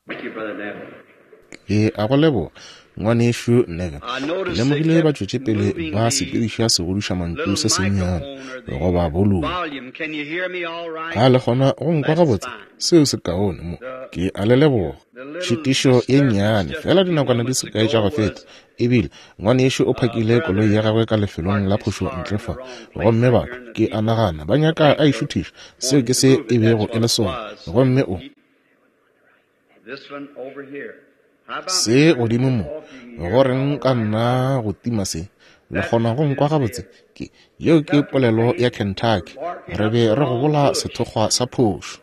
Ke a go leboga, Ngwanešu Neville. Ke lemogile ba tšwetše pele ba sepediša segodišamantšu se sennyane, goba bolumo. A le kgona go nkwa gabotse? Seo se kaone mo. Ke a le leboga. Tšhitišo ye nnyane, feela dinakwana di se kae tša go feta, ebile ngwanešu o phakile koloi ya gagwe ka lefelong la phošo ntle fa. Gomme batho, ke a nagana, ba nyaka a e šuthiša. Seo ke se e bego e le sona. Gomme o. Se godimo mo, go reng ka nna go tima se? Le kgona go nkwa gabotse? Ke, yeo ke polelo ya Kentucky. Re be re gobola sethokgwa sa phošo.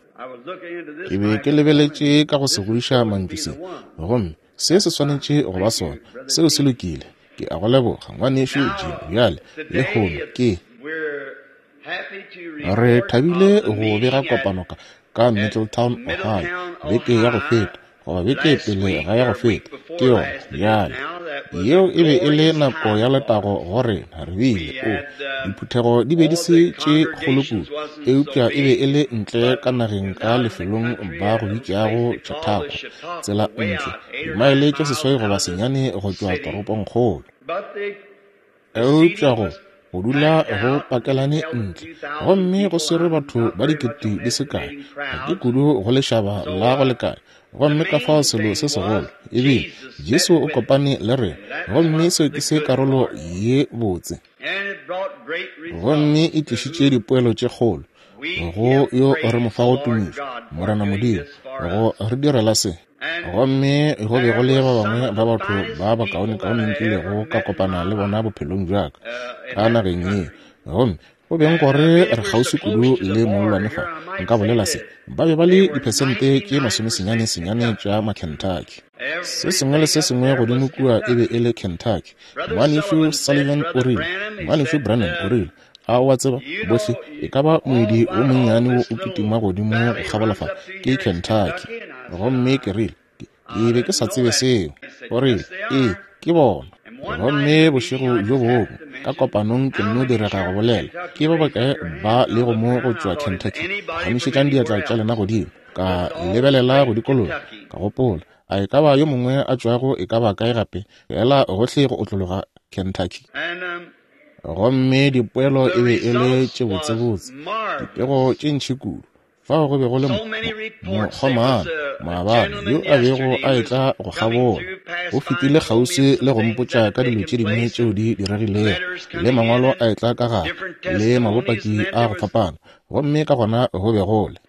Ke be ke lebeletše ka go se godiša mantšu se, gomme se se swanetše go ba sona. Seo se lokile. Ke a go leboga, Ngwanešu Jim. Bjale, lehono ke. Re thabile go bega kopano ka, ka Middletown, Ohio, beke ya go feta, goba beke pele ga ya go feta, ke yona, bjale. Yeo e be e le nako ya letago go rena. Re bile, o, diphuthego di be di se tše kgolo kudu, eupša e be e le ntle ka nageng ka lefelong ba go bitšago Chautauqua, tsela ntle, dimaele tše 8 goba 9 go tšwa toropongkgolo. Eupša go, go dula go pakelane ntle, gomme go swere batho ba dikete di se kae, ga ke kudu go lešaba la go lekana. Gomme ka fao selo se segolo e bile, Jesu o kopane le rena, gomme seo ke se karolo ye botse. Gomme e tlišitše dipoelo tše kgolo go yo re mo fago tumišo, Morena Modimo, go re direla se. Gomme go be go le ba bangwe ba batho ba bakaonekaone nkilego ka kopana le bona bophelong bja ka, ka nageng ye. Gomme go beng gore re kgauswi kudu le mollwane fa, nka bolela se, ba be ba le diphesente tše masomesenyane senyane tša Makentucky. Se sengwe le se sengwe godimo kua e be e le Kentucky. Ngwanešu Sullivan o rile, Ngwanešu Branham o rile, A o a tseba, bohle, e ka ba moedi wo monnyane wo o kitima godimo go kgabola fa, ke Kentucky. Gomme ke rile, Ke, ke be ke sa tsebe seo. O rile, Ee, ke bona. Gomme bošego bjo bongwe, ka kopanong, ke nno direga go bolela, Ke ba bakae ba lego mo go tšwa Kentucky? Phagamišetšang diatla tša lena godimo. Ka lebelela go dikologa, ka gopola, A e ka ba yo mongwe a tšwago e ka ba kae gape, feela gohle go otlologa Kentucky? Gomme dipoelo e be e le tše botsebotse, dipego tše ntši kudu. Fao go be go le mokgomana maabane yo a bego a etla go kgabola. O fetile kgauswi le go mpotša ka dilo tše dingwe tšeo di diregilego, le mangwalo a etla ka gare, le mabopaki a go fapana. Gomme ka gona go be go le.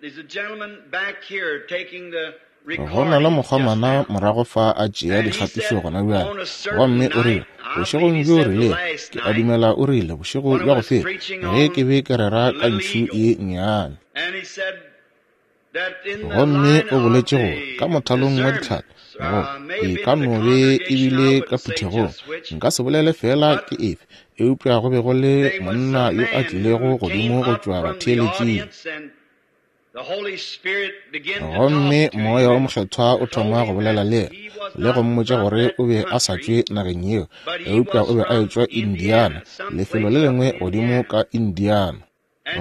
Go na le mokgomana morago fa a tšea dikgatišo gona bjale. Gomme o rile, bošegong bjo rilego, ke a dumela o rile, bošego bja go feta, ge ke be ke rera ka ntšhu ye nnyane. Gomme o boletše gore, ka mothalong wa ditlhaka, go, e ka no be e bile ka phuthegong, nka se bolele feela ke efe, eupša go be go le monna yo a tlilego godimo go tšwa batheeletšing. Gomme Moya wo Mokgethwa o thoma go bolela le yena le go mmotša gore o be a sa tšwe nageng yeo, eupša o be a etšwa Indiana, lefelo le lengwe godimo ka Indiana.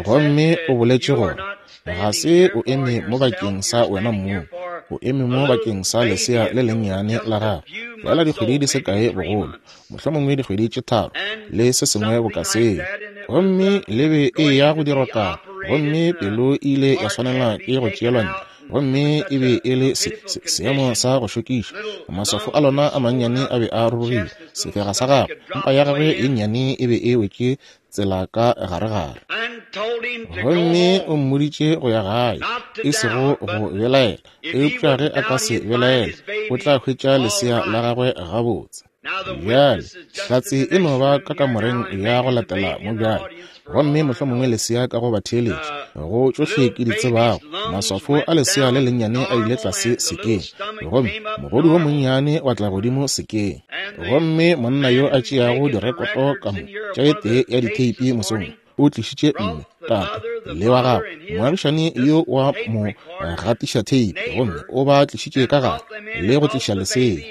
Gomme o boletše gore, Ga se o eme mo bakeng sa wena mong, o eme mo bakeng sa lesea le lennyane la gago, feela dikgwedi di se kae bogolo, mohlomongwe dikgwedi tše tharo le se sengwe boka seo. Gomme le be e ya go dirwa karo, gomme pelo e ile ya swanela ke go tšeelwa ntle, gomme e be e le se, se, seemo sa go šokiša. Maswafo a lona a mannyane a be a rurugile, sefega sa gagwe, mpa ya gagwe ye nnyane e be e wetše tsela ka garegare. Gomme o mmoditše go ya gae, e sego go belaela, eupša ge a ka se belaele, o tla hwetša lesea la gagwe gabotse. Bjale, hlatse e no ba ka kamoreng ya go latela mo bjale, gomme mohlomongwe lesea ka go batheeletša. Go tšohle ke di tsebago, maswafo a lesea le lennyane a ile tlase sekeng, gomme mogodu wo monnyane wa tla godimo sekeng. Gomme monna yo a tšeago direkoto ka mo tša e tee ya ditheipi mosong o tlišitše mme, tate, le wa gagwe moagišani yo wa mo gatiša theipi, gomme o ba tlišitše ka gare le go tliša lesea.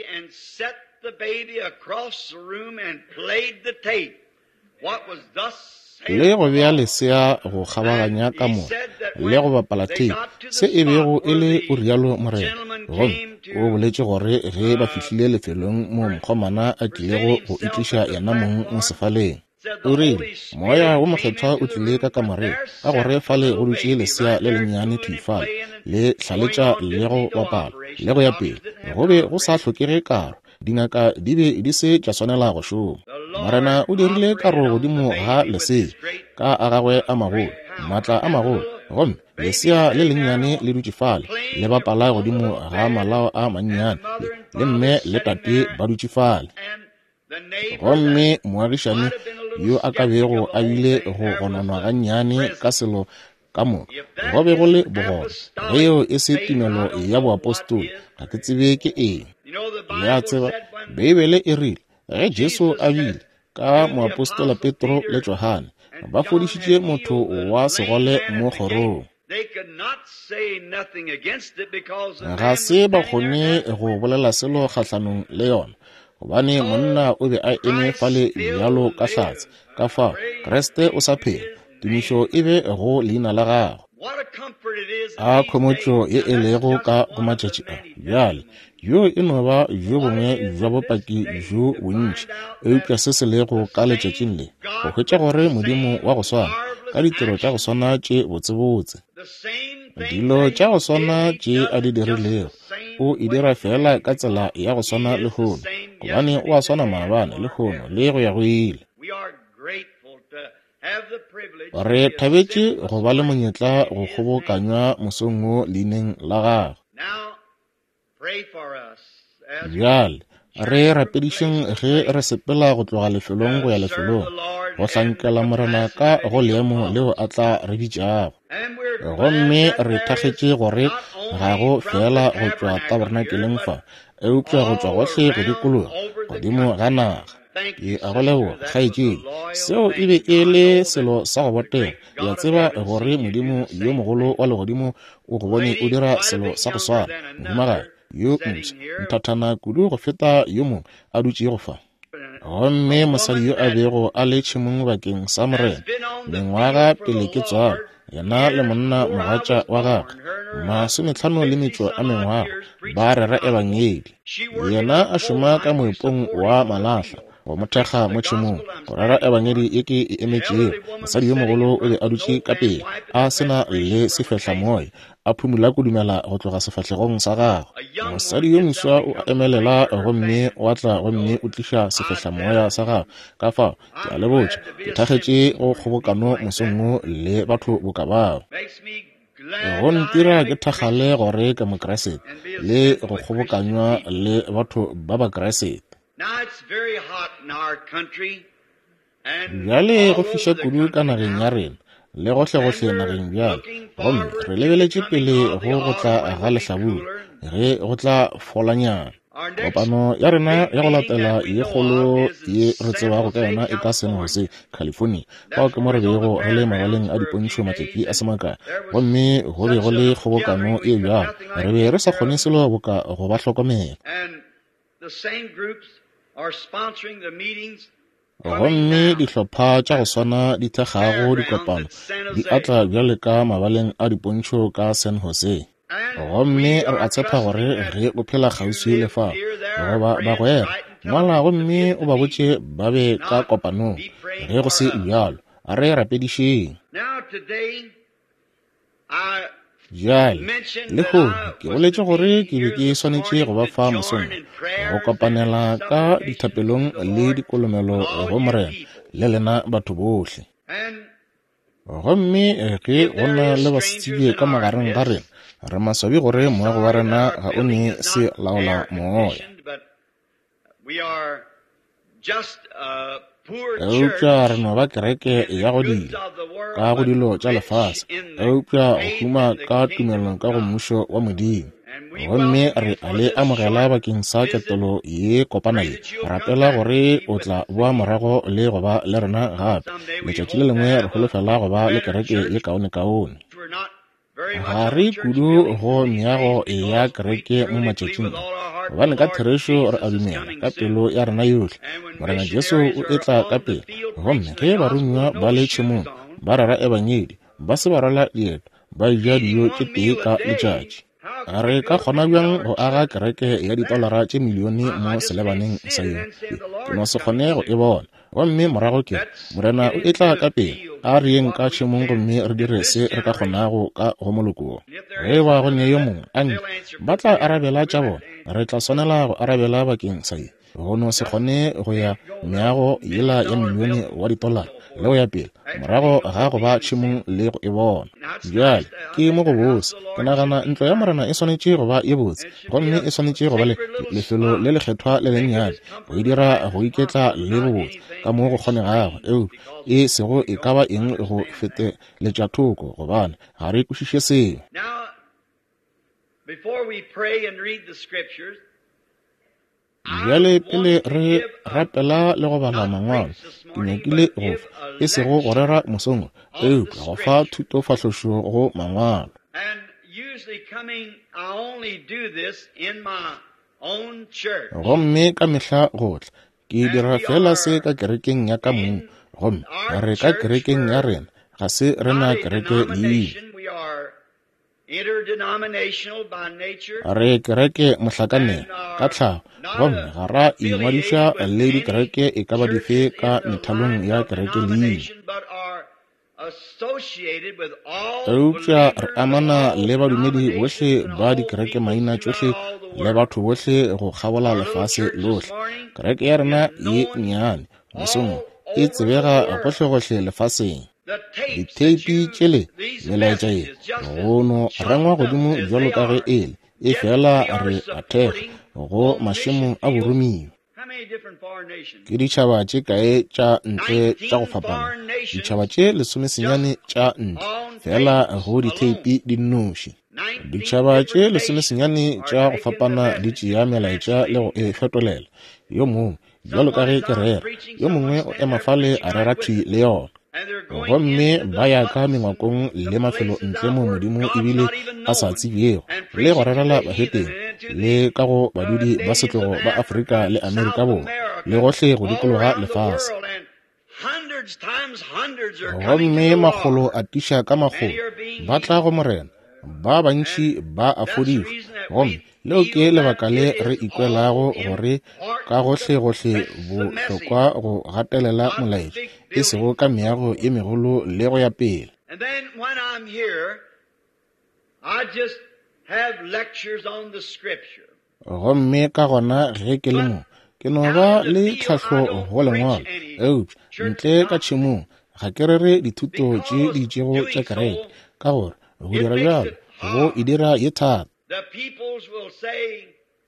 Le go bea lesea go kgabaganya kamora le go bapala theipi, se e bego e le o rialo morena. Gomme o boletše gore ge ba fihlile lefelong moo mokgomana a tlilego go itliša yena mong sefaleng, o rile, Moya wo Mokgethwa o tlile ka kamoreng, ka gore fale go dutše lesea le lennyane thwi fale, le hlaletša le go bapala, le go ya pele. Go be go sa hlokege karo. Dingaka di be di se tša swanela go šoma. Morena o dirile karo godimo ga lesea ka a gagwe a magolo, maatla a magolo, gomme lesea le lennyane le dutše fale le bapala godimo ga malao a mannyane, le mme le tate ba dutše fale. Gomme moagišani yo a ka bego a bile go gononwa gannyane ka selo ka moka, go be go le bogona. Ge yeo e se tumelo ya boapostola, ga ke tsebe ke eng. Le a tseba, Beibele e rile, ge Jesu a bile ka moapostola Petro le Johane, ba fodišitše motho wa segole mo kgorong. Ga se ba kgone go bolela selo kgahlanong le yona, gobane monna o be a eme fale bjalo ka hlatse. Ka fao, Kriste o sa phela, tumišo e be go leina la gagwe. A khomotšo ye e lego ka go matšatši a bjale! Bjo e no ba bjo bongwe bja bopaki bjo bontši, eupša se se lego ka letšatšing le, go hwetša gore Modimo wa go swana, ka ditiro tša go swana tše botsebotse, dilo tša go swana tše a di dirilego, o e dira feela ka tsela ya go swana lehono, gobane o a swana maabane, lehono, le go ya go ile. Re thabetše go ba le monyetla go kgobokanywa mosong wo leineng la gagwe. Bjale re rapedišeng ge re sepela go tloga lefelong go ya lefelong, go hlankela Morena ka go leemo leo a tla re bitšago. Gomme re thakgetše gore ga go feela go tšwa tabernakeleng fa, eupša go tšwa gohle go dikologa godimo ga naga. Ke a go leboga, kgaetšedi. Seo e be e le selo sa go botega. Ke a tseba gore Modimo yo mogolo wa Legodimo o go bone o dira selo sa go swana, mohumagadi yo mpsha, nthathana kudu go feta yo mongwe a dutšego fa. Gomme mosadi yo a bego a le tšhemong bakeng sa Morena, mengwaga pele ke tswalwa, yena le monna mogatša wa gagwe, masometlhano le metšo a mengwaga, ba rera ebangedi. Yena a šoma ka moepong wa malahla, go mo thekga mo tšhemong, go rera ebangedi ye ke e emetšego. Mosadi yo mogolo o be a dutše ka pele, a se na le sefehlamoya, a phumula kudumela go tloga sefahlegong sa gagwe. Mosadi yo moswa o a emelela gomme o a tla gomme o tliša sefehlamoya sa gagwe. Ka fao, ke a le botša, ke thakgetše go kgobokano mosong wo le batho boka bao. Go ntira ke thakgale gore ke Mokriste le go kgobokanywa le batho ba Bakriste. Bjale go fiša kudu ka nageng ya rena le gohlegohle nageng bjale, gomme re lebeletše pele go go tla ga lehlabula ge go tla folanyana. Kopano ya rena ya go latela ye kgolo ye re tsebago ka yona e ka San Jose, California. Fao ke mo re bego re le mabaleng a dipontšho matšatši a se makae, gomme go be go le kgobokano e bjalo, re be re sa kgone selo boka go ba hlokomela. Gomme dihlopha tša go swana di thekgago dikopano di atla bjale ka mabaleng a dipontšho ka San Jose. Gomme re a tshepa gore ge o phela kgauswi le fao, goba bagwera, ngwala gomme o ba botše ba be ka kopanong. Ge go se bjalo, a re rapedišeng. Bjale, lehono, ke boletše gore ke be ke swanetše go ba fa mosong, go kopanela ka dithapelong le dikolomelo go Morena le lena batho bohle. Gomme ge go na le basetsebje ka magareng ga rena, re maswabi gore moago wa rena ga o ne se laola moya. Eupša re no ba kereke ya go dila ka go dilo tša lefase, eupša go huma ka tumelo ka go Mmušo wa Modimo. Gomme re a le amogela bakeng sa ketelo ye kopana ye. Rapela gore o tla boa morago le go ba le rena gape. Letšatši le lengwe re holofela go ba le kereke ye kaonekaone. Ga re kudu go meago ya kereke mo matšatšing a, gobane ka therešo re a dumela ka pelo ya rena yohle Morena Jesu o etla ka pele. Gomme ge baromiwa ba le tšhemong ba rera ebangedi, ba se ba rwala dieta, ba eja dijo tše tee ka letšatši. Re ka kgona bjang go aga kereke ya ditolara tše milione mo selebaneng sa yeo? Ke no se kgone go e bona. Gomme morago ke re, Morena o etla ka pela, a re yeng ka tšhemong gomme re dire se re ka kgonago ka go moloko wo. Ge e ba go ne yo mongwe a nke, ba tla arabela tša bona. Re tla swanela go arabela bakeng sa ye. Go no se kgone go ya meago yela ya milione wa ditolara le go ya pele, morago ga go ba tšhemong le go e bona. Bjale, ke mo go bose. Ke nagana ntlo ya Morena e swanetše go ba ye botse, gomme e swanetše go ba le lefelo le lekgethwa le lennyane, go e dira go iketla le bobotse ka mo go kgonegago, eupša e sego e ka ba eng go feteletša thoko, gobane ga re kwešiše seo. Before we pray and read the scriptures, Bjale pele re rapela le go bala Mangwalo, ke nyakile go fa, e sego go rera mosong wo, eupša go fa thutofahlošo go Mangwalo. Gomme ka mehla go tla, ke dira feela se ka kerekeng ya ka mong, gomme re ka kerekeng ya rena, ga se re na kereke leina. Re kereke mohlakanelwa, ka tlhago, gomme ga ra ingwadiša le dikereke e ka ba dife ka methalong ya kereke leina. Eupša re amana le badumedi bohle ba dikerekemaina tšohle le batho bohle go kgabola lefase lohle. Kereke ya rena ye nnyane, mosong wo, e tsebega gohlegohle lefaseng. Ditheipi tšele, melaetša ye, go no rengwa godimo bjalo ka ge e le, efela re a thekga go mašemo a boromiwa. Ke ditšhaba tše kae tša ntle tša go fapana? Ditšhaba tše lesomesenyane tša ntle, feela go ditheipi di nnoši. Ditšhaba tše lesomesenyane tša go fapana di tšea melaetša le go e fetolela. Yo mongwe, bjalo ka ge ke rera, yo mongwe o ema fale a rera thwi le yona. Gomme ba ya ka mengwakong le mafelo ntle mo Modimo ebile a sa tsebjego, le go rerela bahetene, le ka go badudi ba setlogo ba Afrika le Amerika Borwa, le gohle go dikologa lefase. Gomme makgolo a tiša ka makgolo ba tla go Morena, ba bantši ba a fodišwa. Gomme leo ke lebaka le re ikwelago gore ka gohlegohle bohlokwa go gatelela molaetša, e sego ka meago ye megolo le go ya pele. Gomme ka gona ge ke le mo, ke no ba le tlhahlo go Lengwalo, eupša ntle ka tšhemong ga ke rere dithuto tše di itšego tša kereke, ka gore go dira bjalo go e dira ye thata.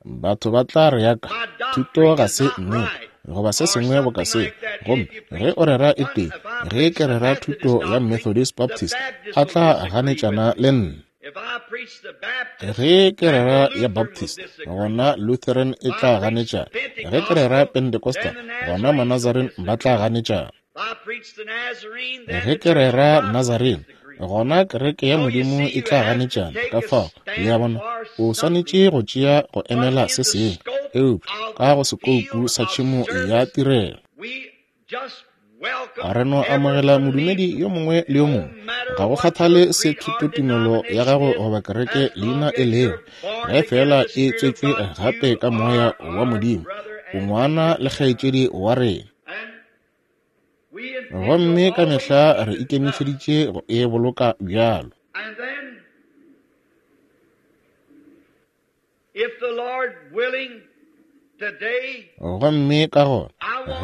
Batho ba tla re ya ka thuto ga se nnete goba se sengwe boka seo. Gomme ge o rera e tee, ge ke rera thuto ya Methodist Baptist, a tla ganetšana le nna. Ge ke rera ya Baptist, gona Lutheran e tla ganetšana. Ge ke rera Pentecostal, gona Manazarene ba tla ganetšana. Ge ke rera Nazarene, gona kereke ya Modimo e tla ganetšana. Ka fao, le a bona, o swanetše go tšea go emela se sengwe, eupša ka go sekoupu sa tšhemo ya tirelo. Re no amogela modumedi yo mongwe le yo mongwe, ga go kgathale se thutotumelo ya gago goba kereke leina e lego, ge feela e tswetšwe gape ka Moya wa Modimo, o ngwana le kgaetšedi wa rena. Gomme ka mehla re ikemišeditše go e boloka bjalo. Gomme ka gona,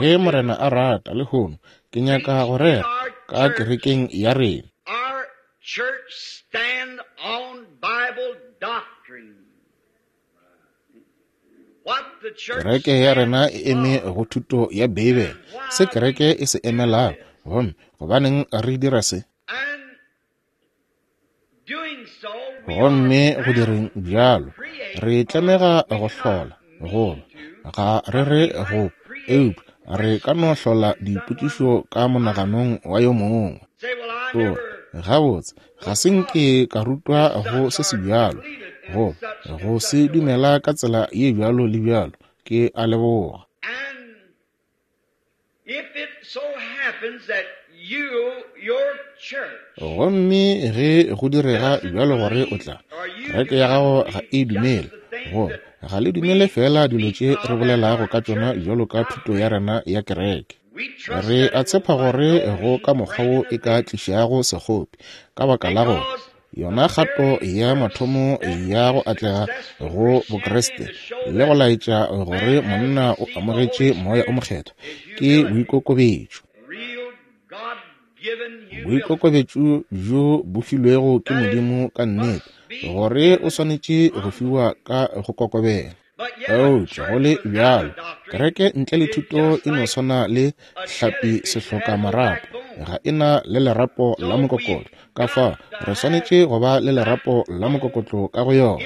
ge Morena a rata, lehono, ke nyaka go rera ka kerekeng ya rena. Kereke ya rena e eme go thuto ya Beibele, se kereke e se emelago, gomme gobaneng re dira se. Gomme go direng bjalo, re tlamega go hlola, goba ga re re go, eupša re ka no hlola dipotšišo ka monaganong wa yo mongwe. O re, Gabotse, ga se nke ka rutwa go se se bjalo, go, go se dumela ka tsela ye bjalo le bjalo. Ke a leboga. Gomme ge go direga bjalo gore o tla, kereke ya gago ga e dumele, goba ga le dumele feela dilo tše re bolelago ka tšona bjalo ka thuto ya rena ya kereke. Re a tshepa gore go ka mokgwa wo e ka tlišago sekgopi, ka baka la gore yona kgato ya mathomo ya go atlega go Bokriste le go laetša gore monna o amogetše Moya o Mokgethwa ke boikokobetšo. Boikokobetšo bjo bo filwego ke Modimo ka nnete, gore o swanetše go fiwa ka go kokobela. Eupša go le bjalo, kereke ntle le thuto e no swana le hlapi sehloka marapo, ga e na le lerapo la mokokotlo. Ka fao re swanetše go ba le lerapo la mokokotlo ka go yona.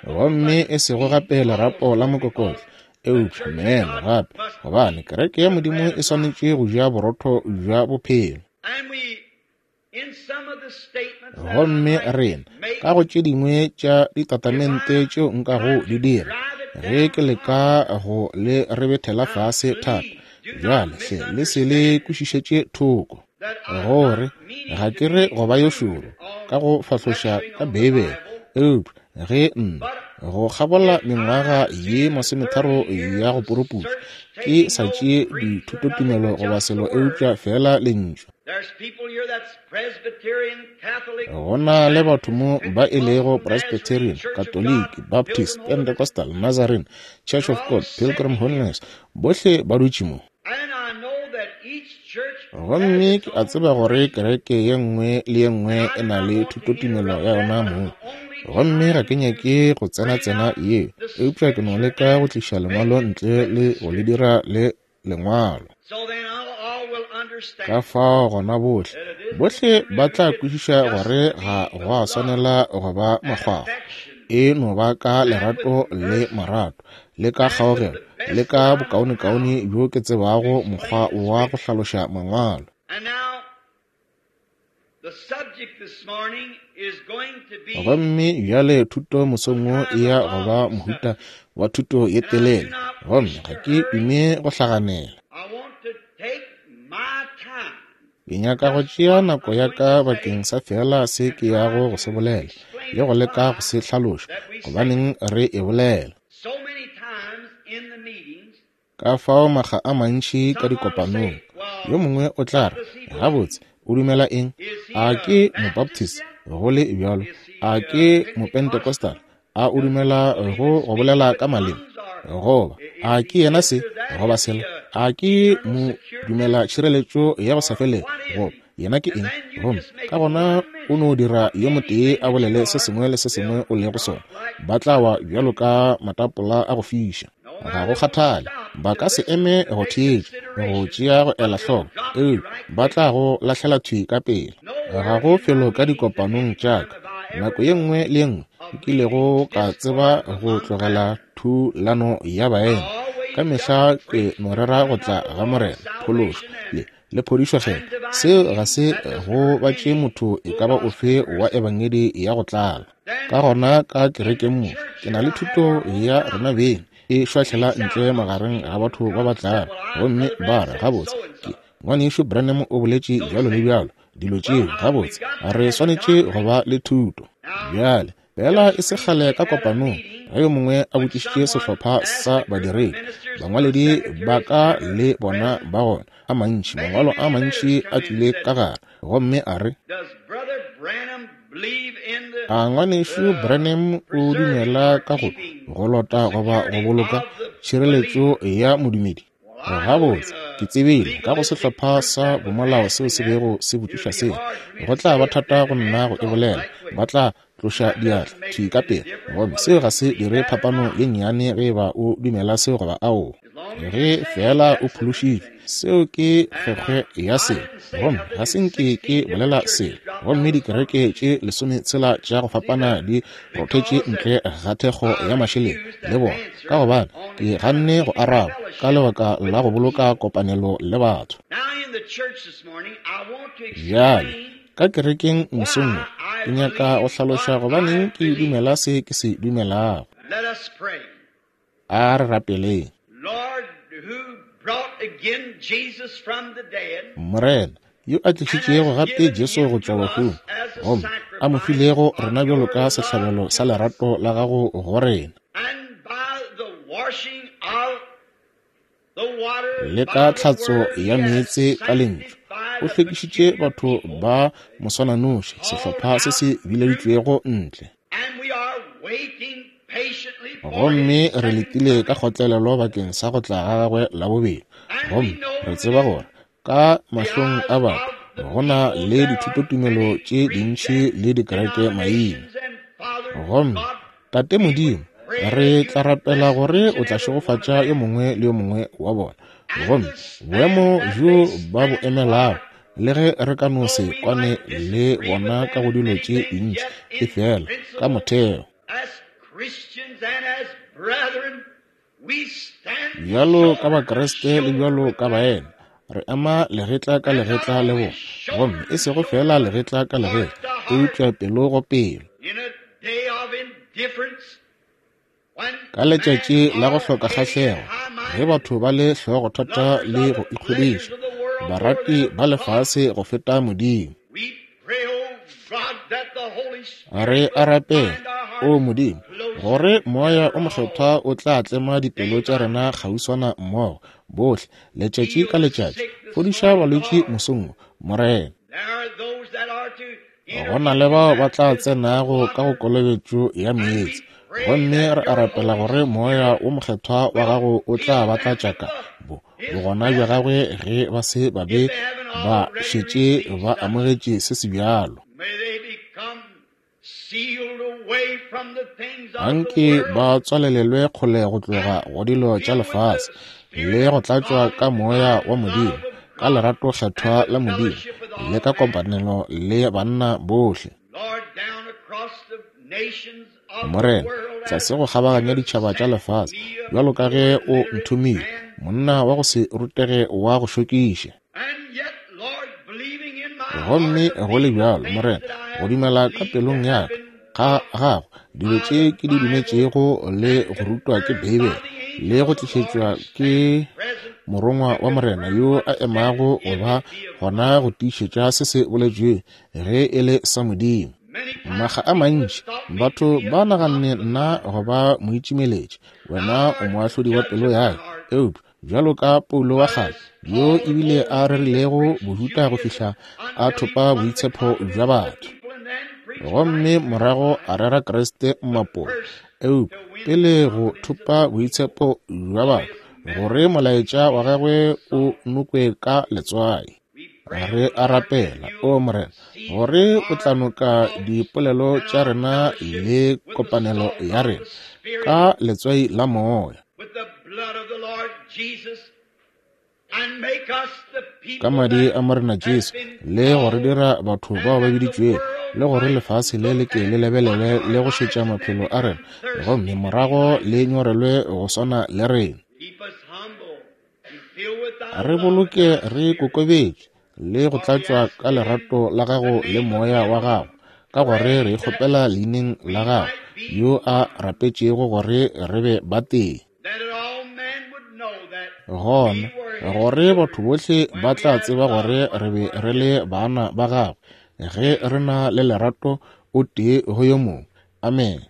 Gomme e sego gape lerapo la mokokotlo, eupša meno gape, gobane kereke ya Modimo e swanetše go ja borotho bja bophelo. Gomme rena, ka go tše dingwe tša ditatamente tšeo nkago di dira, ge ke leka go le rebethela fase thata, bjale hle le se le kwešišetše thoko, gore ga ke re go ba yo šoro ka go fahloša ka Beibele, eupša ge nna, go kgabola mengwaga ye masometharo ya go puruputša, ke sa tšee dithutotumelo goba selo eupša feela Lentšu. Go na le batho mo ba e lego Presbyterian, Katoliki, Baptist, Pentecostal, Nazarene, Church of God, Pilgrim Holiness, bohle ba dutše mo. Gomme ke a tseba gore kereke ye nngwe le ye nngwe e na le thutotumelo ya yona mong. Gomme ga ke nyake go tsena-tsena yeo, eupša ke no leka go tliša Lengwalo ntle le go le dira le Lengwalo. Ka fao gona bohle, bohle ba tla kwešiša gore ga gwa swanela go ba makgwakgwa. E no ba ka lerato le marato, le ka kgaogelo, le ka bokaonekaone bjo ke tsebago mokgwa wa go hlaloša Mangwalo. Gomme bjale thuto mosong wo e ya go ba mohuta wa thuto ye telele, gomme ga ke dume go hlaganela. Ke nyaka go tšea nako ya ka bakeng sa feela se ke yago go se bolela, le go leka go se hlaloša, gobaneng re e bolela. Ka fao makga a mantši ka dikopanong, yo mongwe o tla re, Gabotse, o dumela eng? A ke Mobaptist, go le bjalo? A ke Mopentecostal? A o dumela go go bolela ka maleme? Goba, a ke yena se, goba sela? A ke mo dumela tšhireletšo ya go sa felego? Goba, yena ke eng? Gomme ka gona o no dira yo motee a bolele se sengwe le se sengwe o lego sona, ba tla wa bjalo ka matapola a go fiša. Ga go kgathale, ba ka se eme go theetša, go tšea go ela hloko, eupša ba tla go lahlela thwi ka pela. Ga go felo ka dikopanong tša ka, nako ye nngwe le ye nngwe nkilego ka tseba go tlogela thulano ya baena, ka mehla ke no rera go tla ga Morena, phološo, le, le phodišo Kgethwa. Seo ga se go batše motho e ka ba ofe wa ebangedi ya go tlala. Ka gona ka kerekeng mo, ke na le thuto ya rena beng e šwahlela ntle magareng ga batho ba ba tlago, gomme ba re, Gabotse, ke, Ngwanešu Branham o boletše bjalo le bjalo, dilo tšeo. Gabotse, re swanetše go ba le thuto. Bjale, Fela e se kgale ka kopanong, ge yo mongwe a botšišitše sehlopha sa badiredi, bangwaledi ba ka le bona ba gona, a mantši, mangwalo a mantši a tlile ka gare, gomme a re, A Ngwanešu Branham o dumela ka go go lota goba go boloka tšhireletšo ya modumedi? Gabotse, ke tsebile ka go sehlopha sa bomolao seo se bego se botšiša seo, go tla ba thata go nna go e bolela, ba tla tloša diatla thwi ka pela. Gomme seo ga se dire phapano ye nnyane ge eba o dumela seo goba aowa. Ge feela o phološitšwe, seo ke kgwekgwe ya selo. Gomme ga se nke ke bolela selo. Gomme dikereke tše lesometshela tša go fapana di rothetše ntle ga thekgo ya mašeleng le bona, ka gobane ke ganne go araba ka lebaka la go boloka kopanelo le batho. Bjale, ka kerekeng mosong wo, ke nyaka go hlaloša gobaneng ke dumela se ke se dumelago. A re rapeleng. Morena, yo a tlišitšego gape Jesu go tšwa bahung, gomme a mo filego rena bjalo ka sehlabelo sa lerato la gago go rena. Le ka tlhatso ya meetse ka lentšu, o hlwekišitše batho ba moswananoši, sehlopha se se bileditšwego ntle. Gomme re letile ka kgotlelelo bakeng sa go tla ga gagwe la bobedi. Gomme re tseba gore ka mahlong a batho go na le dithutotumelo tše dintši le dikereke maina. Gomme Tate Modimo, re tla rapela gore o tla šegofatša yo mongwe le yo mongwe wa bona. Gomme boemo bjo ba bo emelago, le ge re ka no se kwane le bona ka go dilo tše dintši, efela ka motheo, bjalo ka Bakriste le bjalo ka baena, re ema legetla ka legetla le bona, gomme e sego feela legetla ka legetla, eupša pelo go pelo. Ka letšatši la go hloka kgahlego, ge batho ba le hlogothata le go ikgodiša, barati ba lefase go feta Modimo, re a rapela, O Modimo, gore Moya o Mokgethwa o tla tlema dipelo tša rena kgauswana mmogo, bohle, letšatši ka letšatši. Fodiša balwetši mosong wo, Morena. Go na le bao ba tla tsenago ka go kolobetšo ya meetse, gomme re a rapela gore Moya wo Mokgethwa wa Gago o tla ba tlatša ka bo bogona bja Gagwe ge ba se ba be ba šetše ba amogetše se se bjalo. Anke ba tswalelelwe kgole go tloga go dilo tša lefase le go tlatšwa ka Moya wa Modimo, ka lerato kgethwa la Modimo, le ka kopanelo le banna bohle. Morena, tlase go kgabaganya ditšhaba tša lefase, bjalo ka ge o nthomile, monna wa go se rutege wa go šokiša. Gomme go le bjalo, Morena, go dumela ka pelong ya ka ga gago dilo tše ke di dumetšego le go rutwa ke Beibele le go tlišetšwa ke morongwa wa Morena yo a emago go ba gona go tiišetša se se boletšwego ge e le sa Modimo. Makga a mantši batho ba naganne nna go ba moitšimeletši, wena o moahlodi wa pelo ya ka, eupša bjalo ka Paulo wa kgale, yo ebile a rerilego Bojuda go fihla a thopa boitshepho bja batho, gomme morago a rera Kriste mmapong, eupša pele go thopa boitshepho bja batho, gore molaetša wa gagwe o nokwe ka letswai. Re a rapela, O Morena, gore o tla noka dipolelo tša rena le kopanelo ya rena ka letswai la Moya, ka madi a Morena Jesu, le go re dira batho bao ba biditšwego, le gore lefase le le ke le lebelele le go šetša maphelo a rena, gomme morago le nyorelwe go swana le rena. Re boloke re kokobetše le go tlatšwa ka lerato la gago le moya wa gago, ka gore re kgopela leineng la gago yo a rapetšego gore re be batee. Gona gore batho bohle ba tla tseba gore re be re le bana ba gagwe ge re na le lerato o tee go yo mongwe. Amene.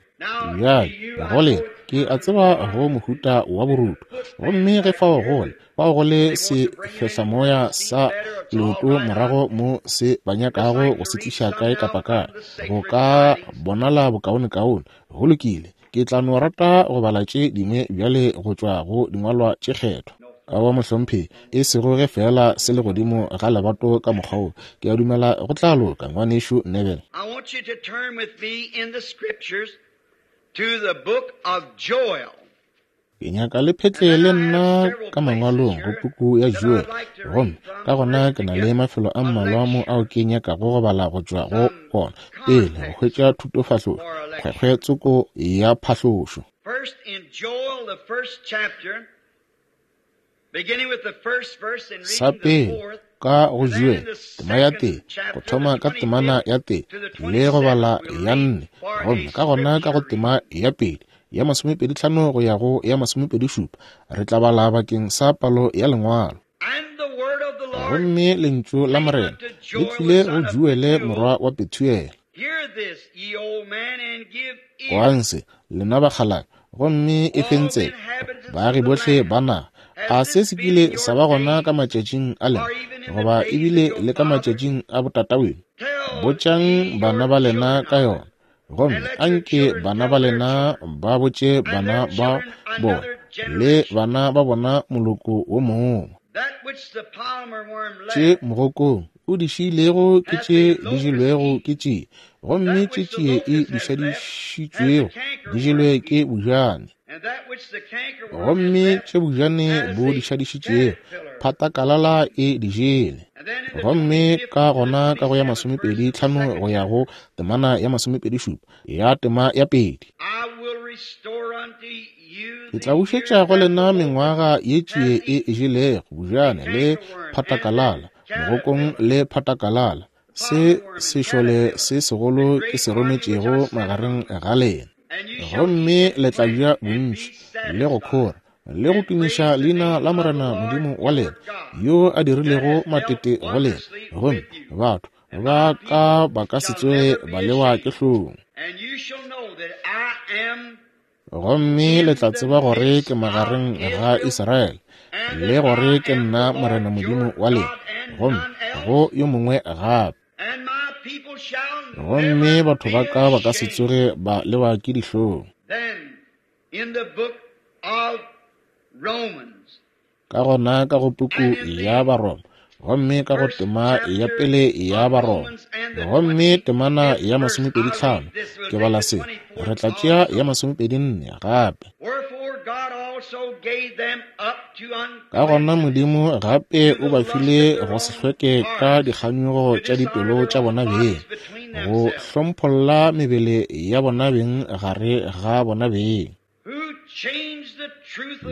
Bjale, go le, ke a tseba go mohuta wa boruto. Gomme ge fao go le, fao go le sefehlamoya sa leoto morago mo se ba nyakago go se tliša kae kapa kae, go ka bonala bokaonekaone. Go lokile, ke tla no rata go bala tše dingwe bjale go tšwa go dingwalwa tše kgethwa. Aowa, mohlomphegi, e sego ge feela se le godimo ga lebato ka mokgwa wo. Ke a dumela go tla loka, Ngwanešu Neville. I want you to turn with me in the scriptures to the book of Joel. Ke nyaka le phetle le nna ka mangwalong go puku ya Joel, gomme ka gona ke na le mafelo a mmalwa mo ao ke nyakago go bala go tšwa go ona pele go hwetša thutofahlošo, kgwekgwe tsoko ya phahlošo. First in Joel, the first chapter, Sa pele, ka go Joel, tema ya tee, go thoma ka temana ya tee le go bala ya nne, gomme ka gona ka go tema ya pedi, ya masomepeditlhano go ya go ya masomepedishupa, re tla bala bakeng sa palo ya Lengwalo. Gomme lentšu la Morena le tlile go Joele morwa wa Pethuele. Kwang se, lena bakgalabje, gomme e feng tsebe, baagi bohle ba naga. A se se kile sa ba gona ka matšatšing a lena, goba ebile le ka matšatšing a botataweno? Botšang bana ba lena ka yona, gomme anke bana ba lena ba botše bana ba bona le bana ba bona moloko wo mongwe. Tše mogokong o di šiilego ke tše di jelwego ke tšie, gomme tše tšie e di šadišitšwego di jelwe ke bojane, gomme tše bojane bo di šadišitšego phatakalala e di jele. Gomme ka gona ka go ya 25 go ya go temana ya 27 ya tema ya 2, ke tla bušetša go lena mengwaga ye tšie e e jelego bojane le phatakalala, mogokong le phatakalala, se sešole se segolo ke se rometšego magareng ga lena. Gomme le tla ja bontši le go khora le go tumiša leina la Morena Modimo wa lena, yo a dirilego matete go lena, gomme batho ba ka ba ka se tsoge ba lewa ke hlong. Gomme le tla tseba gore ke magareng ga Israele, le gore ke nna Morena Modimo wa lena, gomme go yo mongwe gape. Gomme batho ba ka ba ka se tsoge ba lewa ke dihlong. Ka gona ka go puku ya Baroma, gomme ka go tema ya pele ya Baroma, gomme temana ya 25, ke bala se, re tla tšea ya 24 gape. Ka gona Modimo gape o ba file go se hlweke ka dikganyogo tša dipelo tša bona beng, go hlompholla mebele ya bona beng gare ga bona beng,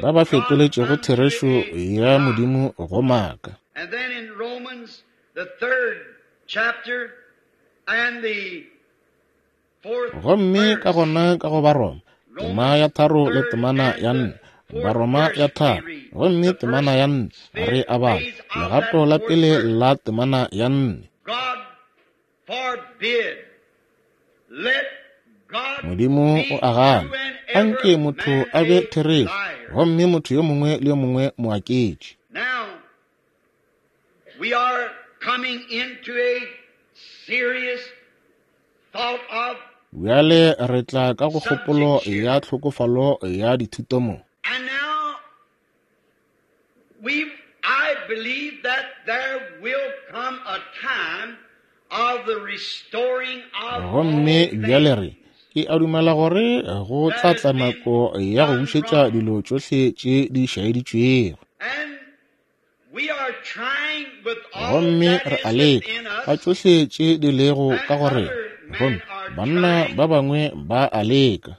ba ba fetoletšego therešo ya Modimo go maaka. Gomme ka gona ka go Baroma, tema ya 3 le temana ya 4, Baroma ya 3 gomme temana ya 4, re a bala legato la pele la temana ya 4. Modimo o a gana, anke motho a be therešo, gomme motho yo mongwe le yo mongwe moaketši. Bjale re tla ka go kgopolo ya tlhokofalo ya dithuto mo. Gomme bjale re, ke a dumela gore go tla tla nako ya go bušetša dilo tšohle tše di šaeditšwego. Gomme re a leka ka tšohle tše di lego ka go rena, gomme banna ba bangwe ba a leka.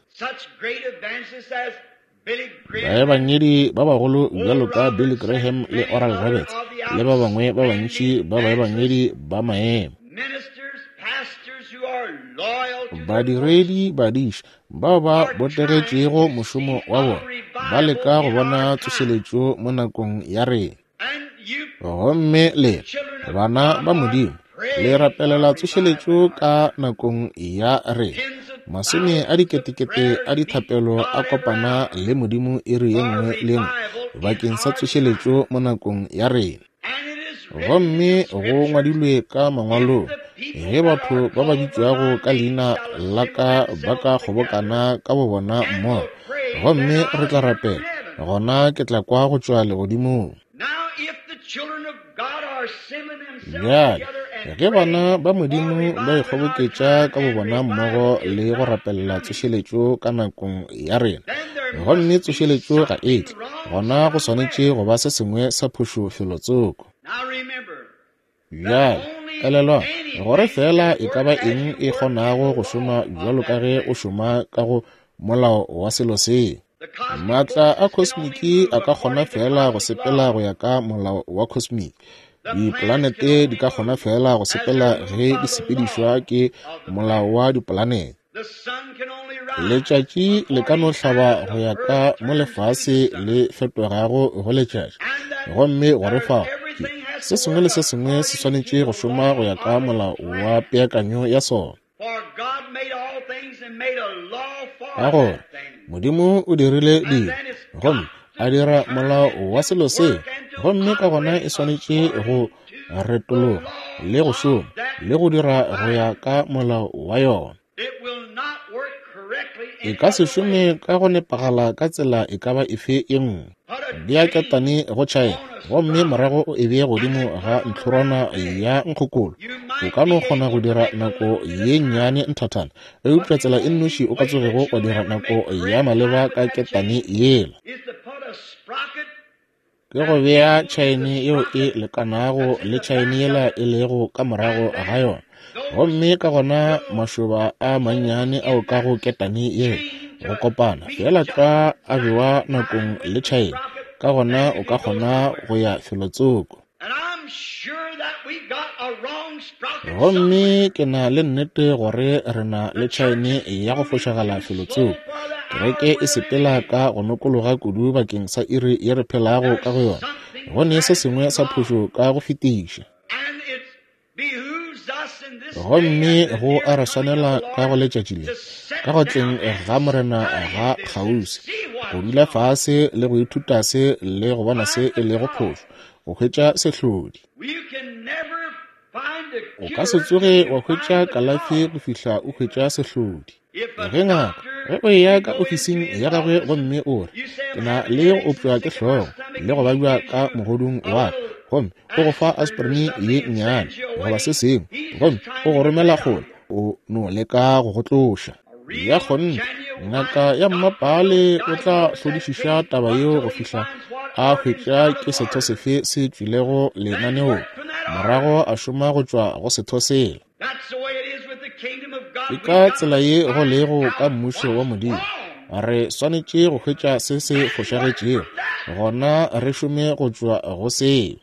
Baebangedi ba bagolo bjalo ka Billy Graham le Oral Roberts le ba bangwe ba bantši ba baebangedi ba maemo, badiredi, badiši bao ba botegetšego mošomo wa bona, ba leka go bona tsošeletšo mo nakong ya rena. Gomme le bana ba Modimo, le rapelela tsošeletšo ka nakong ya rena. Masome a diketekete a dithapelo a kopana le Modimo iri ye nngwe le nngwe bakeng sa tsošeletšo mo nakong ya rena. Gomme go ngwadilwe ka mangwalong, ge batho ba ba bitšwago ka leina la ka ba ka kgobokana ka bobona mmogo, gomme re tla rapela, gona ke tla kwa go tšwa legodimong. Bjale, ge bana ba Modimo ba ikgoboketša ka bobona mmogo le go rapelela tsošeletšo ka nakong ya rena, gomme tsošeletšo ga e tle, gona go swanetše go ba se sengwe sa phošo felotsoko. Bjale, elelwa gore fela e ka ba eng e kgonago go šoma bjalo ka ge o šoma ka go molao wa selo se. Maatla a kosmiki a ka kgona fela go sepela go ya ka molao wa kosmiki. Dipolanete di ka kgona fela go sepela ge di sepedišwa ke molao wa dipolanete. Letšatši le ka no hlaba go ya ka mo lefase le fetogago go letšatši, gomme gore fao ke se sengwe le se sengwe se swanetše go šoma go ya ka molao wa peakanyo ya sona. Ka gore Modimo o dirile dilo gomme a dira molao wa selo seo, gomme ka gona e swanetše go retologa le go šoma le go dira go ya ka molao wa yona. E ka se šome ka go nepagala ka tsela e ka ba efe e nngwe. Bea ketane go tšhaena gomme morago o e bee godimo ga ntlhorwana ya nkgokolo. O ka no kgona go dira nako ye nnyane nthathana, eupša tsela e nnoši o ka tsogego wa dira nako ya maleba ka ketane yela ke go bea tšhaene yeo e lekanago le tšhaene yela e lego ka morago ga yona, gomme ka gona mašoba a mannyane ao ka go ketane yela go kopana feela tlwa a bewa nakong le tšhaene, ka gona o ka kgona go ya felotsoko. Gomme ke na le nnete gore re na le tšhaene ya go fošagala felotsoko. Kereke e sepela ka go nokologa kudu bakeng sa iri ye re phelago ka go yona. Go ne se sengwe sa phošo ka go fetiša. Gomme go a re swanela ka go letšatši le, ka go tleng ga Morena ga kgauswi, go dula fase le go ithuta se le go bona se e lego phošo, go hwetša sehlodi. O ka se tsoge wa hwetša kalafi go fihla o hwetša sehlodi. Ge ngaka, ge o eya ka ofising ya gagwe gomme o re, Ke na le go opšwa ke hlogo le go babja ka mogodung wa ka, gomme o go fa aspirin ye nnyane goba se sengwe, gomme o go romela kgole, o no leka go go tloša. Ya kgonthe, ngaka ya mmapaale o tla hlodišiša taba yeo go fihla a hwetša ke setho sefe se tšwilego lenaneong, morago a šoma go tšwa go setho sela. Ke ka tsela ye go lego ka Mmušo wa Modimo. Re swanetše go hwetša se se fošagetšego, gona re šome go tšwa go seo.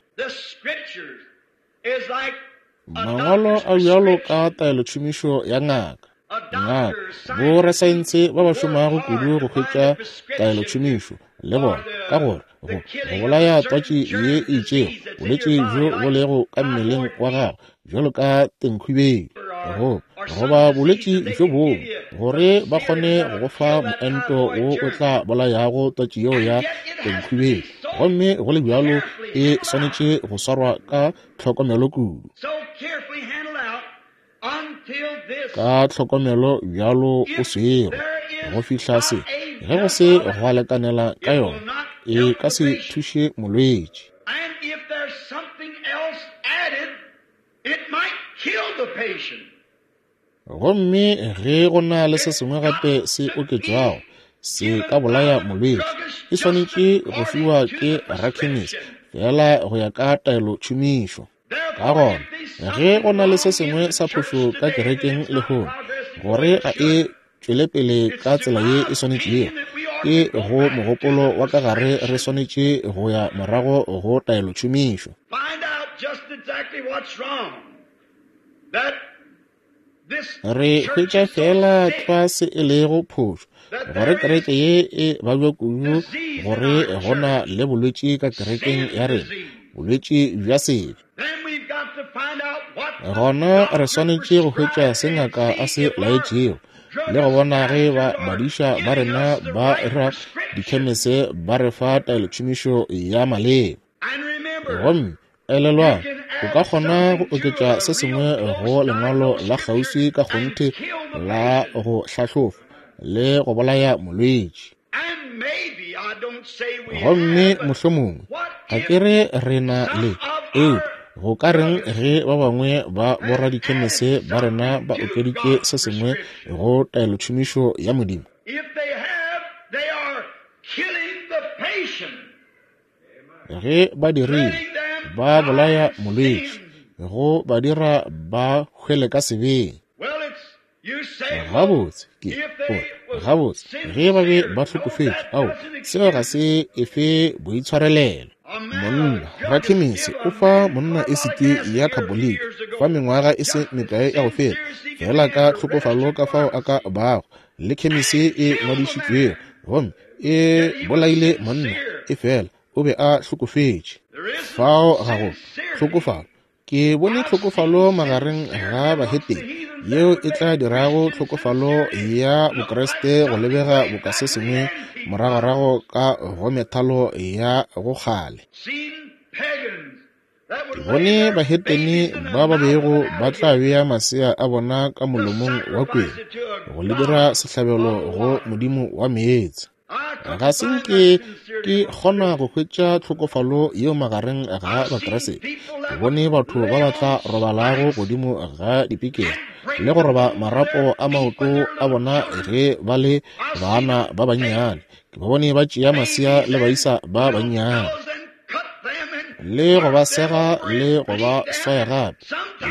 Mangwalo a bjalo ka taelotšhomišo ya ngaka. Ngaka, borasaense ba ba šomago kudu go hwetša taelotšhomišo le bona, ka gore go go bolaya twatši ye e itšego, bolwetši bjo bo lego ka mmeleng wa gago bjalo ka tenkhwibeng go goba bolwetši bjo bongwe, gore ba kgone go go fa moento wo o tla bolayago twatši yeo ya tenkhwibeng, gomme go le bjalo e swanetše go swarwa ka tlhokomelo kudu. Ka tlhokomelo bjalo o swerwe go fihla se, ge go se gwa lekanela ka yona, e ka se thuše molwetši. Gomme ge go na le se sengwe gape se oketšwago, se ka bolaya molwetši. E swanetše go fiwa ke rakhemisi feela go ya ka taelotšhomišo. Ka gona, ge go na le se sengwe sa phošo ka kerekeng lehono, gore ga e tšwele pele ka tsela ye e swanetšego, ke go mogopolo wa ka gare re swanetše go ya morago go taelotšhomišo. Re hwetša feela tlwa se e lego phošo, gore kereke ye e babja kudu, gore go na le bolwetši ka kerekeng ya rena, bolwetši bja sebe. Gona re swanetše go hwetša se ngaka a se laetšego, le go bona ge ba badiša ba rena ba ra dikhemese ba re fa taelotšhomišo ya maleba. Gomme elelwang, o ka kgona go oketša se sengwe go lengwalo la kgauswi ka kgonthe la go hlahlofa le go bolaya molwetši. Gomme mohlomongwe ga ke re re na le, eupša go ka reng ge ba bangwe ba boradikhemese ba rena ba okeditše se sengwe go taelotšhomišo ya Modimo? Ge ba dirile, ba bolaya molwetši, go ba dira ba hwele ka sebeng. Gabotse, ke gore, gabotse, ge ba be ba hlokofetše, ao, seo ga se efe boitshwarelelo. Monna, rakhemisi, o fa monna esiti ya khaboliki fa mengwaga e se mekae ya go feta, feela ka tlhokofalo ka fao a ka bago. le khemisi e ngwadišitšwego, gomme e bolaile monna, efela o be a hlokofetše. Fao ga go hlokofalo. Ke bone hlokofalo magareng ga bahetene yeo e tla dirago hlokofalo ya Bokriste go lebega boka se sengwe moragorago ka go methalo ya go kgale. Ke bone bahetene ba ba bego ba tla bea masea a bona ka molomong wa kwena go le dira sehlabelo go modimo wa meetse. Ga se nke ke kgona go hwetša tlhokofalo yeo magareng ga Bakriste. Ke bone batho ba ba tla robalago godimo ga dipikere le go roba marapo a maoto a bona ge ba le bana ba bannyane. Ke ba bone ba tšea masea le baisa ba bannyane le go ba sega le go ba swaya gape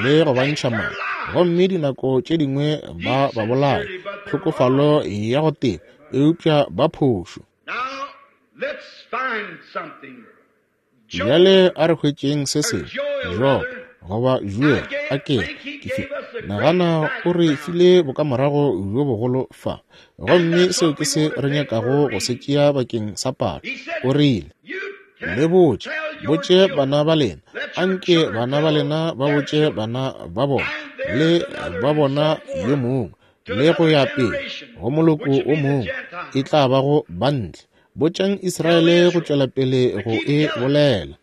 le go ba ntšha madi, gomme dinako tše dingwe ba ba bolaya. Tlhokofalo ya go teba, eupša ba phošo. Bjale a re hwetšeng se sengwe. Job, goba Joel, a ke ke nagana o re file bokamorago bjo bogolo fa, gomme seo ke se re nyakago go se tšea bakeng sa palo. O rile, Le botše, botše bana ba lena, anke bana ba lena ba botše bana ba bona, le ba bona yo mongwe, le go ya pele go moloko o mongwe, e tla ba go bantle. Botšang Israele go tšwela pele go e bolela.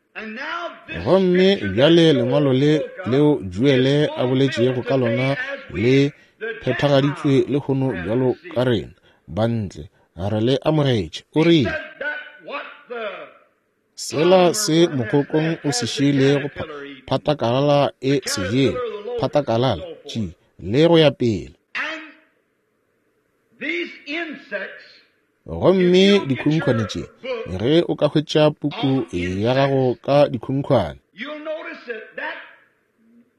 Gomme bjale lengwalo le leo Joele a boletšego ka lona le phethagaditšwe lehono bjalo ka rena bantle re le amogetše. O rile, sela se mokokong o se šiilego phatakalala e se jele, phatakalala tši, le go ya pele. Gomme dikhunkhwane tše, ge o ka hwetša puku ya gago ka dikhunkhwane,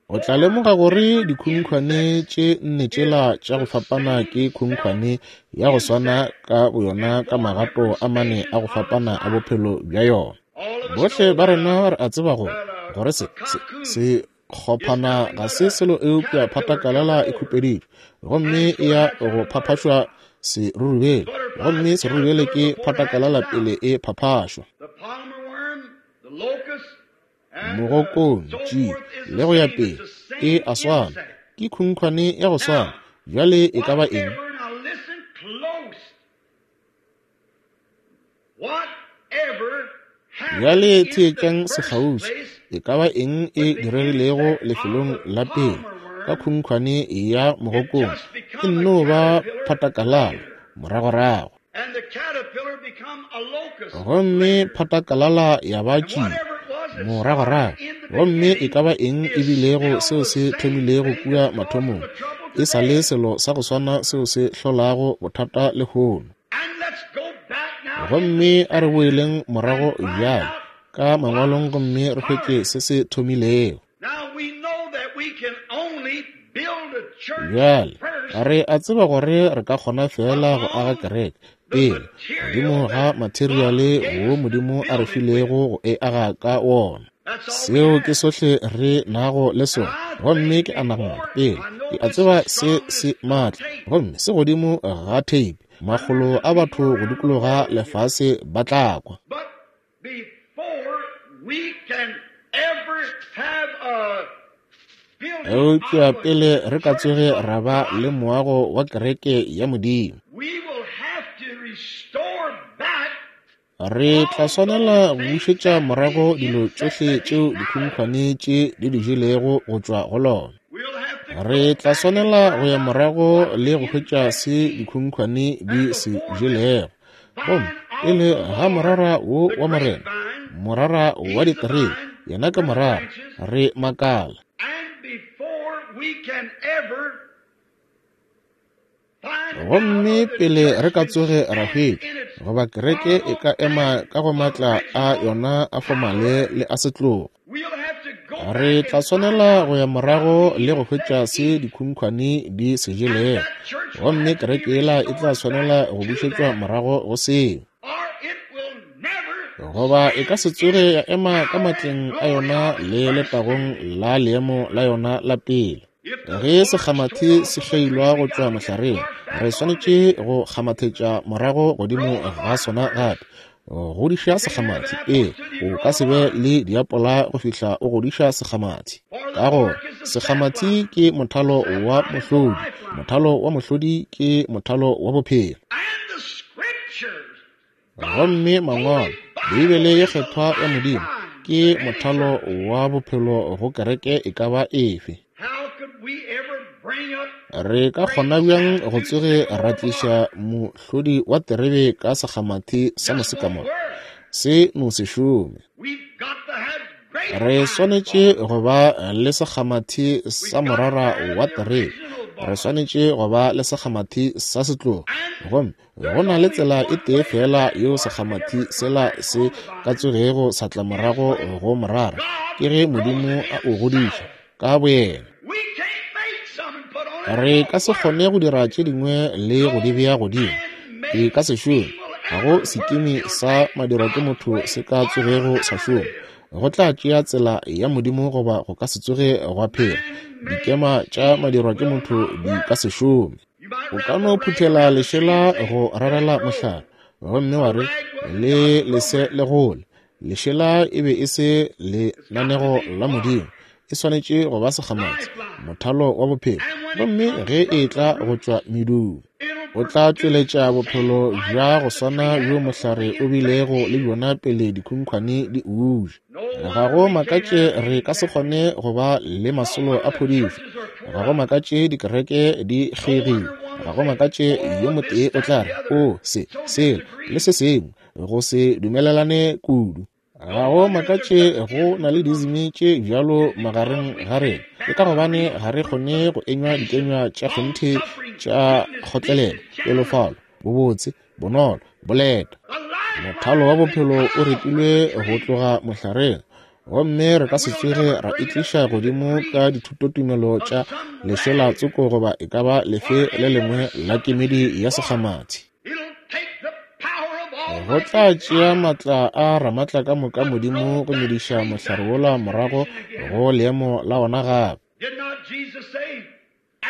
o tla lemoga gore dikhunkhwane tše nne tšela tša go fapana ke khunkhwane ya go swana ka boyona ka magato a mane a go fapana a bophelo bja yona. Bohle ba rena re a tseba gore se se kgophana ga se selo eupša phatakalala e khupeditšwe, gomme e ya go phaphašwa serurubele, gomme serurubele ke phatakalala pele e phaphašwa. Mogokong, tši, le go ya pele, e a swana, ke khunkhwane ya go swana. Bjale e ka ba eng? Bjale theetšang sekgauswi. E ka ba eng e diregilego lefelong la pele ka khunkhwane ya mogokong, e nno ba phatakalala moragorago. Gomme phatakalala ya ba tšie moragorago. Gomme e ka ba eng e bilego seo se thomilego kua mathomong, e sa le selo sa go swana seo se hlolago bothata lehono. Gomme a re boeleng morago bjale ka mangwalong gomme re hwetše se se thomilego. Bjale re a tseba gore re ka kgona fela go aga kereke pele godimo ga materiale wo Modimo a re filego go e aga ka wona. Seo ke sohle re nago le sona. Gomme ke a nagana pele ke a tseba se se maatla, gomme se godimo ga tape, makgolo a batho go dikologa lefase ba tla kwa. Eupša pele re ka tsoge ra ba le moago wa kereke ya Modimo, re tla swanela go bušetša morago dilo tšohle tšeo dikhunkhwane tše di di jelego go tšwa go lona. Re tla swanela go ya morago le go hwetša se dikhunkhwane di se jelego. Gomme pele ga morara wo wa Morena, morara wa diterebe, yena ke morara, re makala. Gomme pele re ka tsoge ra hwetša goba kereke e ka ema ka go matla a yona a fomale le a setlogo, re tla swanela go ya morago le go hwetša se dikhunkhwane di se jelego, gomme kereke yela e tla swanela go bušetšwa morago go seo, goba e ka se tsoge ya ema ka matleng a yona le letagong la leemo la yona la pele. Ge sekgamathi se kgeilwa go tšwa mohlareng, re swanetše go kgamathetša morago godimo ga sona gape. Godiša sekgamathi. Ee, o ka se be le diapola go fihla o godiša sekgamathi. Ka gore sekgamathi ke mothalo wa mohlodi, mothalo wa mohlodi ke mothalo wa bophelo. Gomme Mangwalo, Beibele ye kgethwa ya Modimo, ke mothalo wa bophelo go kereke e ka ba efe. Re ka kgona bjang go tsoge ra tliša mohlodi wa terebe ka sekgamathi sa mosekamoro? Se no se šome. Re swanetše go ba le sekgamathi sa morara wa terebe. Re swanetše go ba le sekgamathi sa setlogo. Gomme go na le tsela e tee fela yeo sekgamathi sela se ka tsogego sa tla morago go morara, ke ge Modimo a o godiša ka boyena. Re ka se kgone go dira tše dingwe le go di bea godimo. E ka se šome. Ga go sekimi sa madirwa ke motho se ka tsogego sa šoma. Go tla tšea tsela ya Modimo goba go ka se tsoge gwa phela. Dikema tša madirwa ke motho di ka se šome. O ka no phuthela lešela go rarela mohlare, gomme wa re le lese le gole. Lešela e be e se lenanego la Modimo. E swanetše go ba sekgamathi, mothalo wa bophelo. Gomme ge e tla go tšwa medung, o tla tšweletša bophelo bja go swana bjo mohlare o bilego le bjona pele dikhunkhwane di uja. Ga go makatše re ka se kgone go ba le masolo a phodišo. Ga go makatše dikereke di kgeigile. Ga go makatše yo motee o tla re, o se, sela, le se sengwe, go se dumelelane kudu. Ga go makatše go na le dizimi tše bjalo magareng ga rena. Ke ka gobane ga re kgone go enywa dikenywa tša kgonthe tša kgotlelelo, pelofalo, bobotse, bonolo, boleta. Mothalo wa bophelo o repilwe go tloga mohlareng, gomme re ka se tsoge ra itliša godimo ka dithutotumelo tša lešela tsoko goba e ka ba lefe le lengwe la kemedi ya sekgamathi. Go tla tšea matla a Ramatla ka moka Modimo go mediša mohlare wola morago go leemo la ona gape.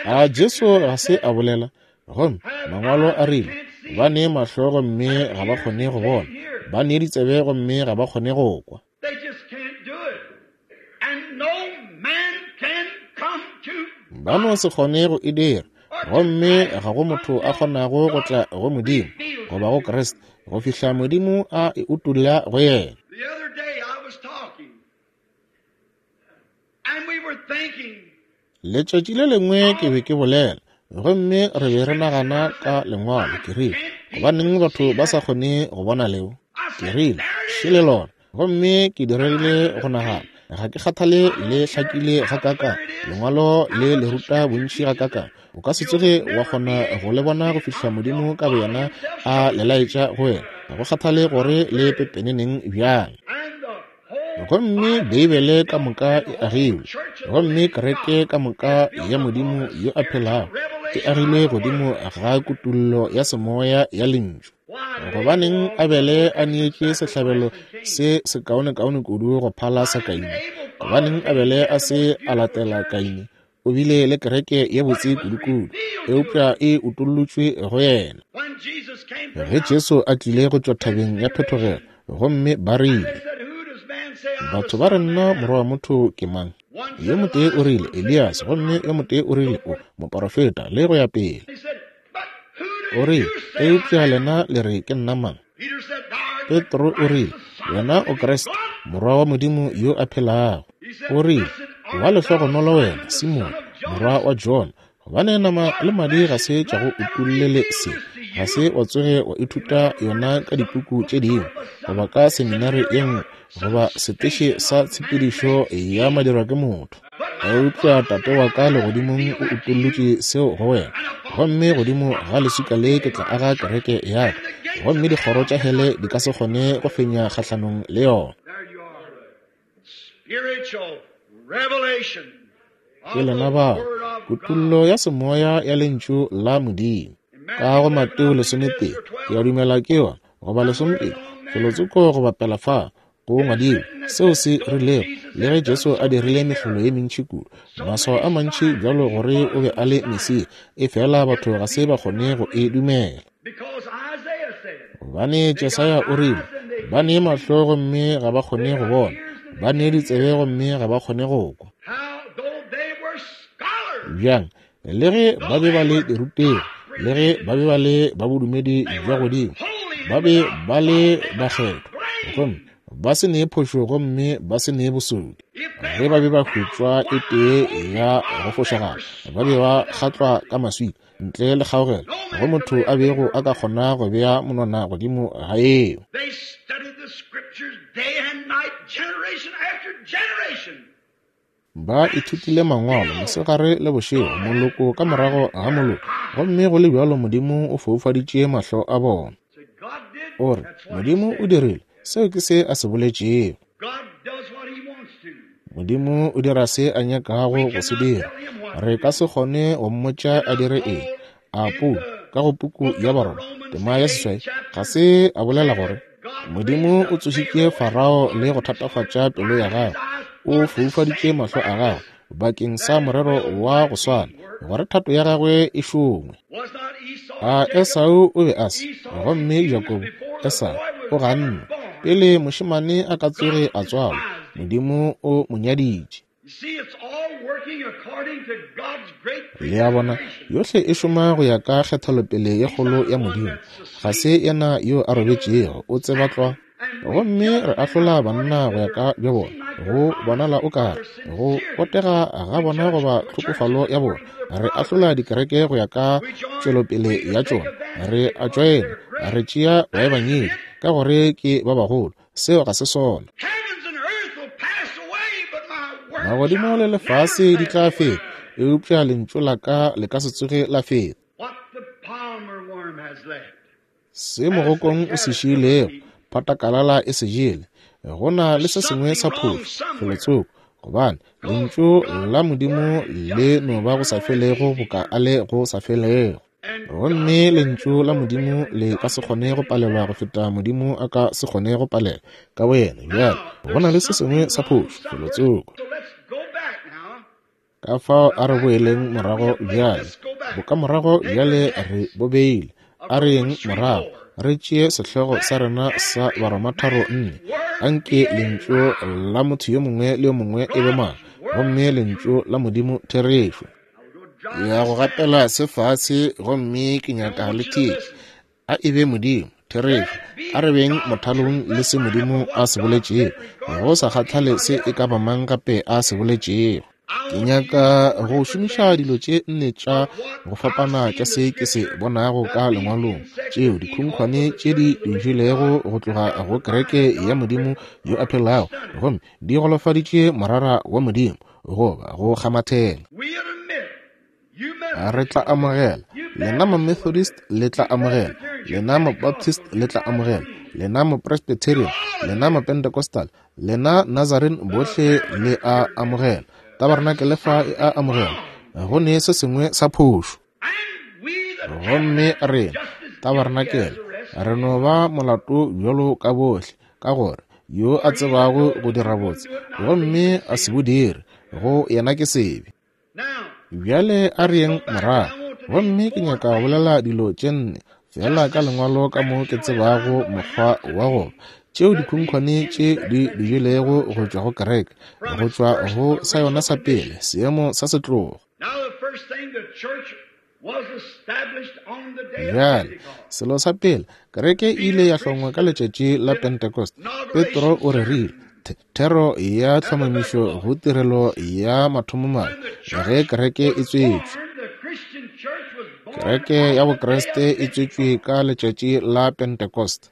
A Jesu ga se a bolela? Gomme Mangwalo a rile, ba ne mahlo gomme ga ba kgone go bona, ba ne ditsebe gomme ga ba kgone go kwa. Ba no se kgone go e dira, gomme ga go motho a kgonago go tla go Modimo goba go Kriste go fihla Modimo a e utolla go yena. Letšatši le lengwe ke be ke bolela, gomme re be re nagana ka Lengwalo. Ke rile, gobaneng batho ba sa kgone go bona leo? Ke rile, šele lona. Gomme ke diregile go nagana, ga ke kgathale le hlakile gakakang, Lengwalo le le ruta bontši gakakang, o ka se tsoge wa kgona go le bona go fihla Modimo ka boyena a le laetša go wena, ga go kgathale gore le pepeneneng bjang. Gomme Beibele ka moka e agilwe, gomme kereke ka moka ya Modimo yo a phelago e agilwe godimo ga kutullo ya semoya ya Lentšu. Gobaneng Abele a neetše sehlabelo se sekaonekaone kudu go phala sa Kaine? Gobaneng Abele a se a latela Kaine? O bile le kereke ye botse kudu-kudu, eupša e utollotšwe go yena. Ge Jesu a tlile go tšwa thabeng ya phethogelo, gomme ba rile, batho ba re nna morwa wa motho ke mang? Yo motee o rile, Elias, gomme yo motee o rile, o moporofeta, le go ya pele. O rile, eupša lena le re ke nna mang? Petro o rile, wena o Kriste, morwa wa Modimo yo a phelago. O rile, wa lehlogonolo wena, Simone, morwa wa Jona, gobane nama le madi ga se tša go utollele se, ga se wa tsoge wa ithuta yona ka dipuku tše dingwe, goba ka seminari ye nngwe, goba seteše sa tshepedišo ya madirwa ke motho. Eupša Tate wa ka legodimong o utollotše seo go wena. Gomme godimo ga leswika le ke tla aga kereke ya ka, gomme dikgoro tša hele di ka se kgone go fenya kgahlanong le yona. Ke lena bao, kutollo ya semoya ya Lentšu la Modimo. Ka go Mateo 11, ke a dumela ke yona, goba 12, felotsoko go bapela fa. Go ngwadilwe seo se rilego, le ge Jesu a dirile mehlolo ye mentši kudu, maswao a mantši bjalo gore o be a le Mesia, efela batho ga se ba kgone go e dumela. Gobane Jesaya o rile, ba ne mahlo gomme ga ba kgone go bona, ba ne ditsebe gomme ga ba kgone go kwa. Bjang, le ge ba be ba le dirutegi, le ge ba be ba le ba bodumedi bja godimo, ba be ba le bakgethwa, gomme ba se ne phošo gomme ba se ne bosodi. Ge ba be ba hwetšwa e tee ya go fošagala, ba be ba kgatlwa ka maswika, ntle le kgaogelo, go motho a bego a ka kgona go bea monwana godimo ga eo. Ba ithutile mangwalo mosegare le bošego, moloko ka morago ga moloko, gomme go le bjalo Modimo o foufaditše mahlo a bona. O re, Modimo o dirile, seo ke se a se boletšego. Modimo o dira se a nyakago go se dira. Re ka se kgone go mmotša a dire eng. A Paulo, ka go puku ya Baroma, tema ya 8, ga se a bolela gore Modimo o tsošitše Farao le go thatafatša pelo ya gagwe, o foufaditše mahlo a gagwe bakeng sa morero wa go swana, gore thato ya gagwe e šongwe. A Esau o be a se, gomme Jakobo, Esau, o ganne. Pele mošemane a ka tsoge a tswalwa, Modimo o mo nyaditše. Le a bona, yohle e šoma go ya ka kgethelopele ye kgolo ya Modimo. Ga se yena yo a robetšego, o tseba tlwa. Gomme re ahlola banna go ya ka bja bona, go bonala o kare go botega ga bona goba tlhokofalo ya bona. Re ahlola dikereke go ya ka tšwelopele ya tšona. Re a tšoena, re tšea baebangedi ka gore ke ba bagolo. Seo ga se sona. Magodimo le lefase di tla feta, eupša lentšu la ka le ka se tsoge la feta. Se mogokong o se šiilego, phatakalala e se jele. Go na le se sengwe sa phošo felotsoko, gobane lentšu la Modimo le no ba go sa felego boka a le go sa felego. Gomme lentšu la Modimo le ka se kgone go palelwa go feta Modimo a ka se kgone go palelwa ka boyena. Bjale, go na le se sengwe sa phošo felotsoko. Ka fao a re boeleng morago bjale, bokamorago bjale re bo beile. A re yeng morago, re tšee sehlogo sa rena sa Baroma 3:4. Anke lentšu la motho yo mongwe le yo mongwe e be maaka, gomme lentšu la Modimo therešo. Ya go gatela se fase, gomme ke nyaka le theetše. A e be Modimo, therešo. A re beng mothalong le se Modimo a se boletšego, go sa kgathale se e ka ba mang gape a se boletšego. Ke nyaka go šomiša dilo tše nne tša go fapana tša se ke se bonago ka lengwalong, tšeo dikhunkhwane tše di jelego go tloga go kereke ya Modimo yo a phelago, gomme di golofaditše morara wa Modimo goba go kgamathela. Re tla amogela, lena ma-Methodist le tla amogela, lena ma-Baptist le tla amogela, lena ma-Presbyterian, lena ma-Pentecostal, lena Nazarene bohle le a amogela, tabarenakele fa e a amogela. Go ne se sengwe sa phošo. Gomme rena, tabarenakele, re no ba molato bjalo ka bohle, ka gore yo a tsebago go dira botse gomme a se bo dire, go yena ke sebe. Bjale a re yeng morago, gomme ke nyaka go bolela dilo tše nne feela ka lengwalo ka mo ke tsebago mokgwa wa go ba, tšeo dikhunkhwane tše di di jelego go tšwa go kereke, go tšwa go sa yona sa pele, seemo sa setlogo. Bjale, selo sa pele, kereke e ile ya hlongwa ka letšatši la Pentecost. Petro o rerile thero ya tlhomamišo go tirelo ya mathomomane ge kereke e tswetšwe. Kereke ya Bokriste e tswetšwe ka letšatši la Pentecost.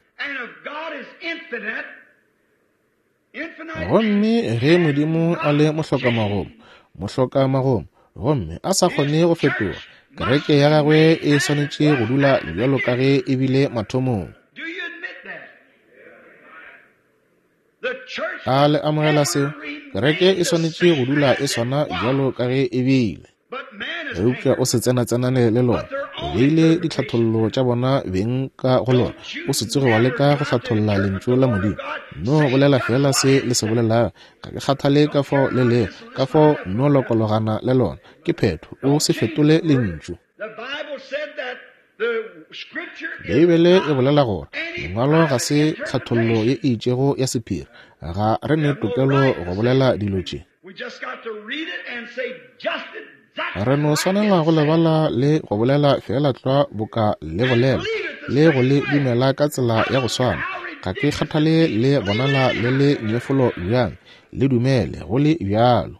Gomme ge Modimo a le mohlokamagomo, mohlokamagomo, gomme a sa kgone go fetoga, kereke ya gagwe e swanetše go dula bjalo ka ge e bile mathomong. A le amogela seo? Kereke e swanetše go dula e swana bjalo ka ge e bile. Eupša o se tsenatsenane le lona. Beile ditlhathollo tša bona beng ka go lona. O se tsoge wa leka go hlatholla Lentšu la Modimo. No bolela feela se le se bolelago. Ga ke kgathale ka fao le lego, ka fao no lokologana le lona. Ke phetho. O se fetole Lentšu. Beibele e bolela gore Lengwalo ga se tlhathollo ye e itšego ya sephiri. Ga re ne tokelo go bolela dilo tše. Re no swanela go lebala le go bolela feela tlwa boka le bolela, le go le dumela ka tsela ya go swana. Ga ke kgathale le bonala le le nyefolo bjang, le dumele go le bjalo.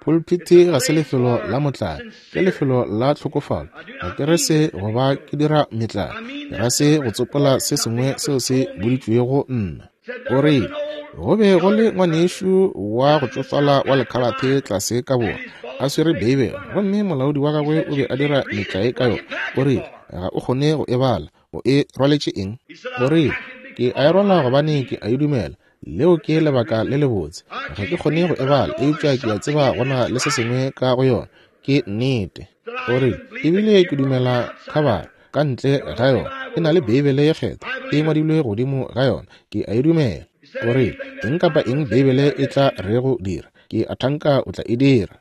Pulpiti ga se lefelo la motlae, ke lefelo la tlhokofalo. Ga ke re se go ba ke dira metlae, ke ra se go tsopola se sengwe seo se boditšwego nna. O rile, Go be go le ngwanešu wa go tšofala wa lekhalathe tlase ka borwa, a swere Beibele, gomme molaodi wa gagwe o be a dira metlae ka yona. O rile, Ga o kgone go e bala. O e rwaletše eng? O rile, Ke a e rwala gobane ke a e dumela. Leo ke lebaka le lebotse. Ga ke kgone go e bala, eupša ke a tseba go na le se sengwe ka go yona. Ke nnete. O rile, Ebile ke dumela khabara ka ntle ga yona e na le Beibele ye kgethwa e ngwadilwe godimo ga yona. Ke a e dumela. O rile, Eng kapa eng Beibele e tla rego dira, ke a thanka o tla e dira.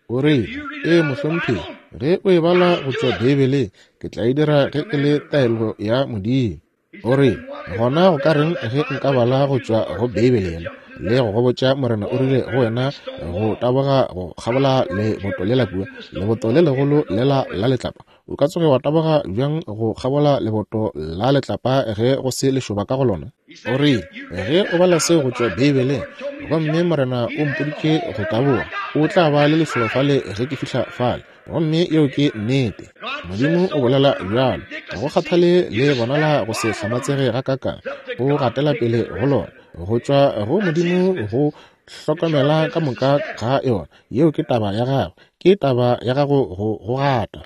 O rile, Ee, mohlomphegi, ge o e bala go tšwa Beibeleng, ke tla e dira ge e le taelo ya Modimo. O rile, Gona go ka reng ge nka bala go tšwa go Beibele yela le go go botša Morena o rile go wena go taboga go kgabola leboto lela kua, leboto le legolo lela la letlapa? O ka tsoge wa taboga bjang go kgabola leboto la letlapa ge go se lešoba ka go lona? O rile, Ge o bala seo go tšwa Beibeleng, gomme Morena o mpoditše go taboga, o tla ba le lešoba fale ge ke fihla fale. Gomme yeo ke nnete. Modimo o bolela bjalo. Ga go kgathale le bonala go se hlamatsege gakaakang, o gatela pele go lona. Go tšwa go Modimo go hlokomela ka moka ga yona. Yeo ke taba ya gagwe. Ke taba ya gago go go gata.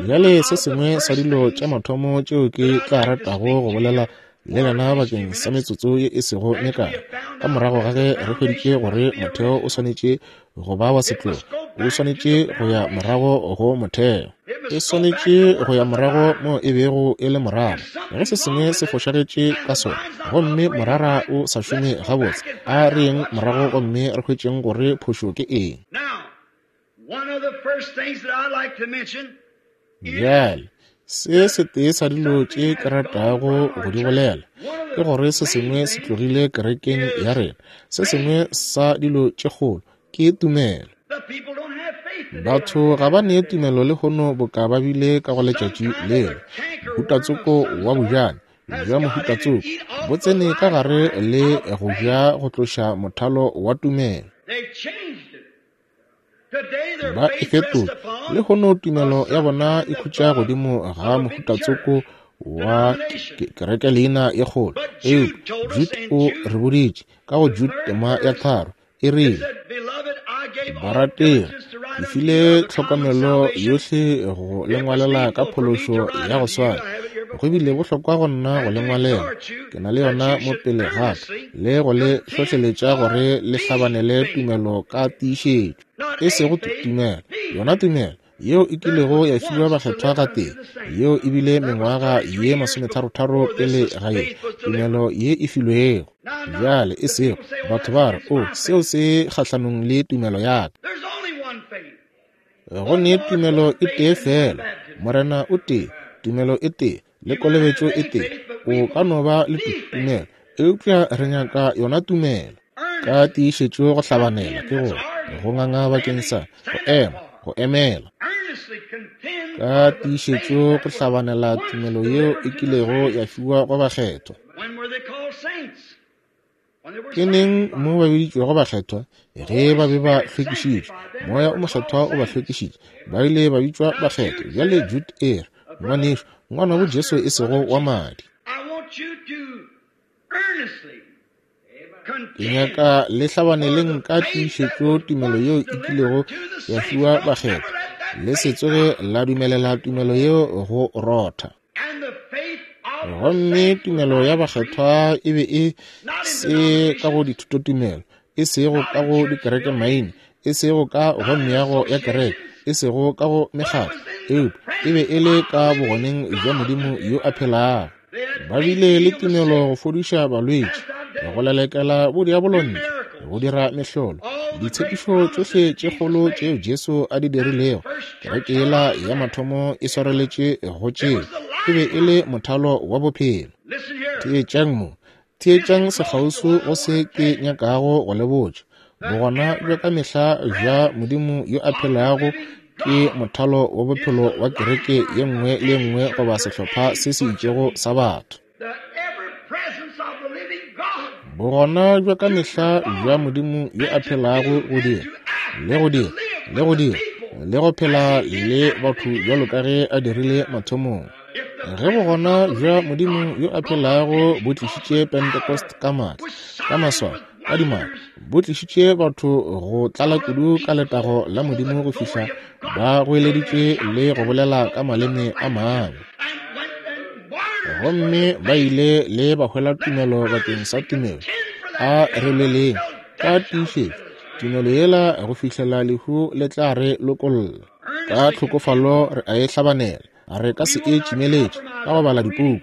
Bjale se sengwe sa dilo tša mathomo tšeo ke tla ratago go bolela le lena bakeng sa metsotso ye e sego mekae, ka morago ga ge re hweditše gore motheo o swanetše go ba wa setlogo, o swanetše go ya morago go motheo. E swanetše go ya morago mo e bego e le morara. Ge se sengwe se fošagetše ka sona, gomme morara o sa šome gabotse, a re yeng morago gomme re hwetšeng gore phošo ke eng. Bjale, se setee sa dilo tše ke ratago go di bolela ke gore se sengwe se tlogile kerekeng ya rena. Se sengwe sa dilo tše kgolo ke tumelo. Batho ga ba ne tumelo lehono boka ba bile ka go letšatši lela. Mohutatsoko wa bojane bja mohutatsoko bo tsene ka gare le go ja go tloša mothalo wa tumelo. Ba e fetola. Lehono tumelo ya bona e khutša godimo ga mohutatsoko wa kereke leina ye kgolo. Eupša Jude o re boditše ka go Jude tema ya 3, e rile, Barategi, ke file tlhokomelo yohle go le ngwalela ka phološo ya go swana. Go bile bohlokwa go nna go le ngwalela, ke na le yona mo pele ga ka, le go le hlohleletša gore le hlabanele tumelo ka tiišetšo, e sego tumelo, yona tumelo yeo e kilego ya fiwa bakgethwa gatee, yeo e bile mengwaga ye masometharotharo pele ga ye, tumelo ye e filwego. Bjale, e sego, batho ba re, O, seo se kgahlanong le tumelo ya ka. Go ne tumelo e tee feela, Morena o tee, tumelo e tee, le kolobetšo e tee. O ka no ba le tumelo, eupša re nyaka yona tumelo. Ka tiišetšo go hlabanela, ke gore, go nganga bakeng sa, go ema, go emela. Ka tiišetšo go hlabanela tumelo yeo e kilego ya fiwa go bakgethwa. Ke neng mo ba biditšwego bakgethwa? Ge ba be ba hlwekišitšwe. Moya o Mokgethwa o ba hlwekišitše. Ba ile ba bitšwa bakgethwa. Bjale Jude e re, Ngwanešu, ngwanabo Jesu e sego wa madi. Ke nyaka le hlabaneleng ka tiišetšo tumelo yeo e kilego ya fiwa bakgethwa. Le se tsoge la dumelela tumelo yeo go rotha. Gomme tumelo ya bakgethwa e be e se ka go dithutotumelo, e sego ka go dikerekemaina, E sego ka go meago ya kereke, e sego ka go mekgatlo, eupša e be e le ka bogoneng bja Modimo yo a phelago. Ba bile le tumelo go fodiša balwetši, go lelekela bodiabolo ntle, go dira mehlolo. Ditshepišo tšohle tše kgolo tšeo Jesu a di dirilego, kereke yela ya mathomo e swareletše go tšeo. E be e le mothalo wa bophelo. Theetšang mo, theetšang sekgauswi go se ke nyakago go le botša. Bogona bja ka mehla bja Modimo yo a phelago ke mothalo wa bophelo wa kereke ye nngwe le ye nngwe goba sehlopha se se itšego sa batho. Bogona bja ka mehla bja Modimo yo a phelago go dira le go dira le go dira le go phela le batho bjalo ka ge a dirile mathomong. Ge bogona bja Modimo yo a phelago bo tlišitše Pentecost ka maatla, ka maswao, ka dimaka, bo tlišitše batho go tlala kudu ka letago la Modimo go fihla ba goeleditše le go bolela ka maleme a mangwe. Gomme ba ile le ba hwela tumelo bakeng sa tumelo. A re lweleng ka tiišetšo tumelo yela go fihlela lehu le tla re lokolla. Ka tlhokofalo re a e hlabanela. Re ka se e tšimeletše ka go bala dipuku,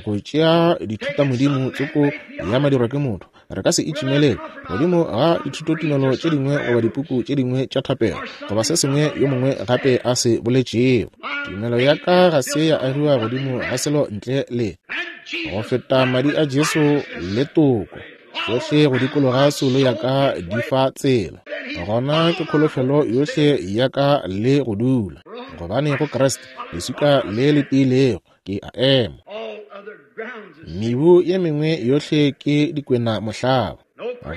go tšea dithutamodimo tsoko ya madirwa ke motho. Re ka se e tšimelele godimo ga dithutotumelo tše dingwe goba dipuku tše dingwe tša thapelo goba se sengwe yo mongwe gape a se boletšego. Tumelo ya ka ga se ya agiwa godimo ga selo ntle le go feta madi a Jesu le toko. Tšohle go dikologa soulo ya ka di fa tsela. Gona ke kholofelo yohle ya ka le go dula, gobane go Kriste leswika le le tiilego ke a ema. Mebu ye mengwe yohle ke dikwena mohlaba.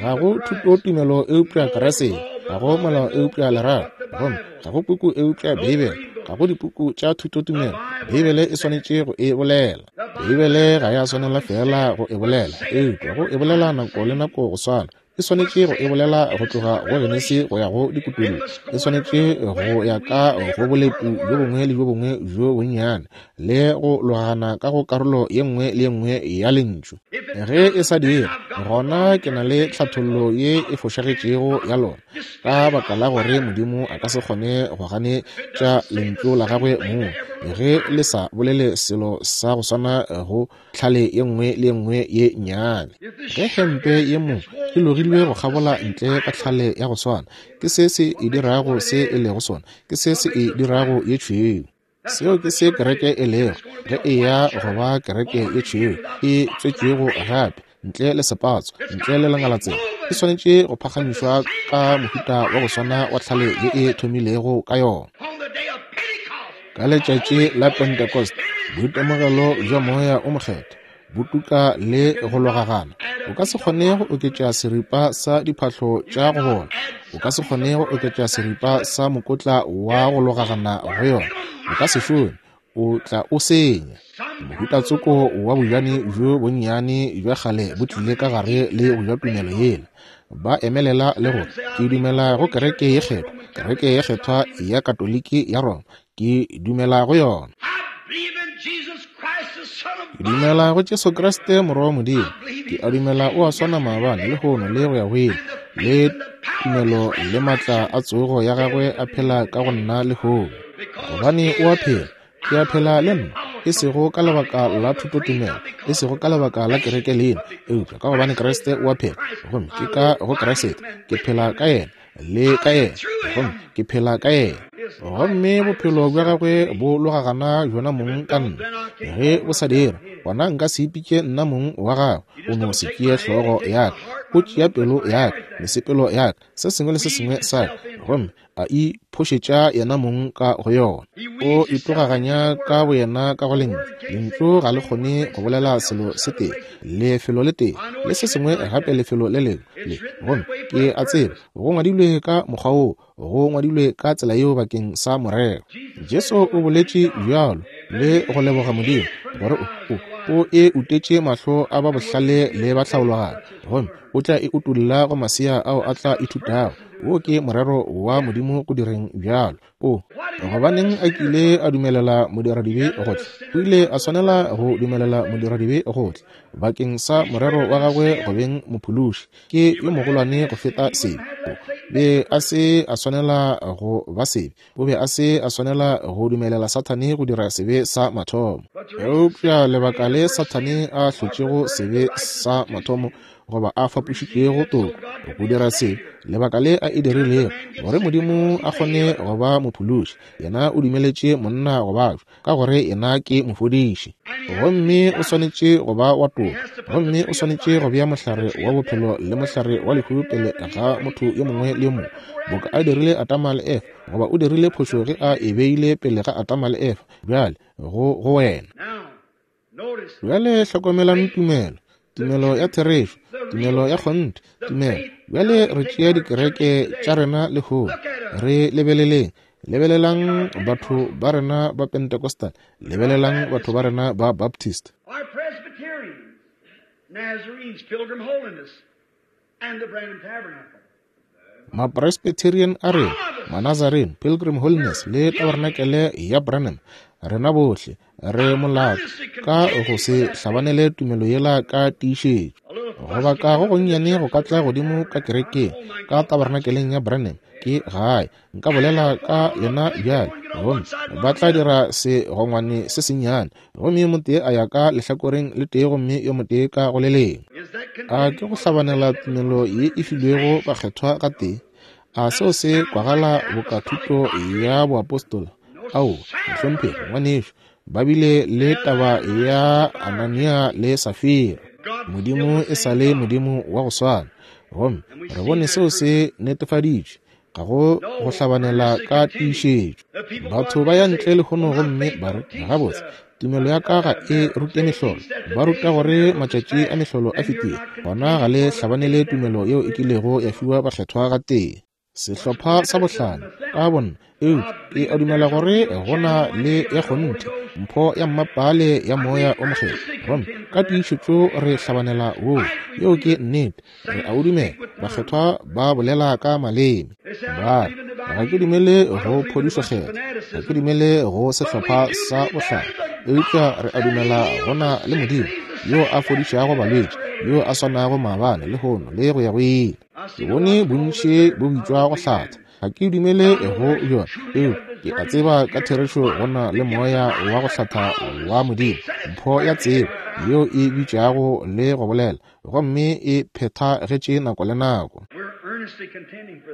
Ga go thutotumelo eupša Kriste, ga go molao eupša lerato, gomme ga go puku eupša Beibele, ga go dipuku tša thutotumelo. Beibele e swanetše go e bolela. Beibele ga ya swanela feela go e bolela, eupša go e bolela nako le nako go swana. E swanetše go e bolela go tloga go Genesi go ya go Dikutullo. E swanetše go ya ka go bolepu bjo bongwe le bjo bongwe bjo bonnyane le go logana ka go karolo ye nngwe le ye nngwe ya lentšu. Ge e sa dire, gona ke na le tlhathollo ye e fošagetšego ya lona, ka baka la gore Modimo a ka se kgone go ganetša lentšu la gagwe mong ge le sa bolele selo sa go swana go tlhale ye nngwe le ye nngwe ye nnyane. Ge hempe ye mo e logilwe go kgabola ntle ka tlhale ya go swana, ke se se e dirago se e lego sona, ke se se e dirago ye tšhweu. Seo ke se kereke e lego ge e ya go ba kereke ye tšhweu e tswetšwego gape, ntle le sepatso, ntle le lengalatsela. E swanetše go phagamišwa ka mohuta wa go swana wa tlhale ye e thomilego ka yona. Ka letšatši la Pentecost, boitemogelo bja Moya o Mokgethwa bo tuka le go logagana. O ka se kgone go oketša seripa sa diphahlo tša go bola. O ka se kgone go oketša seripa sa mokotla wa go logagana go yona. O ka se šome, o tla o senya. Mohuta tsoko wa bojane bjo bonnyane bja kgale bo tlile ka gare le go ja tumelo yela. Ba emelela le gore ke dumela go kereke ye kgethwa, kereke ye kgethwa ya Katoliki ya Roma, ke dumela go yona. Ke dumela go Jesu Kriste Morwa wa Modimo. Ke a dumela o a swana maabane, lehono le go ya go ile. Le tumelo le matla a tsogo ya gagwe a phela ka go nna lehono. Gobane o a phela, ke a phela le nna, e sego ka lebaka la thutotumelo, e sego ka lebaka la kereke leina, eupša ka gobane Kriste o a phela, gomme ke ka go Kriste, ke phela ka yena, le ka yena, gomme ke phela ka yena. Gomme bophelo bja gagwe bo logagana bjona mong ka nna. Ge bo sa dira, gona nka se ipitše nna mong wa gagwe. O no se tšee hlogo ya ka, o tšea pelo ya ka, mesepelo ya ka, se sengwe le se sengwe sa ka, gomme a iphošetša yena mong ka go yona. O itogaganya ka boyena ka go lentšu. Lentšu ga le kgone go bolela selo se tee, lefelo le tee, le se sengwe gape lefelo le lengwe le. Gomme ke a tseba go ngwadilwe ka mokgwa woo, go ngwadilwe ka tsela yeo bakeng sa morero. Jesu o boletše bjalo le go leboga Modimo gore o e utetše mahlo a ba bohlale le ba tlhaologanyo, gomme o tla e utolla go masea ao a tla ithutago. Wo ke morero wa Modimo go direng bjalo. O gobaneng a kile a dumelela modiradibe go tla? O ile a swanela go dumelela modiradibe go tla bakeng sa morero wa gagwe go beng mophološi. Ke yo mogolwane go feta sebe. Be a se a swanela go ba sebe. O be a se a swanela go dumelela Sathane go dira sebe sa mathomo. Eupša lebaka le Sathane a hlotšego sebe sa mathomo, goba a fapošitšego toko go dira sebe, lebaka le a e dirilego, gore Modimo a kgone go ba mophološi, yena o dumeletše monna go babja, ka gore yena ke mofodiši. Gomme o swanetše go ba wa toka, gomme o swanetše go bea mohlare wa bophelo le mohlare wa lehu pele ga motho yo mongwe le yo mongwe, boka a dirile Adama le Efa, goba o dirile phošo ge a e beile pele ga Adama le Efa. Bjale, go wena. Bjale hlokomelang tumelo, tumelo ya therešo, tumelo ya kgonthe, tumelo. Bjale re tšea dikereke tša rena lehono, re lebeleleng. Lebelelang batho ba rena ba Pentecostal, lebelelang batho ba rena ba Baptist. Our Presbyterians, Nazarenes, Pilgrim Holiness, and the Branham Tabernacle. Mapresbyterian a rena, Manazarene, Pilgrim Holiness le Tabernakele ya Branham, rena bohle re molato ka go se hlabanele tumelo yela ka tiišetšo. Goba ka go gonnyane go ka tla godimo ka kerekeng, ka Tabernakeleng ya Branham, ke gae. Nka bolela ka lena bjale, gomme ba tla dira segongwane se sennyane, gomme yo motee a ya ka lehlakoreng le tee gomme yo motee ka go le lengwe. A ke go hlabanela tumelo ye e filwego bakgethwa gatee? A seo se kwagala boka thuto ya boapostola? Ao, mohlomphegi, ngwanešu, ba bile le taba ya Anania le Safira. Modimo e sa le Modimo wa go swana, gomme re bone seo se netefaditšwe. Ga go go hlabanela ka tiišetšo. Batho ba ya ntle lehono gomme ba re, gabotse, tumelo ya ka ga e rute mehlolo. Ba ruta gore matšatši a mehlolo a fetile. Gona ga le hlabanele tumelo yeo e kilego ya fiwa bakgethwa gatee. Sehlopha sa bohlano, ka bonna, eupša ke a dumela gore go na le ya kgonthe, mpho ya mmapaale ya Moya o Mokgethwa. Gomme ka tiišetšo re hlabanela woo. Yeo ke nnete. Re a o dumela. Bakgethwa ba bolela ka maleme. Ba re, ga ke dumele go phodišo kgethwa, ga ke dumele go sehlopha sa bohlano, eupša re a dumela go na le Modimo yo a fodišago balwetši, yo a swanago maabane, lehono, le go ya go ile. Ke bone bontši bo bitšwa go hlatha. Ga ke dumele go bjona, eupša ke a tseba ka therešo go na le moya wa go hlatha wa Modimo, mpho ya tsebo yeo e bitšago le go bolela, gomme e phethagetše nako le nako.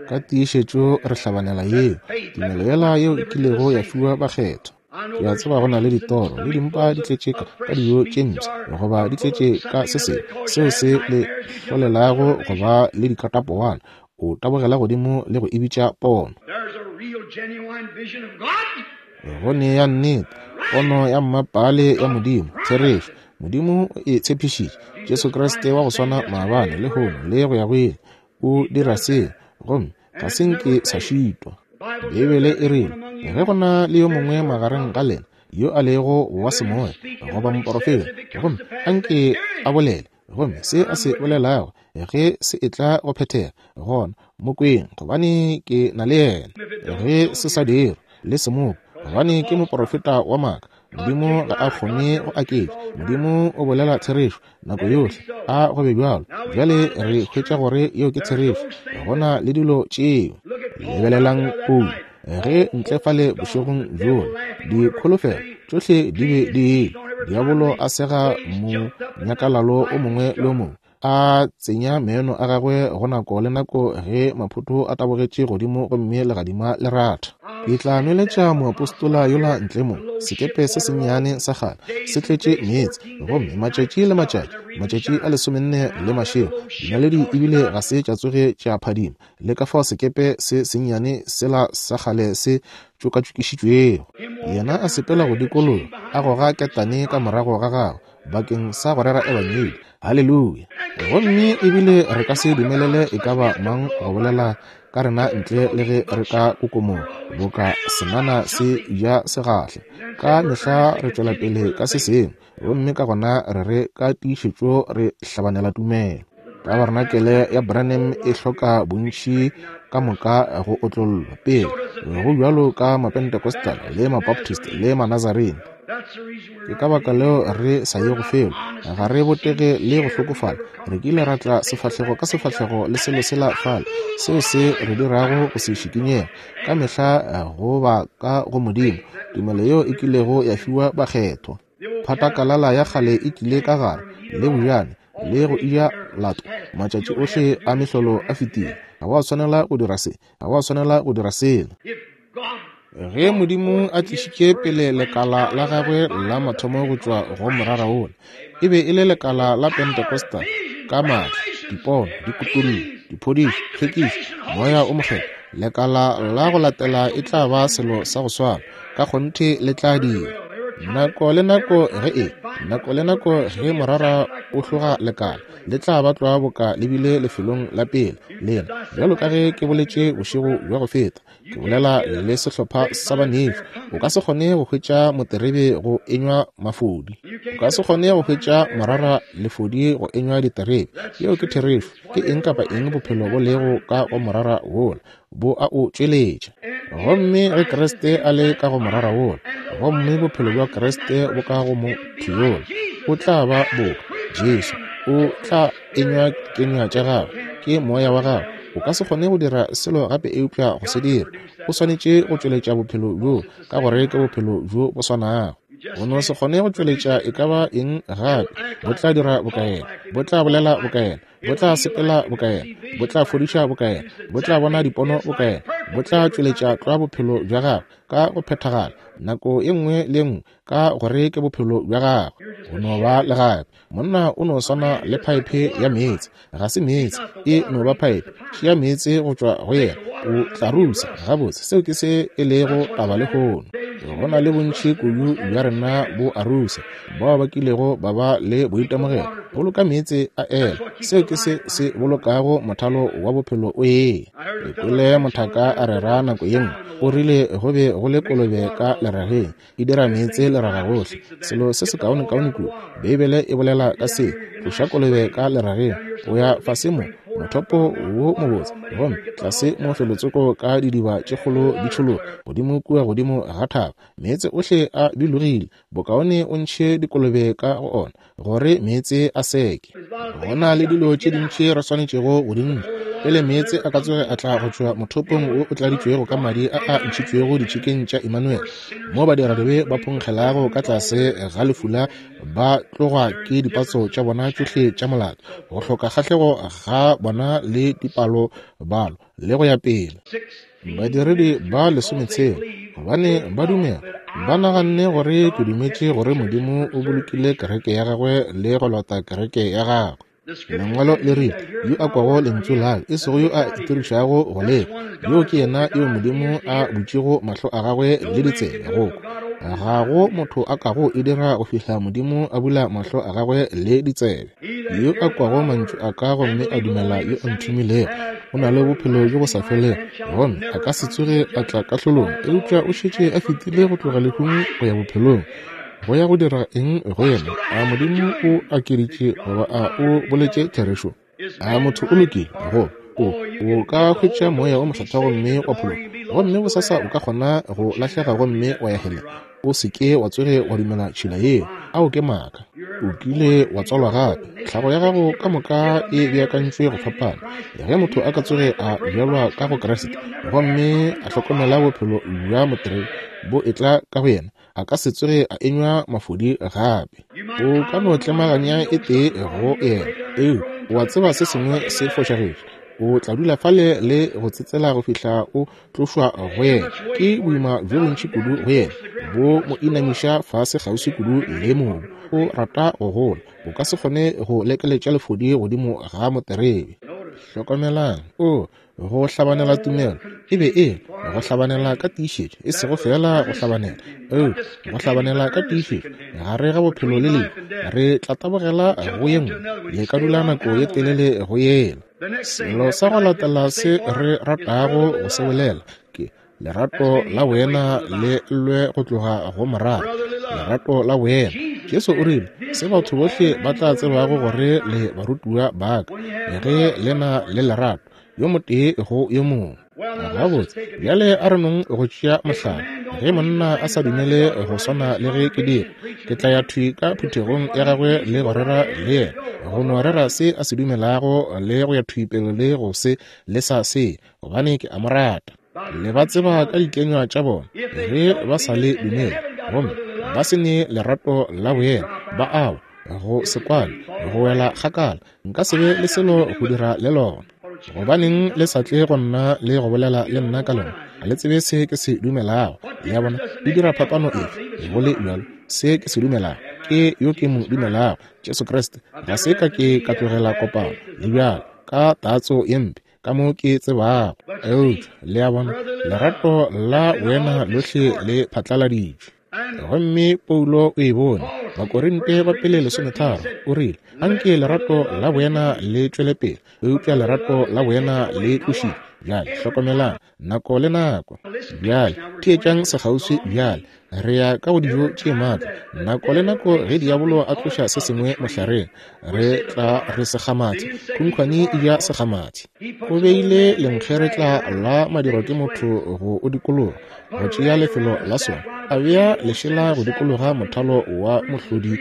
Ka tiišetšo re hlabanela yeo, tumelo yela yeo e kilego ya fiwa bakgethwa. Ke a tseba go na le ditoro le dimpa di tletše ka dijo tše mpsha, goba di tletše ka se sengwe seo se le hlolelago go ba le dikatapowana. O tabogela godimo le go e bitša pono. Go nea nnete, pono ya mmapaale ya Modimo, therešo. Modimo o e tshepišitše. Jesu Kriste wa go swana maabane, lehono, le go ya go ile. O dira seo, gomme ga se nke sa šitwa. Beibele e rile, ge go na le yo mongwe magareng ga lena yo a lego wa semoya goba moporofeta, gomme a nke a bolele, gomme se a se bolelago ge se etla go phethega, gona mo kweng, gobane ke na le yena. Ge se sa dirwe, le se mo kwe, gobane ke moporofeta wa maaka. Modimo ga a kgone go aketša. Modimo o bolela therešo nako yohle. A go be bjalo. Bjale re hwetša gore yeo ke therešo. Go na le dilo tšeo. Lebelelang Paulo ge ntle fale bošegong bjola, dikholofelo tšohle di be di ile. Diabolo a sega monyakalalo o mongwe le o mongwe, a tsenya meno a gagwe go nako le nako ge maphoto a tabogetše godimo gomme legadima le ratha. Ke tla nweletša moapostola yola ntle mo, sekepe se sennyane sa kgale se tletše meetse, gomme matšatši le matšatši, matšatši a 14 le mašego, dinaledi ebile ga se tša tsoge tša phadima, le ka fao sekepe se sennyane sela sa kgale se tšokatšokišitšwego. Yena a sepela go dikologa, a goga ketane ka morago ga gagwe, bakeng sa go rera ebangedi. Haleluya! Gomme ebile re ka se dumelele e ka ba mang go bolela ka rena ntle le ge re ka kokomoga boka senana se ja segahle. Ka mehla re tšwela pele ka se sengwe, gomme ka gona re re ka tiišetšo re hlabanela tumelo. Tabernacle ya Branham e hloka bontši ka moka go otlollwa pele, go bjalo ka Mapentecostal le Mabaptist le Manazarene. Ke ka baka leo re sa ye go felo. Ga re botege le go hlokofala. Re kile ra tla sefahlego ka sefahlego le selo sela fale, seo se re dirago go se šikinyega ka mehla go ba ka go Modimo, tumelo yeo e kilego ya fiwa bakgethwa. Phatakalala ya kgale e tlile ka gare, le bojane, le go eja lato. Matšatši ohle a mehlolo a fetile. Ga wa swanela go dira se. Ga wa swanela go dira sela. Ge Modimo a tlišitše pele lekala la gagwe la mathomo go tšwa go morara wola, e be e le lekala la Pentecostal ka maatla, dipono, dikutullo, diphodišo, tlhwekišo, Moya o Mokgethwa. Lekala la go latela e tla ba selo sa go swana, ka kgonthe le tla dira. Nako le nako ge e, nako le nako ge morara o hloga lekala, le tla ba tlwa boka le bile lefelong la pele lena, bjalo ka ge ke boletše bošego bja go feta. Ke bolela le sehlopha sa banefi. O ka se kgone go hwetša moterebe go enywa mafodi. O ka se kgone go hwetša morara lefodi go enywa diterebe. Yeo ke therešo. Ke eng kapa eng bophelo bo lego ka go morara wola, bo a o tšweletša. Gomme ge Kriste a le ka go morara wola, gomme bophelo bja Kriste bo ka go motho yola, o tla ba boka Jesu. O tla enywa kenywa tša gagwe, ke moya wa gagwe. O ka se kgone go dira selo gape eupša go se dira. O swanetše go tšweletša bophelo bjo, ka gore ke bophelo bjo bo swanago. O no se kgone go tšweletša e ka ba eng gape. Bo tla dira bokaena, bo tla bolela bokaena, bo tla sepela bokaena, bo tla fodiša bokaena, bo tla bona dipono bokaena, bo tla tšweletša tlwa bophelo bja gagwe ka go phethagala nako e nngwe le e nngwe, ka gore ke bophelo bja gagwe. Go no ba le gape monna o no swana le phaephe ya meetse. Ga se meetse, e no ba phaephe. Tšea meetse go tšwa go yena, o tla rusa. Gabotse, seo ke se e lego taba lehono. Go na le bontši kudu bja rena bo a rusa, bao ba kilego ba ba le boitemogelo. Boloka meetse a ela. Seo ke se se bolokago mothalo wa bophelo o eya. Ke kwele mothaka a rera nako ye nngwe, o rile go be go le kolobe ka lerageng, e dira meetse leraga gohle. Selo se sekaonekaone kudu, Beibele e bolela ka se, tloša kolobe ka lerageng, o ya fase mo, mothopo wo mobotse, gomme tlase mo felotsoko ka didiba tše kgolo di tšhologa godimo kua godimo ga thaba, meetse ohle a bilogile, bokaone o ntšhe dikolobe ka go ona, gore meetse a seke. Go na le dilo tše dintši re swanetšego go di ntšha pele meetse a ka tsoge a tla go tšwa mothopong wo o tladitšwego ka madi a a ntšhitšwego ditšhikeng tša Emmanuel, mo badiradibe ba phonkgelago ka tlase ga lefula ba tlogwa ke dipatso tša bona tšohle tša molato, go hloka kgahlego ga bona le dipalo-balo le go ya pele. Badiredi ba lesometshela, gobane ba dumela, ba naganne gore ke dumetše gore Modimo o bolokile kereke ya gagwe le go lota kereke ya gagwe. Lengwalo le rile, Yo a kwago lentšu la ka, e sego yo a itirišago go le kwa, yoo ke yena yo Modimo a butšego mahlo a gagwe le ditsebe go kwa. Ga go motho a kago e dira go fihla Modimo a bula mahlo a gagwe le ditsebe. Yo a kwago mantšu a ka gomme a dumela yo a nthomilego, o na le bophelo bjo bo sa felego, gomme a ka se tsoge a tla kahlolong, eupša o šetše a fetile go tloga lehung go ya bophelong. Go ya go dira eng go yena? A Modimo o akeditše goba a o boletše therešo? A motho o lokile? Go o o ka hwetša moya o mokgethwa gomme wa phologa, gomme bosasa o ka kgona go lahlega gomme wa ya heleng. O se ke wa tsoge wa dumela tšhila yeo. Ao ke maaka. O kile wa tswalwa gape. Tlhago ya gago ka moka e beakantšwe go fapana. Ge motho a ka tsoge a bjalwa ka go Kriste gomme a hlokomela bophelo bja moterebe bo etla ka go yena, a ka se tsoge a enywa mafodi gape. O ka no tlemaganya e tee go yena, eu o a tseba se sengwe se fošagetše. O tla dula fale le go tsetsela go fihla o tlošwa go yena. Ke boima bjo bontši kudu go yena, bo mo inamiša fase kgauswi kudu le mobu. O rata go gola. O ka se kgone go lekeletša lefodi godimo ga moterebe. Hlokomelang, o Go hlabanela tumelo e be e go hlabanela ka tiišetšo, e sego feela go hlabanela, eupša go hlabanela ka tiišetšo gare ga bophelo le lehu. Re tla tabogela go ye nngwe, le ka dula nako ye telele go yela. Selo sa go latela se re ratago go se bolela ke lerato la boena le llwe go tloga go morara. Lerato la boena. Jesu o rile, se batho bohle ba tla tsebago gore le barutiwa ba ka, ge le na le lerato yo motee go yo mongwe. Gabotse, bjale a re nong go tšea mohlala. Ge monna a sa dumele go swana le ge ke dira, ke tla ya thwi ka phuthegong ya gagwe le go rera le yena, go no rera se a se dumelago le go ya thwi pele le go se lesa se, gobane ke a mo rata. Le ba tseba ka dikenywa tša bona. Ge ba sa le dumele gomme ba se ne lerato la boena, ba awa, go se kwane, go wela kgakala, nka se be le selo go dira le lona. Gobaneng le sa tle go nna le go bolela le nna ka lona? Ga le tsebe se ke se dumelago. Le a bona? E dira phapano efe, go le bjalo, se ke se dumelago? Ke yo ke mo dumelago, Jesu Kriste. Ga se ka ke ka tlogela kopano, le bjalo, ka tatso ye mpe, ka mo ke tsebago. Eupša, le a bona, lerato la boena lohle le phatlaladitšwe. Gomme Paulo o e bone, Bakorinte ba pele 13, o rile, Anke lerato la boena le tšwele pele, eupša lerato la boena le tlošitšwe. Bjale hlokomelang, nako le nako. Bjale theetšang sekgauswi bjale. Re ya ka go dijo tše maatla. Nako le nako ge diabolo a tloša se sengwe mohlareng, re tla re sekgamathi, khunkhwane e ja sekgamathi. O beile lenkgeretla la madirwa ke motho go o dikologa, go tšea lefelo la sona, a bea lešela go dikologa mothalo wa mohlodi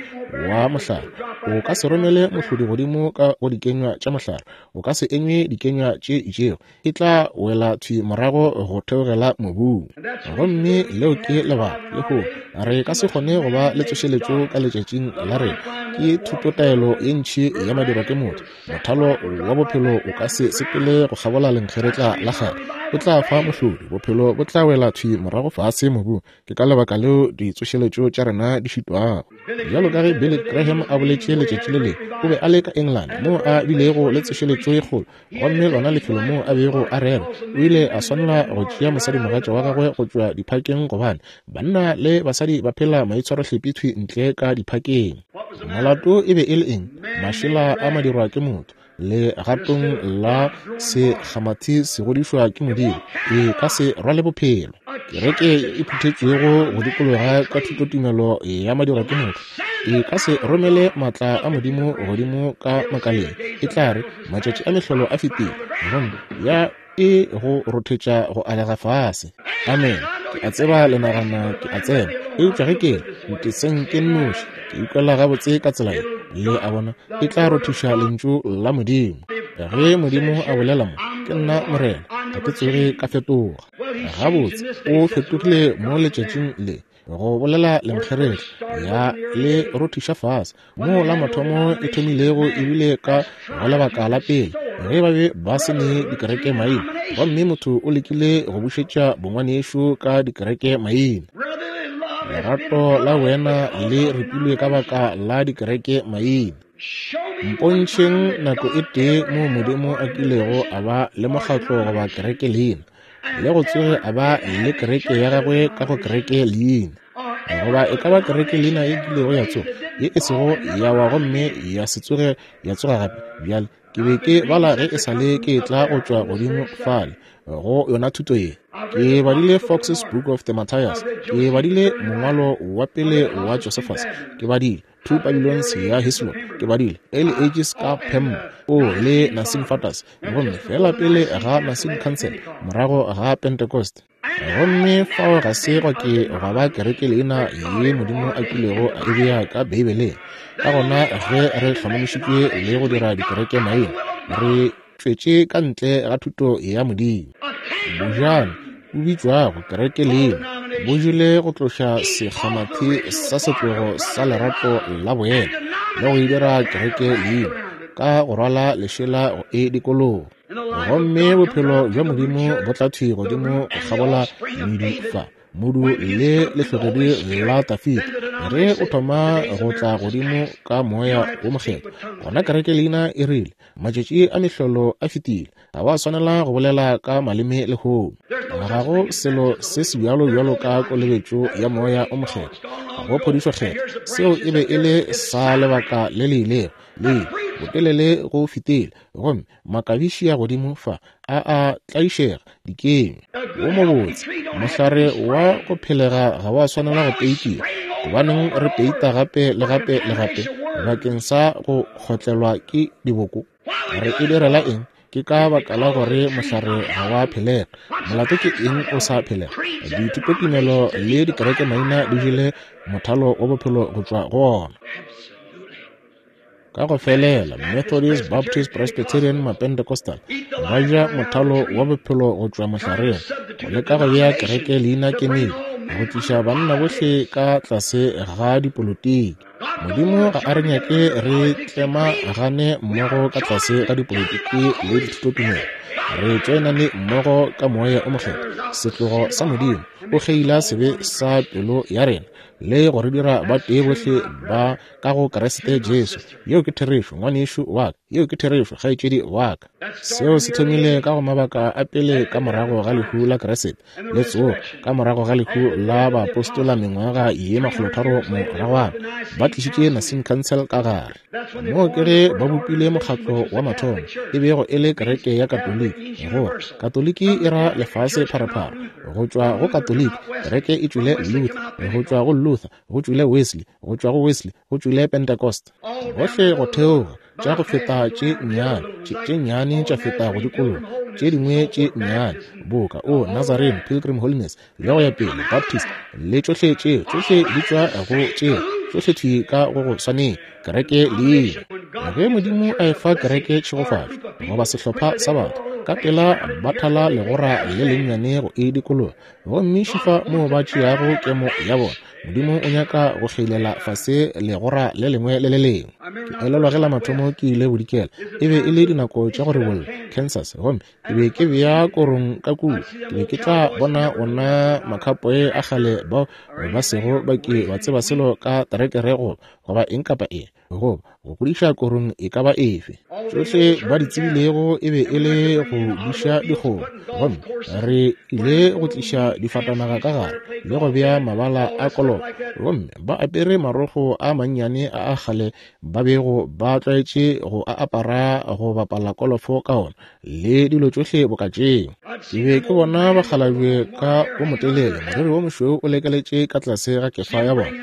wa mohlare. O ka se romele mohlodi godimo ka go dikenywa tša mohlare, o ka se enywe dikenywa tše itšego, e tla wela thwi morago go theogela mobung. Gomme leo ke lebaka lehono re ka se kgone go ba le tsošeletšo ka letšatšing la rena, ke thutotaelo ye ntši ya madirwa ke motho. Mothalo wa bophelo o ka se sepele go kgabola lenkgeretla la kgale, o tla fa mohlodi, bophelo bo tla wela thwi morago fase mobung. Ke ka lebaka leo ditsošeletšo tša rena di šitwago. Bjalo ka ge Billy Graham a boletše letšatši le lengwe, o be a le ka England moo a bilego le tsošeletšo ye kgolo, gomme lona lefelo moo a bego a rera, o ile a swanela go tšea mosadimogatša wa gagwe go tšwa diphakeng gobane banna le basadi ba phela maitshwarohlepi thwi ntle ka diphakeng. Molato e be e le eng? Mašela a madirwa ke motho, legatong la sekgamathi se godišwa ke Modimo, e ka se rwale bophelo. Kereke e phuthetšwego go dikologa ka thutotumelo ya madirwa ke motho e ka se romele maatla a Modimo godimo ka makaleng. E tla re, Matšatši a mehlolo a fetile, gomme ya e go rothetša go alega fase. Amen. Ke a tseba le nagana ke a tsena, eupša ge ke re, nteseng ke nnoši, ke ikwela gabotse ka tsela ye. Le a bona, e tla rothiša Lentšu la Modimo. Ge Modimo a bolela mo, ke nna Morena, ga ke tsoge ka fetoga. Gabotse, o fetogile mo letšatšing le. Go bolela lenkgeretla ya le rothiša fase moo la mathomo e thomilego ebile ka go lebaka la pele ge ba be ba se ne dikereke maina, gomme motho o lekile go bušetša bongwanešo ka dikereke maina. Lerato la wena le ripilwe ka baka la dikereke maina. Mpontšheng nako e tee moo Modimo a kilego a ba le mokgatlo goba kereke leina, le go tsoge a ba le kereke ya gagwe ka go kereke leina, goba e ka ba kereke leina e kilego ya tsoga ye e sego ya wa gomme ya se tsoge ya tsoga gape. Bjale ke be ke bala ge e sa le ke tla go tšwa godimo fale go yona thuto ye. Ke badile Fox's Book of the Martyrs, ke badile mongwalo wa pele wa Josephus, ke badile Two Babylons ya Hislop, ke badile Early Ages ka Pemmo o le Nicene Fathers, gomme fela pele ga Nicene Council, morago ga Pentecost. Gomme fao ga se gwa ke gwa ba kereke leina ye Modimo a kilego a e bea ka Beibeleng. Ka gona ge re hlomamišitšwe le go dira dikereke maina, re tšwetše ka ntle ga thuto ya Modimo. Bojane bo bitšwago kereke leina bo jele go tloša sekgamathi sa setlogo sa lerato la boena le go e dira kereke leina ka go rwala lešela go e dikologa. Gomme bophelo bja Modimo bo tla thwi godimo go kgabola medu fa. Modu le lehlogedi la Dafida, ge o thoma go tla godimo ka Moya wo Mokgethwa, gona kereke leina e rile, Matšatši a mehlolo a fetile, ga wa swanela go bolela ka maleme lehono. Ga go selo se sebjalo bjalo ka kolobetšo ya Moya o Mokgethwa, go phodišo Kgethwa. Seo e be e le sa lebaka le le ilego, le ile botelele go fetile, gomme makabiši a godimo fa a a tlaišega dikenywa. Wo mobotse mohlare wa go phelega ga wa swanela go peitiwa. Gobaneng re peita gape le gape le gape bakeng sa go kgotlelwa ke diboko? Re e direla eng? Ke ka baka la gore mohlare ga wa phelega. Molato ke eng o sa phelega? Dithutotumelo le dikerekemaina di jele mothalo wa bophelo go tšwa go ona. Ka go felela, Methodist, Baptist, Presbyterian, Mapentecostal ba ja mothalo wa bophelo go tšwa mohlareng, go leka go bea kereke leina kemedi, go tliša banna bohle ka tlase ga dipolotiki. Modimo ga a re nyake re tlemagane mmogo ka tlase ga dipolotiki le dithutotumelo. Re tšoenane mmogo ka Moya o Mokgethwa, setlogo sa Modimo, o kgeila sebe sa pelo ya rena le go re dira ba tee bohle ba ka go Kriste Jesu. Yeo ke therešo, ngwanešu wa ka. Yeo ke therešo, kgaetšedi wa ka. Seo se thomile ka go mabaka a pele ka morago ga lehu la Kriste le tsogo, ka morago ga lehu la baapostola mengwaga ye 300 moragwana, ba tlišitše Nicene Council ka gare. Moo ke ge ba bopile mokgatlo wa mathomo, e bego e le kereke ya Katoliki. Gore Katoliki e ra lefase pharephare. Go tšwa go Katoliki, kereke e tšwile Luther. Go tšwa go Luther, go tšwile Wesley. Go tšwa go Wesley, go tšwile Pentecost. Gohle go theoga, tša go feta tše nnyane, tše nnyane tša feta go dikologa, tše dingwe tše nnyane, boka o Nazarene, Pilgrim Holiness, le go ya pele, Baptist, le tšohle tšeo, tšohle di tšwa go tšeo, tšohle thwi ka go go swaneng, kereke leina. Ge Modimo a efa kereke tšhegofatšo, goba sehlopha sa batho, ka pela ba thala legora le lennyane go e dikologa, gomme šifa moo ba tšeago kemo ya bona. Modimo o nyaka go kgeilela fase legora le lengwe le le lengwe. Ke elelwa ge la mathomo ke ile bodikela, e be e le dinako tša go rebolla Kansas, gomme ke be ke bea korong ka kua. Ke be ke tla bona ona makhapoe a kgale bao ba sego ba ke ba tseba selo ka terekere goba eng kapa eng, goba go godiša korong e ka ba efe. Tšohle ba di tsebilego e be e le go duša dikgomo, gomme re ile go tliša difatanaga ka gare le go bea mabala a kolopo, gomme ba apere marokgo a mannyane a a kgale ba bego ba tlwaetše go a apara go bapala kolofo ka ona, le dilo tšohle boka tšeo. Ke be ke bona bakgalabje ka o motelele, moriri wo mošweu o lekeletše ka tlase ga kefa ya bona,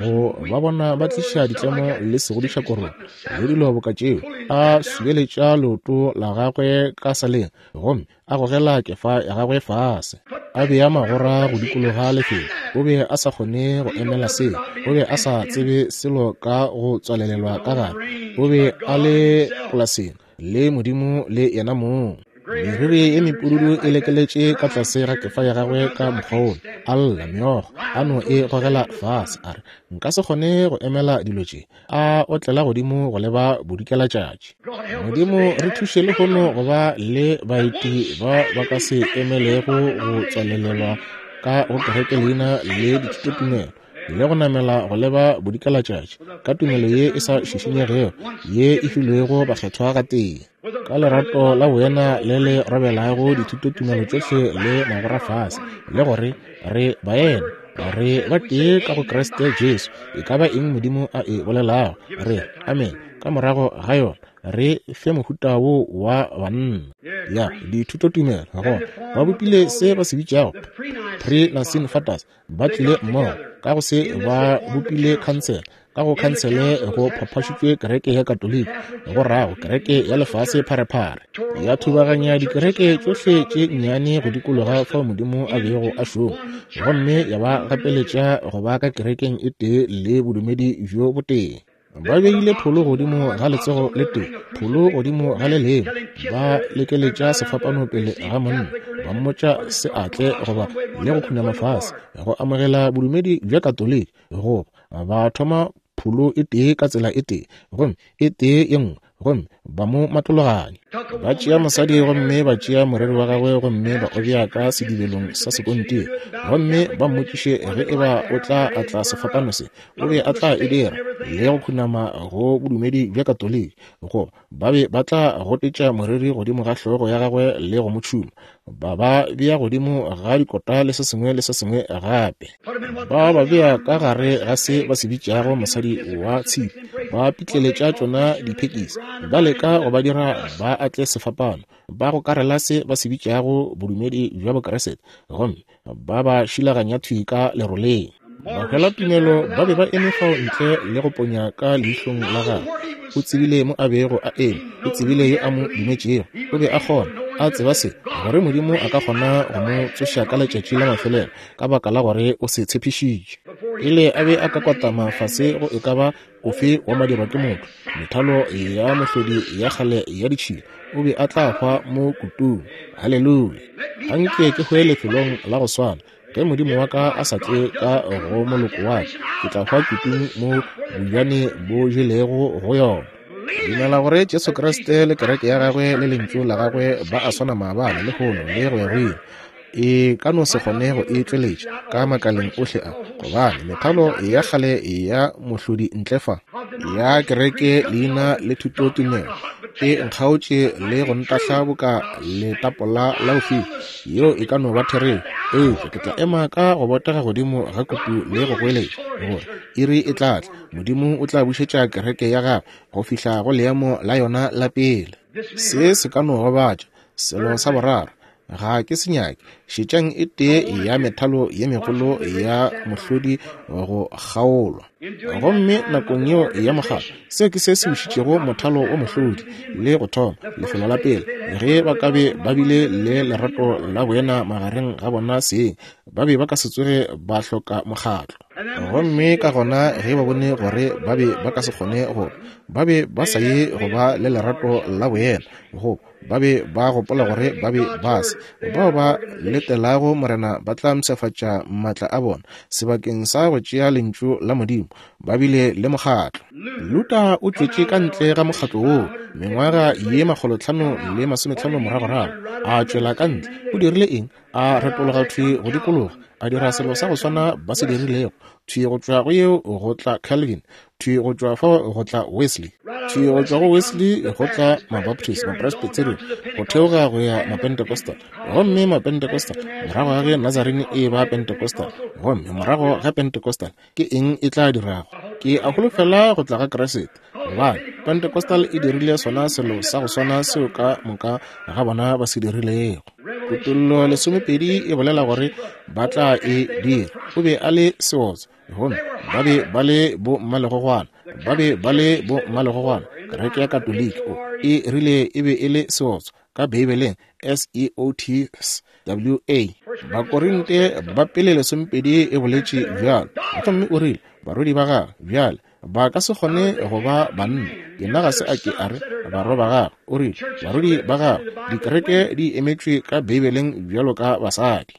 go ba bona ba tliša ditlemo le segodiša korong le dilo boka tšeo, a subeletša leoto la gagwe ka saleng gomme a gogela kefa ya gagwe fase, a bea magora go dikologa lefelo. O be a sa kgone go emela seo, o be a sa tsebe selo ka go tswalelelwa ka gare. O be a le polaseng le Modimo le yena mong. Meriri ye mepududu e lekeletše ka tlase ga kefa ya gagwe ka mokgwa wola, a lla meokgo, a no e gogela fase, a re, Nka se kgone go emela dilo tše. A otlela godimo go leba bodikelatšatši. Modimo re thuše lehono go ba le baeti ba ba ka se emelego go tswalelelwa ka go kereke leina le dithutotumelo, le go namela go leba bodikelatšatši ka tumelo ye e sa šišinyegego ye e filwego bakgethwa gatee, ka lerato la boena le le robelago dithutotumelo tšohle le magora fase, le gore re baena, re ba tee ka go Kriste Jesu. E ka ba eng Modimo a e bolelago, re amen ka morago ga yona. Re fe mohuta wo wa banna ya dithutotumelo. Gona ba bopile se ba se bitšago pre-Nicene Fathers, ba tlile mmogo ka go se ba bopile khansele. Ka go khansele go phaphašitšwe kereke ya Katoliki, go rago kereke ya lefase pharephare, ya thubaganya dikereke tšohle tše nnyane go dikologa fao Modimo a bego a šoma, gomme ya ba gapeletša go ba ka kerekeng e tee le bodumedi bjo botee. Ba beile pholo godimo ga letsogo le tee, pholo godimo ga le lengwe, ba lekeletša sefapano pele ga monna, ba mmotša se atle goba le go khunama fase go amogela bodumedi bja Katoliki, goba ba thoma pholo e tee ka tsela e tee, gomme e tee ye nngwe, gomme ba mo matlologanya. Ba tšea mosadi gomme ba tšea moreri wa gagwe gomme ba o bea ka sedibelong sa sekontiri, gomme ba mmotšiše ge e ba o tla atla sefapano se, o be a tla e dira, le go khunama go bodumedi bja Katoliki, goba ba be ba tla gotetša moreri godimo ga hlogo ya gagwe le go mo tšhuma, ba ba bea godimo ga dikota le se sengwe le se sengwe gape. Ba ba bea ka gare ga se ba se bitšago mosadi wa tshipi, ba pitleletša tšona diphekisi, ba leka go ba dira ba atle sefapano, ba gokarela se ba se bitšago bodumedi bja Bokriste, gomme ba ba šilaganya thwi ka leroleng. Bahwelatumelo ba be ba eme fao ntle le go ponya ka leihlong la gagwe. O tsebile mo a bego a eme. O tsebile yo a mo dumetšego. O be a kgona, a tseba se, gore Modimo a ka kgona go mo tsoša ka letšatši la mafelelo, ka baka la gore o se tshepišitše. Pele a be a ka kwatama fase go e ka ba ofe wa madirwa ke motho, methalo ya mohlodi ya kgale ya ditšhila, o be a tla hwa mo kutung. Haleluya! Anke ke hwe lefelong la go swana. Ge Modimo wa ka a sa tle ka go moloko wa ka, ke tla hwa kutung mo bojane bo jelego go yona. Dumela gore Jesu Kriste le kereke ya gagwe le lentšu la gagwe ba a swana maabane, lehono le go ya go ile. E ka no se kgone go e tšweletša ka makaleng ohle a, gobane methalo ya kgale ya mohlodi ntle fa ya kereke leina le thutotumelo e nkgaotše le go ntahla boka letapola la go fiwa. Yeo e ka no ba therešo, eupša ke tla ema ka go botega godimo ga kutu le go goeletša gore iri e tla tla, Modimo o tla bušetša kereke ya gagwe go fihla go leemo la yona la pele. Se se ka no gobatša. Selo sa boraro, ga ke se nyake. Šetšang e tee ya methalo ye megolo ya mohlodi go kgaolwa. Gomme nakong yeo ya mokgatlo, seo ke se se wišitšego mothalo wa mohlodi le go thoma lefelo la pele. Ge ba ka be ba bile le lerato la boena magareng ga bona seng, ba be ba ka se tsoge ba hloka mokgatlo. Gomme ka gona ge ba bone gore ba be ba ka se kgone go, ba be ba sa ye go ba le lerato la boena, go Ba be ba gopola gore ba be ba se. Bao ba letelago Morena ba tla mpshafatša maatla a bona. Sebakeng sa go tšea Lentšu la Modimo, ba bile le mokgatlo. Luther o tšwetše ka ntle ga mokgatlo woo mengwaga ye 550 moragorago, a tšwela ka ntle. O dirile eng? A retologa thwi go dikologa, a dira selo sa go swana ba se dirilego. Thwi go tšwa go yeo go tla Calvin, thwi go tšwa fao go tla Wesley, thwi go tšwa go Wesley go tla Mabaptist, Mapresbyterian, go theoga go ya Mapentecostal. Gomme Mapentecostal, morago ga ge Nazarene e ba Pentecostal, gomme morago ga Pentecostal, ke eng e tla dirago? Ke a holofela go tla ga Kriste, gobane Pentecostal e dirile sona selo sa go swana seo ka moka ga bona ba se dirilego. Kutollo 12 e bolela gore ba tla e dira. O be a le seotswa, gomme ba be ba le bo mmalegogwana, ba be ba le bo mmalegogwana. Kereke ya Katoliki o e rile e be e le seotswa ka Beibeleng, S-E-O-T-S-W-A. Bakorinte ba pele 12 e boletše bjalo. Gomme o rile, barwedi ba gagwe bjale ba ka se kgone go ba banna. Yena ga se a ke a re barwa ba gagwe, o rile barwedi ba gagwe. Dikereke di emetšwe ka Beibeleng bjalo ka basadi.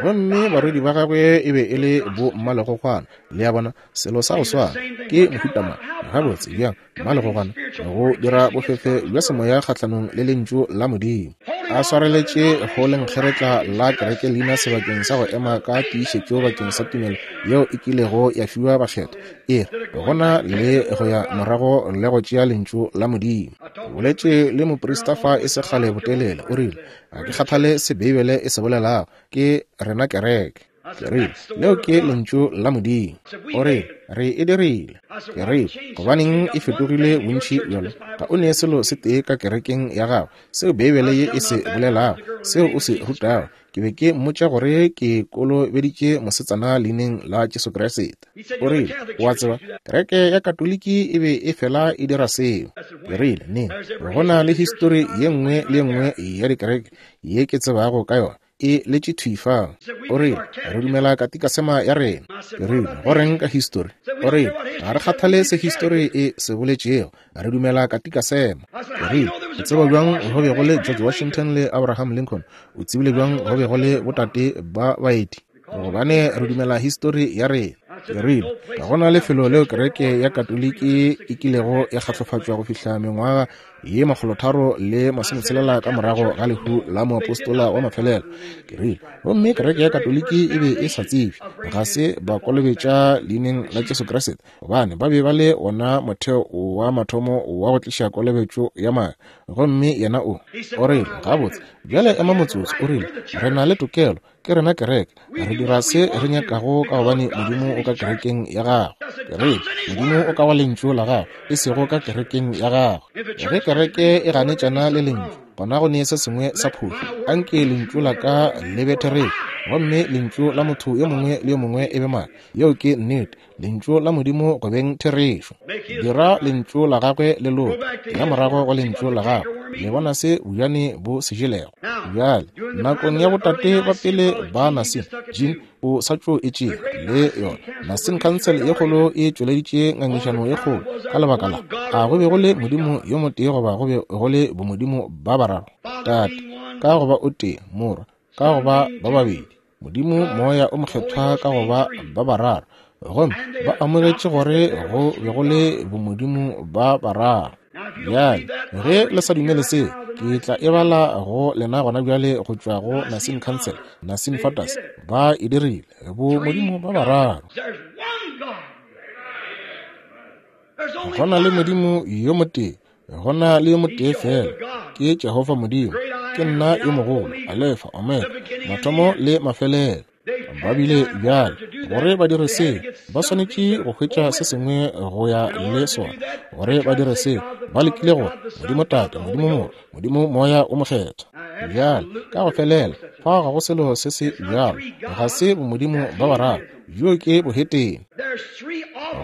Gomme barwedi ba gagwe e be e le bo mmalegogwana. Le a bona, selo sa go swana. Ke mohuta mang? Gabotse, bjang, mmalegogwana go dira bofefe bja semoya kgahlanong le Lentšu la Modimo, a swareletše go lenkgeretla la kereke leina sebakeng sa go ema ka tiišetšo bakeng sa tumelo yeo e kilego ya fiwa bakgethwa, e re gona le go ya morago le go tšea Lentšu la Modimo. Boletše le moprista fa e se kgale botelele, o rile, Ga ke kgathale se Beibele e se bolelago, ke rena kereke. Ke rile, Leo ke Lentšu la Modimo. O rile, Re e dirile. Ke rile, Gobaneng e fetogile bontši bjalo? Ga o ne selo se tee ka kerekeng ya gago seo Beibele ye e se bolelago, seo o se rutago. Ke be ke mmotša gore ke kolobeditše mosetsana Leineng la Jesu Kriste. O rile, O a tseba, kereke ya Katoliki e be e fela e dira seo. Ke rile, Neng? Go na le histori ye nngwe le ye nngwe ya dikereke ye ke tsebago ka yona. e letše thwi fao. O rile, Re dumela katikasema ya rena. Ke rile, Go reng ka histori? O rile, Ga re kgathale se histori e se boletšego. Re dumela katikasema. Ke rile, O tseba bjang go be go le George Washington le Abraham Lincoln? O tsebile bjang go be go le botate ba baeti? Gobane re dumela histori ya rena. Ke rile, Ga go na lefelo leo kereke ya Katoliki e kilego ya kgatlofatšwa go fihla mengwaga ye 360 ka morago ga lehu la moapostola wa mafelelo. Ke rile, Gomme kereke ya Katoliki e be e sa tsebje, ga se ba kolobetša leineng la Jesu Kriste, gobane ba be ba le wona motheo wa mathomo wa go tliša kolobetšo ya maaka. Gomme yena o, o rile, Gabotse, bjale ema motsotso, o rile, re na le tokelo. Ke rena kereke. Re dira se re nyakago ka gobane Modimo o ka kerekeng ya gagwe. Ke rile, Modimo o ka go Lentšu la gagwe, e sego ka kerekeng ya gagwe. Ge kereke e ganetšana le Lentšu, gona go ne se sengwe sa phošo. Anke lentšu la ka le be therešo, gomme lentšu la motho yo mongwe le yo mongwe e be maaka. Yeo ke nnete. Lentšu la Modimo go beng therešo. Dira Lentšu la Gagwe le loke. Ya morago go Lentšu la Gagwe. Le bona se bojane bo se jelego. Bjale, nakong ya botate ba pele ba Nicene, Jean o sa tšo e tšea le yona. Nicene Council ye kgolo e tšweleditše ngangišano ye kgolo ka lebaka la a go be go le Modimo yo motee goba go be go le bomodimo ba bararo. Tate, ka go ba o tee, Morwa, ka go ba ba babedi, Modimo Moya o Mokgethwa ka go ba ba bararo. Gomme ba amogetše gore go be go le bomodimo ba bararo. Bjale, ge le sa dumele seo, ke tla e bala go lena gona bjale go tšwa go Nicene Council, Nicene Fathers. Ba e dirile, bomodimo ba bararo. Go na le Modimo yo motee, go na le yo motee fela, ke Jehofa Modimo. Ke nna yo mogolo, Alefa, Omega, mathomo le mafelelo. Ba bile bjale, gore ba dire seo, ba swanetše go hwetša se sengwe go ya le sona. Gore ba dire seo, ba lekile gore Modimo Tate, Modimo Morwa, Modimo Moya o Mokgethwa. Bjale, ka go felela, fa ga go selo se se bjalo. Ga se bomodimo ba bararo. Bjo ke bohetene.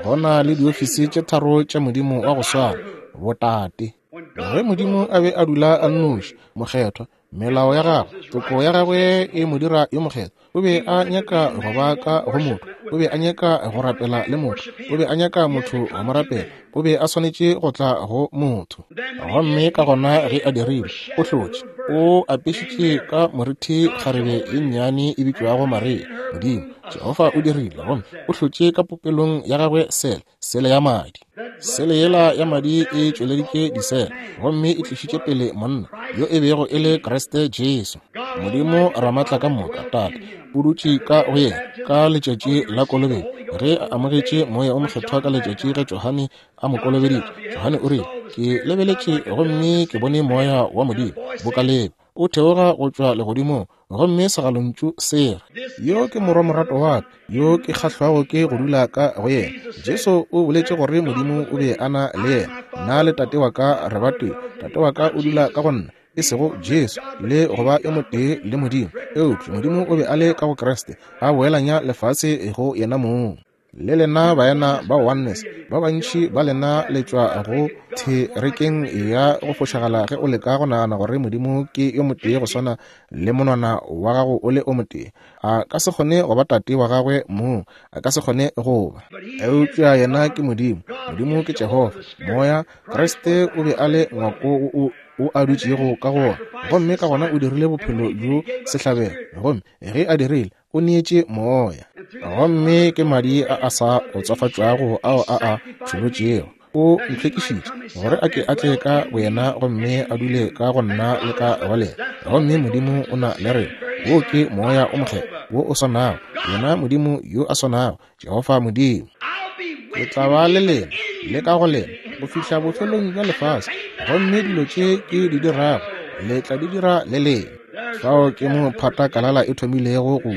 Go na le diofisi tše tharo tša Modimo wa go swana, botate. Ge Modimo a be a dula a nnoši, mokgethwa, melao ya gagwe, toko ya gagwe e mo dira yo mokgethwa. O be a nyaka go ba ka go motho, o be a nyaka go rapela le motho, o be a nyaka motho go mo rapela, o be a swanetše go tla go motho. Gomme ka gona ge a dirile, o hlotše, o apešitše ka morithi kgarebe ye nnyane e bitšwago Maria. Modimo, Jehofa o dirile, gomme o hlotše ka popelong ya gagwe sele, sele ya madi. Sele yela ya madi e tšweleditše disele, gomme e tlišitše pele monna yo e bego e le Kriste Jesu. Modimo Ramatla ka moka, Tate, o dutše ka go yena ka letšatši la kolobetšo. Ge a amogetše Moya o Mokgethwa ka letšatši ge Johane a mo kolobeditše, Johane o rile, Ke lebeletše gomme ke bone Moya wa Modimo boka leba o theoga go tšwa legodimong, gomme segalontšu se re, Yo ke Morwa morato wa ka, yo ke kgahlwago ke go dula ka go yena. Jesu o boletše gore Modimo o be a na le yena. Nna le Tate wa ka re batee. Tate wa ka o dula ka go nna, e sego Jesu, le go ba yo motee le Modimo. Eupša Modimo o be a le ka go Kriste, a boelanya lefase go yena mong. Le lena baena ba Oneness, ba bantši ba lena le tšwa go therekeng ya go fošagala ge o leka go nagana gore Modimo ke yo motee go swana le monwana wa gago o le o motee. A ka se kgone go ba tate wa gagwe mong, a ka se kgone go ba. Eupša yena ke Modimo. Modimo ke Jehofa, Moya. Kriste o be a le ngwako o o a dutšego ka go wona, gomme ka gona o dirile bophelo bjo sehlabelo, gomme ge a dirile, o neetše moya, gomme ke madi a a sa otswafatšwago ao a a tšholotšego. O ntlhwekišitše gore a ke a tle ka boyena gomme a dule ka go nna le ka go lena. Gomme Modimo o na le rena. Wo ke Moya o Mokgethwa wo o swanago, yena Modimo yo a swanago, Jehofa Modimo. Ke tla ba le lena le ka go lena go fihla bofelong bja lefase, gomme dilo tše ke di dirago le tla di dira le lena. Fao ke mo phata kalala e thomilego go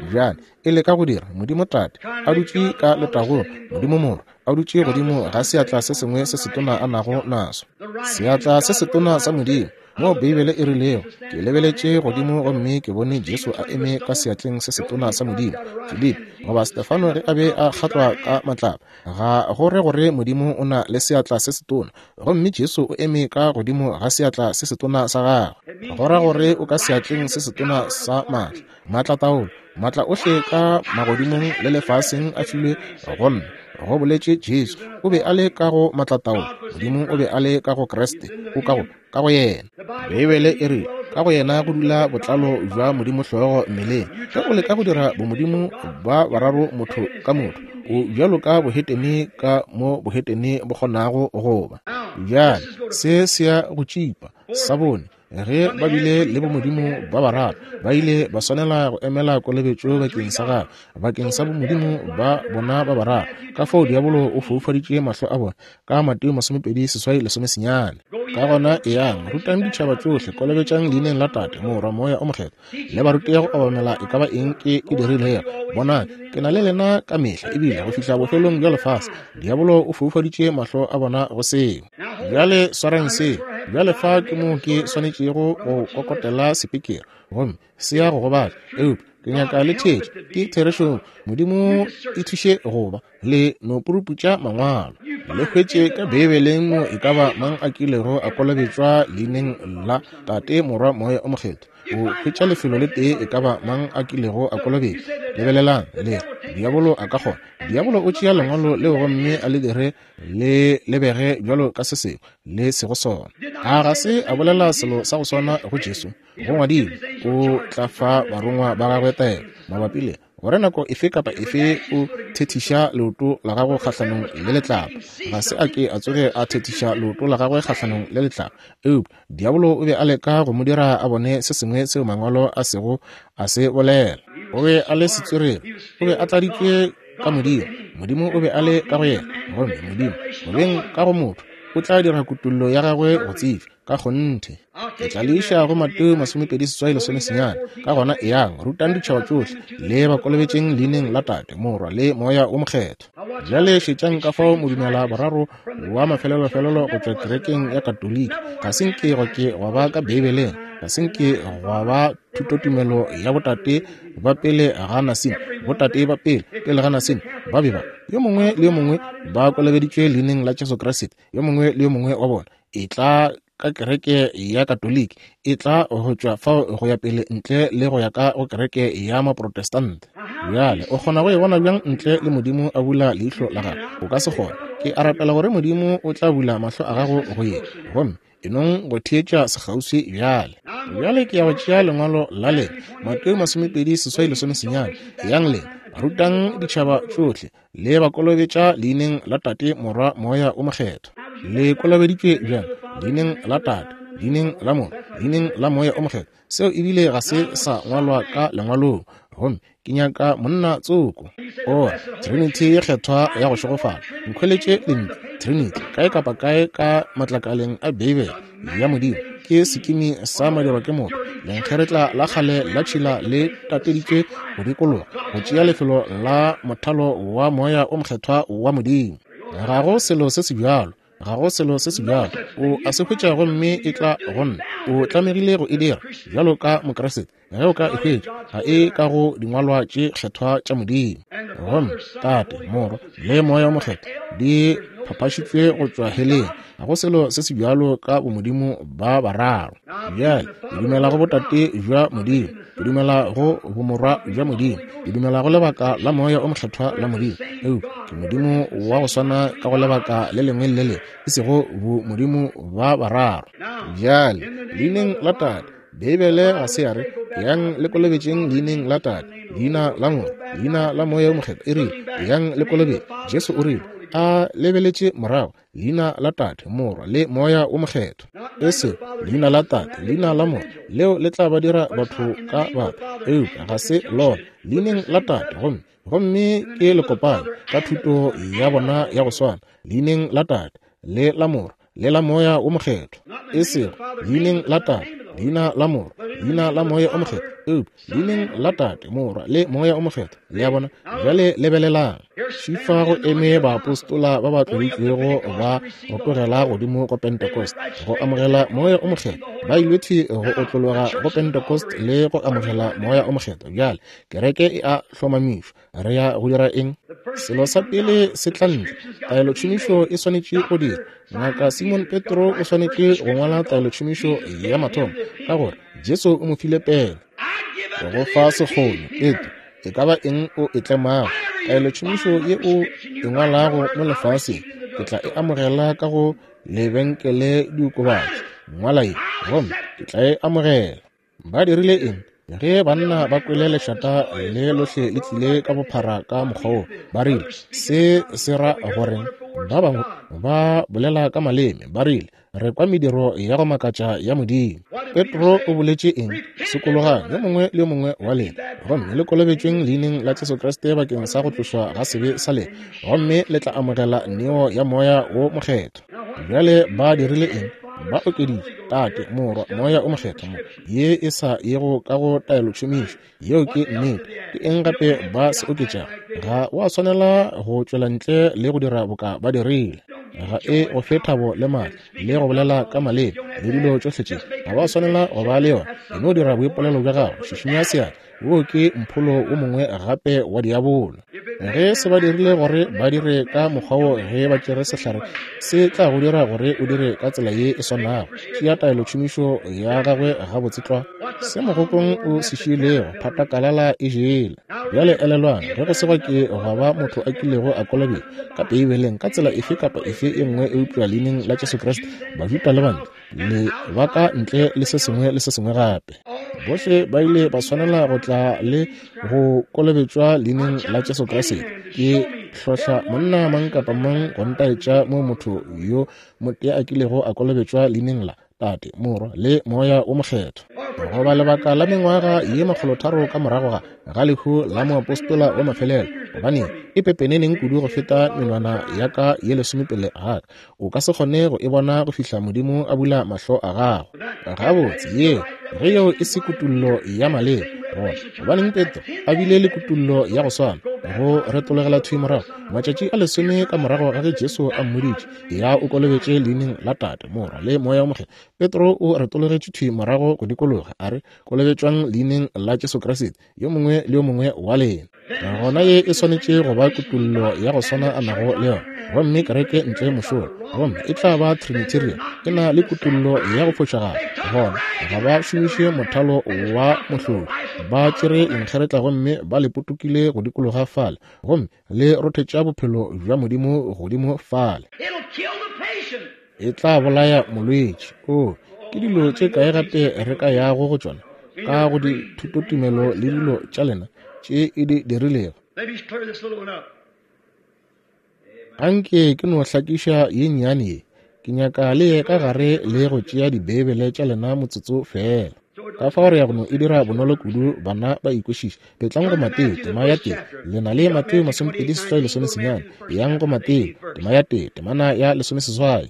bjale e leka go dira Modimo Tate a dutše ka letagong, Modimo Morwa a dutše godimo ga seatla se sengwe se setona a nago naso, seatla se setona sa Modimo. Moo Beibele e rilego, Ke lebeletše godimo gomme ke bone Jesu a eme ka seatleng se setona sa Modimo. Filipi, goba Stefano ge a be a kgatlwa ka matlapa, ga go re gore Modimo o na le seatla se setona, gomme Jesu o eme ka godimo ga seatla se setona sa gagwe. Go ra gore o ka seatleng se setona sa maatla, maatlataolo, maatla ohle ka magodimong le lefaseng a filwe go nna, go boletše Jesu. O be a le ka go maatlataolo, Modimo o be a le ka go Kriste, o ka go ka go yena. Beibele e re ka go yena go dula botlalo bja Modimo hlogo mmeleng. Ge o leka go dira bomodimo ba bararo motho ka motho, o bjalo ka bohetene ka mo bohetene bo kgonago go ba. Bjale se se ya go tšipa. Sa bone, ge ba bile le bomodimo ba bararo, ba ile ba swanela go emela kolobetšo bakeng sa gagwe, bakeng sa bomodimo ba bona ba bararo. Ka fao diabolo o foufaditše mahlo a bona ka Mateo 28:19. Ka gona eyang, rutang ditšhaba tšohle, kolobetšang leineng la Tate, Morwa, Moya o Mokgethwa, le ba rute go obamela e ka ba eng ke e dirilego. Bonang, ke na le lena ka mehla, ebile go fihla bofelong bja lefase. Diabolo o foufaditše mahlo a bona go seo. Bjale swarang seo. Bjale fa ke moo ke swanetšego go kokotela sepikere, gomme se ya go gobatša. Eupša Ke nyaka le theetše. Ke therešo. Modimo e thuše go ba le no puruputša Mangwalo. Le hwetše ka Beibeleng mo e ka ba mang a kilego a kolobetšwa leineng la Tate, Morwa, Moya o Mokgethwa. O hwetša lefelo le tee e ka ba mang a kilego a kolobetšwa. Lebelelang, le re, Diabolo a ka kgona. Diabolo o tšea Lengwalo leo gomme a le dire le lebege bjalo ka se sengwe le sego sona. A ga se a bolela selo sa go swana go Jesu? Go ngwadilwe, O tla fa barongwa ba gagwe taelo mabapi le gore nako efe kapa efe o thethiša leoto la gago kgahlanong le letlapa. Ga se a ke a tsoge a thethiša leoto la gagwe kgahlanong le letlapa, eupša diabolo o be a leka go mo dira a bone se sengwe seo Mangwalo a sego a se bolela. O be a le setswerere, o be a tladitšwe ka Modimo. Modimo o be a le ka go yena, gomme Modimo, go beng ka go motho, o tla dira kutollo ya gagwe go tsebja. Ka kgonthe. Ke tla le iša go Mateo 28:19. Ka gona eyang, rutang ditšhaba tšohle, le ba kolobetšeng leineng la Tate, Morwa, le Moya wo Mokgethwa. Bjale šetšang ka fao modumela boraro wa mafelelofelelo go tšwa kerekeng ya Katoliki ga se nke gwa ke gwa ba ka Beibeleng, ga se nke gwa ba thutotumelo ya botate ba pele ga Nasine, botate ba pele pele ga Nasine ba be ba yo mongwe le yo mongwe ba kolobeditšwe leineng la Jesu Kriste, yo mongwe le yo mongwe wa bona. E tla ka kereke ya Katoliki, e tla go tšwa fao go ya pele ntle le go ya ka go kereke ya Maprotestante. Bjale o kgona go e bona bjang ntle le Modimo a bula leihlo la gago? O ka se kgone. Ke a rapela gore Modimo o tla bula mahlo a gago go ye, gomme e nong go theetša sekgauswi bjale. Bjale ke ya go tšea lengwalo la lena, Mateo 28:19. Eyang lena, rutang ditšhaba tšohle, le ba kolobetša leineng la Tate, Morwa, Moya o Mokgethwa. Le kolobeditšwe bjang? Leineng la Tate, leineng la Morwa, leineng la Moya o Mokgethwa. Seo ebile ga se sa ngwalwa ka lengwalong. Gomme ke nyaka monna tsoko. O re, Trinity ye kgethwa ya go šegofala. Nkhweletše lentšu Trinity kae kapa kae ka matlakaleng a Beibele ya Modimo. Ke sekimi sa madirwa ke motho, lenkgeretla la kgale la tšhila le tateditšwe go dikologa, go tšea lefelo la mothalo wa Moya o Mokgethwa wa Modimo. Ga go selo se se bjalo, ga go selo se se bjalo. O a se hwetša gomme e tla go nna. O tlamegile go e dira bjalo ka Mokriste. Ge o ka e hwetša, ga e ka go dingwalwa tše kgethwa tša Modimo. Gomme Tate, Morwa, le Moya o Mokgethwa di phaphašitšwe go tšwa heleng. Ga go selo se se bjalo ka bomodimo ba bararo. Bjale, ke dumela go Botate bja Modimo, ke dumela go Bomorwa bja Modimo, ke dumela go lebaka la Moya o Mokgethwa la Modimo, eupša ke Modimo wa go swana ka go lebaka le lengwe le le lengwe, e sego bomodimo ba bararo. Bjale, leineng la Tate, Beibele ga se ya re, Yang le kolobetšeng leineng la Tate, leina la Morwa, leina la Moya o Mokgethwa. E rile, Yang le kolobetše. Jesu o rile, a lebeletše morago, leina la Tate, Morwa, le Moya o Mokgethwa. E se leina la Tate, leina la Morwa, leo le tla ba dira batho ka batho, eupša ga se lona leineng la Tate, gomme, gomme ke lekopano ka thuto ya bona ya go swana, leineng la Tate, le la Morwa, le la Moya wo Mokgethwa, e sego leineng la Tate, leina la Morwa, leina la Moya o Mokgethwa, eupša leineng la Tate, Morwa, le Moya o Mokgethwa. Le a bona? Bjale lebelelang. Šifa go eme baapostola ba ba tloditšwego ba rotogela godimo go Pentecost go amogela Moya o Mokgethwa. Ba ile thwi go otlologa go Pentecost le go amogela Moya o Mokgethwa. Bjale kereke e a hlomamišwa. Re ya go dira eng? Selo sa pele se tla ntle, taelotšhomišo e swanetše go dira. Ngaka Simon Petro o swanetše go ngwala taelotšhomišo ya mathomo, ka gore Jesu o mo file pele. Go fa sekgono, Petro, e ka ba eng o e tlemago, taelotšhomišo ye o e ngwalago mo lefaseng, ke tla e amogela ka go lebenkele diokobatši. Ngwala ye, gomme ke tla e amogela. Ba dirile eng? Ge banna ba kwele lešata le lohle le tlile ka bophara ka mokgwa wo, ba rile, Se se ra goreng? Ba bangwe ba bolela ka maleme, ba rile, Re kwa mediro ya go makatša ya Modimo. Petro o boletše eng? Sokologang, yo mongwe le yo mongwe wa lena, gomme le kolobetšweng leineng la Jesu Kriste bakeng sa go tlošwa ga sebe sa lena, gomme le tla amogela neo ya Moya wo Mokgethwa. Bjale ba dirile eng? Ba okeditše Tate, Morwa, Moya o Mokgethwa mo, ye e sa yego ka go taelotšhomišo. Yeo ke nnete. Ke eng gape ba se oketšago? Ga wa swanela go tšwela ntle le go dira boka ba dirile. Ga e go fe thabo le maatla le go bolela ka maleme le dilo tšohle tše. Ga wa swanela go ba le yona. E no dira boipolelo bja gago, šišinya seatla. Wo ke mpholo wo mongwe gape wa diabolo. Ge se ba dirile gore ba dire ka mokgwa wo, ge ba tšere sehlare, se tla go dira gore o dire ka tsela ye e swanago. Tšea taelotšhomišo ya gagwe gabotse tlwa. Se mogokong o se šiilego, phatakalala e jele. Bjale elelwang, ge go se gwa ke gwa ba motho a kilego a kolobetšwa ka Beibeleng ka tsela efe kapa efe e nngwe eupša leineng la Jesu Kriste, Bajuda le Bantle, le ba ka ntle le se sengwe le se sengwe gape. Bohle ba ile ba swanela go tla le go kolobetšwa leineng la Jesu Kriste. Ke hlohla monna mang kapa mang go ntaetša mo motho yo motee a kilego a kolobetšwa leineng la Tate, Morwa le Moya wo Mokgethwa. Goba lebaka la mengwaga ye makgolotharo ka morago ga ga lehu la moapostola wa mafelelo, gobane e pepeneneng kudu go feta menwana ya ka ye lesomepele ga ka. O ka se kgone go e bona go fihla Modimo a bula mahlo a gago. Gabotse, yeo, ge yeo e se kutullo ya maleba, gona gobaneng Petro a bile le kutullo ya go swana, go retologela thwi morago matšatši a lesome ka morago ga ge Jesu a mmoditše, Ya o kolobetše leineng la Tate, Morwa le Moya wo Mokgethwa. Petro o retologetše thwi morago go dikologa, a re, Kolobetšwang leineng la Jesu Kriste, yo mongwe le yo mongwe wa lena. Gona ye e swanetše go ba kutollo ya go swana a nago le yona. Gomme kereke ntle mošola, gomme e tla ba Trinitarian, e na le kutollo ya go fošagala. Gona ga ba šomiše mothalo wa mohlodi, ba tšere lenkgeretla gomme ba le potokile go dikologa fale, gomme le rothetša bophelo bja Modimo godimo fale. E tla bolaya molwetši. Oo, ke dilo tše kae gape re ka yago go tšona ka go dithutotumelo le dilo tša lena tše e di dirilego. Anke ke no hlakiša ye nnyane ye. Ke nyaka le ye ka gare le go tšea Dibeibele tša lena motsotso feela. Ka fao re ya go no e dira bonolo kudu bana ba ikwešiše. Petlang go Mateo, tema ya tee. Le na le Mateo 28 lesomesenyane. Yang go Mateo, tema ya tee, temana ya lesomeseswai.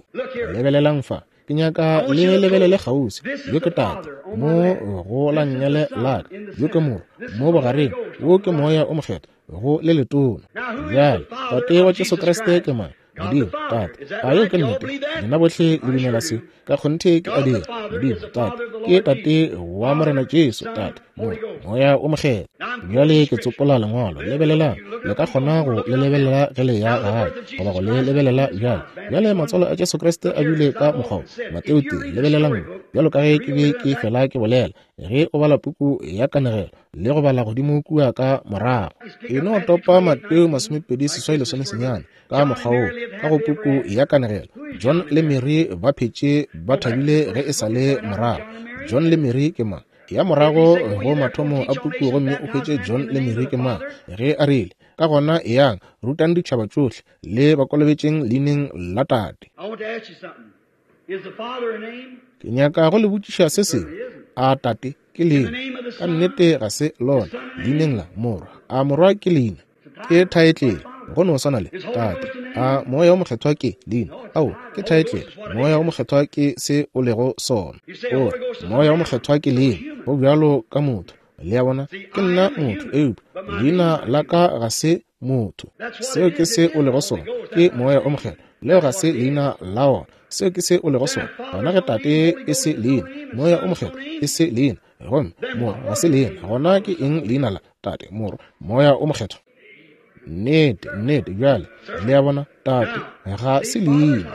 Lebelelang fa. Ke nyaka le lebelele kgauswi. Yo ke Tate, mo go la nngele la ka. Yo ke Morwa, mo bogareng. Wo ke Moya o Mokgethwa, go le letona. Bjale, Tate wa Jesu Kriste ke mang? Modimo, Tate. A yeo ke nnete? Lena bohle le dumela se? Ka kgonthe ke a dira. Modimo, Tate, ke Tate wa Morena Jesu, Tate, Morwa, Moya wo Mokgethwa. Bjale ke tsopola Lengwalo. Lebelelang. Le ka kgona go le lebelela ge le ya gae, goba go le lebelela bjale. Bjale matswalo a Jesu Kriste a bile ka mokgwa wo. Mateo tee, lebelelang mo. Bjalo ka ge ke be ke fela ke bolela, ge o bala puku ya kanegelo le go bala godimo kua ka morago, e no topa Mateo 28 lesomesenyane ka mokgwa wo ka go puku ya kanegelo. John le Mary ba phetše ba thabile ge e sa le morago. John le Mary ke mang? Ya morago go mathomo a puku gomme o hwetše John le Mary ke mang. Ge a rile, Ka gona eyang, rutang ditšhaba tšohle, le ba kolobetšeng leineng la Tate. Ke nyaka go le botšiša se sengwe. A Tate ke leina? Ka nnete ga se lona. Leineng la Morwa. A Morwa ke leina? Ke thaetlele, go no swana le Tate. A Moya wo Mokgethwa ke leina? Ao, ke thaetlele. Moya wo Mokgethwa ke se o lego sona. O re, Moya wo Mokgethwa ke leina, go bjalo ka motho. Le a bona? Ke nna motho, eupša leina la ka ga se motho. Seo ke se o lego sona, ke Moya o Mokgethwa. Leo ga se leina la ona. Seo ke se o lego sona. Gona ge Tate e se leina, Moya o Mokgethwa e se leina, gomme Morwa ga se leina, gona ke eng leina la Tate, Morwa, Moya o Mokgethwa? Nnete, nnete, bjale, le a bona, Tate ga se leina.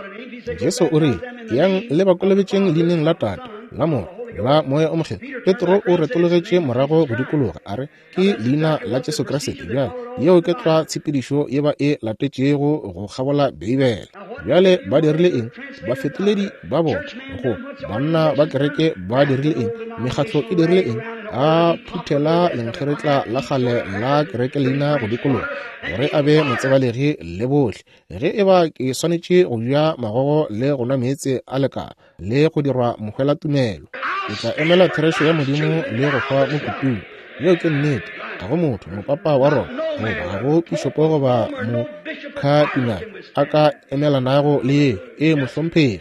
Jesu o rile, Yang le ba kolobetšeng leineng la Tate, la Morwa, la Moya o Mokgethwa. Petro o retologetše morago go dikologa, a re, Ke Leina la Jesu Kriste. Bjale, yeo ke tlwa tshepedišo ye ba e latetšego go kgabola Beibele. Bjale ba dirile eng? Bafetoledi ba bona, go banna ba kereke ba dirile eng? Mekgatlo e dirile eng? A phuthela lenkgeretla la kgale la kereke leina go dikologa, gore a be motsebalegi le bohle. Ge e ba ke swanetše go ja magogo le go nwa meetse a lekala, le go dirwa mohwelatumelo, ke tla emela therešo ya Modimo le go hwa mo kutung. Yeo ke nnete. Ga go motho, mopapa wa Roma, goba ga go pišopo goba mokhatinale a ka emelanago le yeo. Ee, mohlomphegi.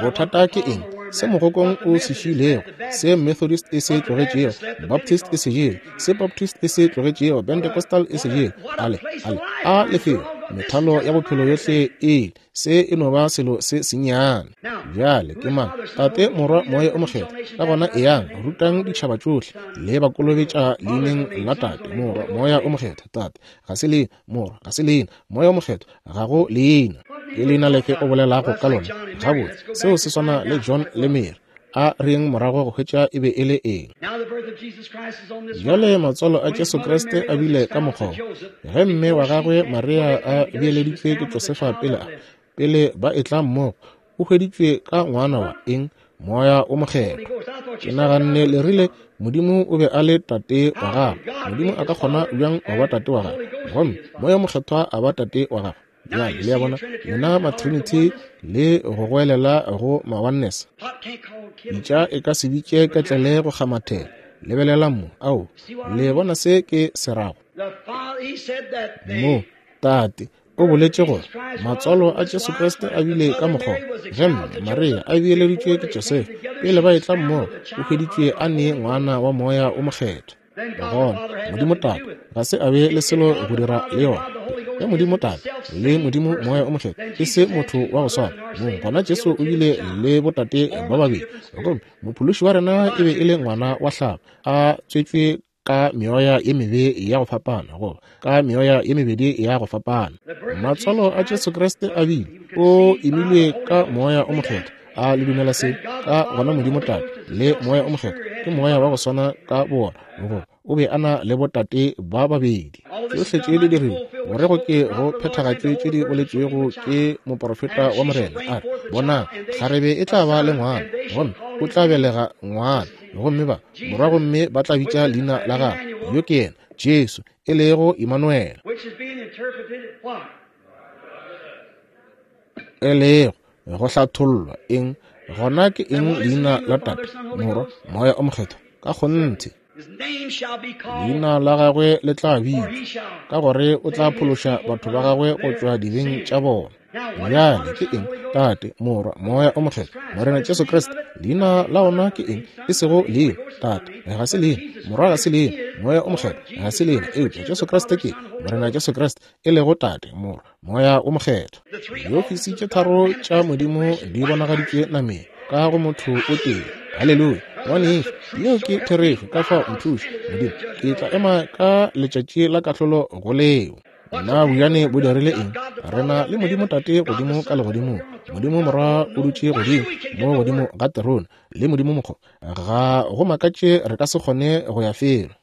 Bothata ke eng? Se mogokong o se šiilego, se Methodist e se tlogetšego, Baptist e se jele, se Baptist e se tlogetšego, Pentecostal e se jele. Ale, ale, a lefelo. Methalo ya bophelo yohle e se e no ba selo se sennyane. Bjale ke mang? Tate, Morwa, Moya o Mokgethwa. Ka gona eyang, rutang ditšhaba tšohle, le ba kolobetša leineng la Tate, Morwa, Moya o Mokgethwa. Tate ga se leina, Morwa ga se leina, Moya o Mokgethwa ga go leina. Ke leina lefe o bolelago ka lona? Gabotse, seo se swana le John le Mary. A reng morago go hwetša e be e le eng. Bjale matswalo a Jesu Kriste a bile ka mokgwa ge mme wa gagwe Maria a beeleditšwe ke Josefa pele a pele ba etla mmogo, o hweditšwe ka ngwana wa eng? Moya o Mokgethwa. Ke naganne le rile Modimo o be a le tate wa gagwe. Modimo a ka kgona bjang go ba tate wa gagwe gomme Moya o Mokgethwa a ba tate wa gagwe? Bjale le a bona, lena matrinity le go goelela go ma-oneness. Pitša e ka se bitše ketlele go kgamathela. Lebelelang mo. Ao, le bona se ke se rago? Mo, Tate o boletše gore matswalo a Jesu Kriste a bile ka mokgwa ge mme Maria a beeleditšwe ke Josefa pele ba etla mmogo, o hweditšwe a ne ngwana wa Moya o Mokgethwa. Gona Modimo Tate ga se a be le selo go dira le yona. Ge Modimo Tate le Modimo Moya o Mokgethwa e se motho wa go swana mong, gona Jesu o bile le botate ba babedi, gomme Mophološi wa rena e be e le ngwana wa hlago a tswetšwe ka meoya ye mebe ya go fapana, goba ka meoya ye mebedi ya go fapana. Matswalo a Jesu Kriste a bile o imilwe ka Moya o Mokgethwa. A le dumela se? Ka gona Modimo Tate le Moya o Mokgethwa ke Moya wa go swana ka bona, goba o be a na le botate ba babedi. Tšohle tše di dirilwe gore go ke go phethagatšwe tše di boletšwego ke moporofeta wa Morena, a re, Bonang, kgarebe e tla ba le ngwana, gomme o tla belega ngwana, gomme ba morwa, gomme ba tla bitša leina la gagwe, yo ke yena Jesu, e lego Imanuele, e lego go hlathollwa eng gona ke eng leina la Tate, Morwa, Moya o Mokgethwa? Ka kgonthe leina la gagwe le tla bitšwa, ka gore o tla phološa batho ba gagwe go tšwa dibeng tša bona. Bjale ke eng? Tate, Morwa, Moya o Mokgethwa, Morena Jesu Kriste. Leina la ona ke eng? E sego leina. Tate ga se leina, Morwa ga se leina, Moya o Mokgethwa ga se leina, eupša Jesu Kriste ke Morena Jesu Kriste, e lego Tate, Morwa, Moya o Mokgethwa. Diofisi tše tharo tša Modimo di bonagaditšwe nameng ka go motho o tee. Haleluya! Ngwanešu, yeo ke therešo. Ka fao nthuše, Modimo, ke tla ema ka letšatši la kahlolo go leo. Na bojane bo dirile eng? Re na le Modimo Tate godimo ka legodimong, Modimo Morwa o dutše godimo mo godimo ga terone, le Modimo Mokgo. Ga go makatše re ka se kgone go ya felo.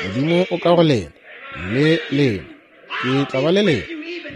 Modimo o ka go lena, le lena. Ke tla ba le lena,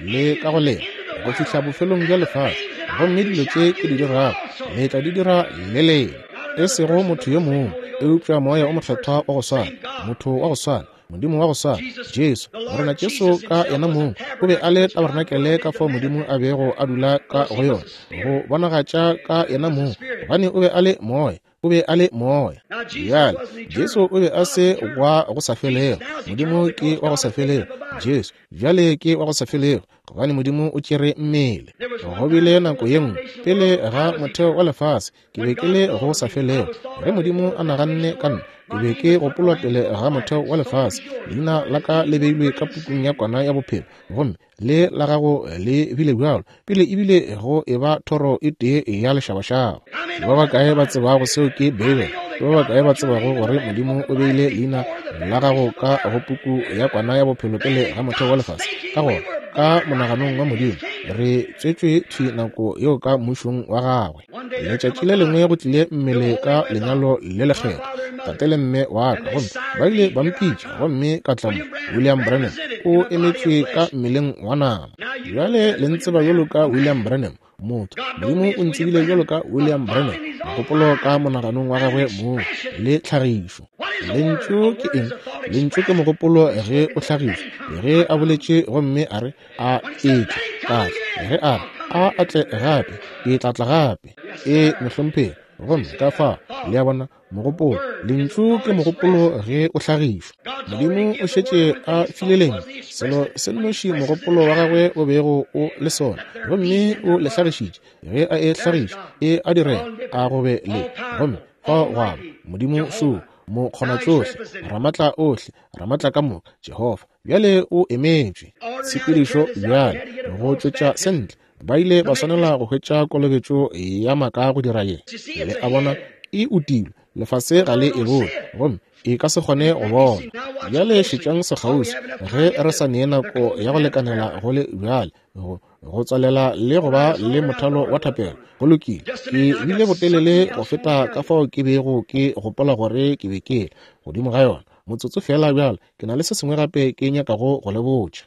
le ka go lena, go fihla bofelong bja lefase. Gomme dilo tše ke di dirago, le tla di dira le lena. E sego motho yo mongwe, eupša Moya o Mokgethwa wa go swana, motho wa go swana, Modimo wa go swana, Jesu, Morena Jesu ka yena mong o be a le tabarenakele ka fao Modimo a bego a dula ka go yona, go bonagatša ka yena mong, gobane o be a le Moya, o be a le Moya. Bjale, Jesu o be a se wa go sa felego. Modimo ke wa go sa felego. Jesu bjale ke wa go sa felego, gobane Modimo o tšere mmele. Go bile nako ye nngwe pele ga motheo wa lefase, ke be ke le go sa felego. Ge Modimo a naganne ka nna, ke be ke gopolwa pele ga motheo wa lefase. Leina la ka le beilwe ka pukung ya Kwana ya Bophelo, gomme le la gago le bile bjalo pele ebile go e ba thoro e tee ya lešabašaba. Ba bakae ba tsebago seo ke Beibele? Ke ba bakae ba tsebago gore Modimo o beile leina la gago ka go puku ya Kwana ya Bophelo pele ga motheo wa lefase? Ka gona, ka monaganong wa Modimo, re tswetšwe thwi nako yeo ka Mmušong wa Gagwe. Letšatši le lengwe go tlile mmele ka lenyalo le lekgethwa, tate le mme wa ka, gomme ba ile ba mpitša, gomme ka tla mo. William Branham o emetšwe ka mmeleng wa nama. Bjale le ntseba bjalo ka William Branham, motho. Modimo o ntsebile bjalo ka William Branham, mogopolo ka monaganong wa gagwe mong le tlhagišo. Lentšu ke eng? Lentšu ke mogopolo ge o hlagišwa. Ge a boletše gomme a re, A etla, ka tla. Ge a re, A a tle gape, ke tla tla gape. Ee, mohlomphegi. Gomme ka fao, le a bona, mogopolo, lentšu ke mogopolo ge o hlagišwa. Modimo o šetše a file lentšu, selo se nnoši mogopolo wa gagwe o bego o le sona, gomme o le hlagišitše. Ge a e hlagiša, e a direga, a go be le. Gomme fao gwa ba, Modimo šo. Mokgonatšohle, Ramatlaohle, Ramatlakamoka, Jehofa. Bjale o emetšwe. Tshepedišo bjale, go tšwetša se ntle. Ba ile ba swanela go hwetša kolobetšo ya maaka go dira ye. Le a bona, e utilwe. Lefase ga le e bone, gomme e ka se kgone go bona. Bjale šetšang sekgauswi, ge re sa nee nako ya go lekanela go le bjale, go, go tswalela le go ba le mothalo wa thapelo. Go lokile. Ke bile botelele go feta ka fao ke bego ke gopola gore ke be ke le godimo ga yona. Motsotso feela bjale, ke na le se sengwe gape ke nyakago go le botša.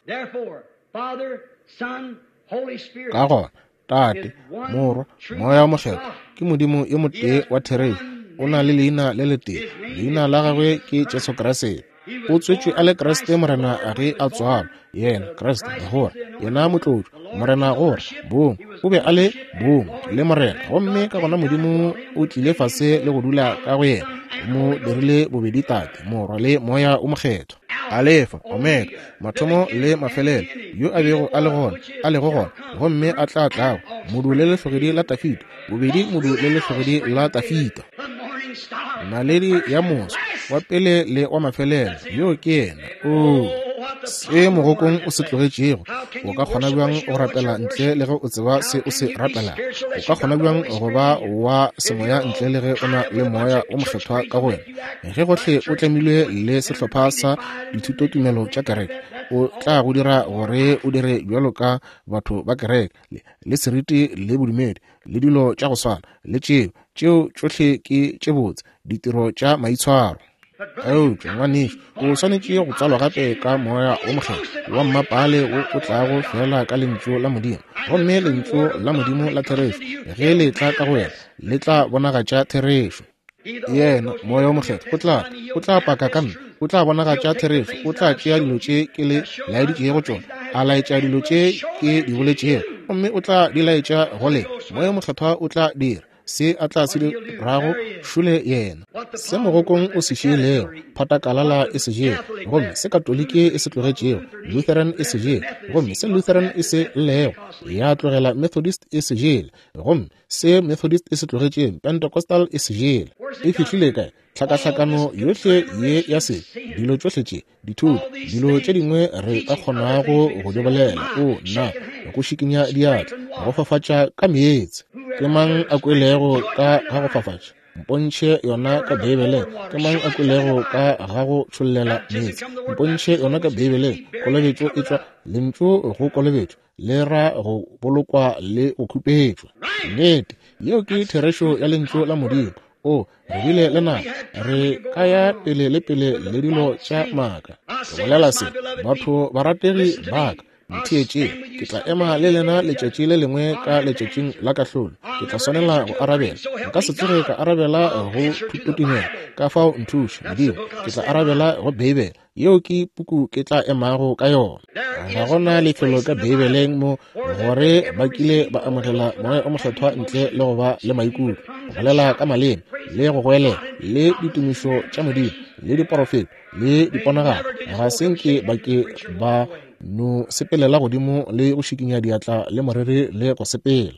Ka gona, Tate, Morwa, Moya wo Mokgethwa ke Modimo yo motee wa therešo. O na le leina le letee. Leina la gagwe ke Jesu Kriste. O tswetšwe a le Kriste Morena ge a tswalwa. Yena, Kriste, gore, yena motlotšwa, Morena gore, bong, o be a le bong le Morena. Gomme ka gona Modimo o tlile fase le go dula ka go yena, o mo dirile bobedi Tate, Morwa le Moya wo Mokgethwa. Alefa, Omega, mathomo le mafelelo, yo a bego a le gona, a lego gona, gomme a tla tlago, modu le lehlogedi la Tafita, bobedi modu le lehlogedi la Tafita. Naledi ya moso, wa pele le wa mafelelo, yo ke yena. Oo, se mogokong o se tlogetšego, o ka kgona bjang go rapela ntle le ge o tseba se o se rapelago? O ka kgona bjang go ba wa semoya ntle le ge o na le Moya o Mokgethwa ka go wena? Ge gohle o tlemilwe le sehlopha sa dithutotumelo tša kereke, o tla go dira gore o dire bjalo ka batho ba kereke, le, le seriti le bodumedi, le dilo tša go swana le tšeo. Tšeo tšohle ke tše botse, ditiro tša maitshwaro. Eupša, ngwanešu, o swanetše go tswalwa gape ka Moya wo Mokgethwa wa mmapaale wo o tlago feela ka Lentšu la Modimo. Gomme Lentšu la Modimo la therešo, ge le etla ka go wena, le tla bonagatša therešo. Yena, Moya wo Mokgethwa, o tla tla, o tla paka ka Nna, o tla bonagatša therešo, o tla tšea dilo tše Ke le laeditšego tšona, a laetša dilo tše Ke di boletšego, gomme o tla di laetša go lena. Moya wo Mokgethwa o tla dira se a tla se dirago, šole Yena. Se mogokong o se šiilego, phatakalala e se jele, gomme se Katoliki e se tlogetšego, Lutheran e se jele, gomme se Lutheran e se llego, ya tlogela Methodist e se jele, gomme Se Methodist e se tlogetšeng, Pentecostal e se jele. E fihlile kae? Tlhakahlakano yohle ye ya se, dilo tšohle tše, dithuto, dilo tše dingwe re ka kgonago go di bolela, o nna, go šikinya diatla, go fafatša ka meetse. Ke mang a kwelego ka ga go fafatša? Mpontšhe yona ka Beibeleng. Ke mang a kwelego ka ga go tšhollela meetse? Mpontšhe yona ka Beibeleng. Kolobetšo e tšwa lentšu go kolobetšo. le ra go bolokwa le go khupetšwa. Nnete, yeo ke therešo ya Lentšu la Modimo. O, re bile le nako, re ka ya pele le pele le dilo tša maaka. Ke bolela se, batho barategi ba ka, ntheetšeng. Ke tla ema le lena letšatši le lengwe ka letšatšing la kahlolo. Ke tla swanela go arabela. Nka se tsoge ka arabela go thutotumelo, ka fao nthuše, Modimo. Ke tla arabela go Beibele. Yeo ke puku ke tla emago ka yona. Ga gona lefelo ka Beibeleng mo gore ba kile ba amogela Moya o Mokgethwa ntle le go ba le maikutlo, go bolela ka maleme, le go goelela, le ditumišo tša Modimo, le diporofeto, le diponagalo. Ga se nke ba ke ba no sepelela godimo le go šikinya diatla le moreri le go sepela.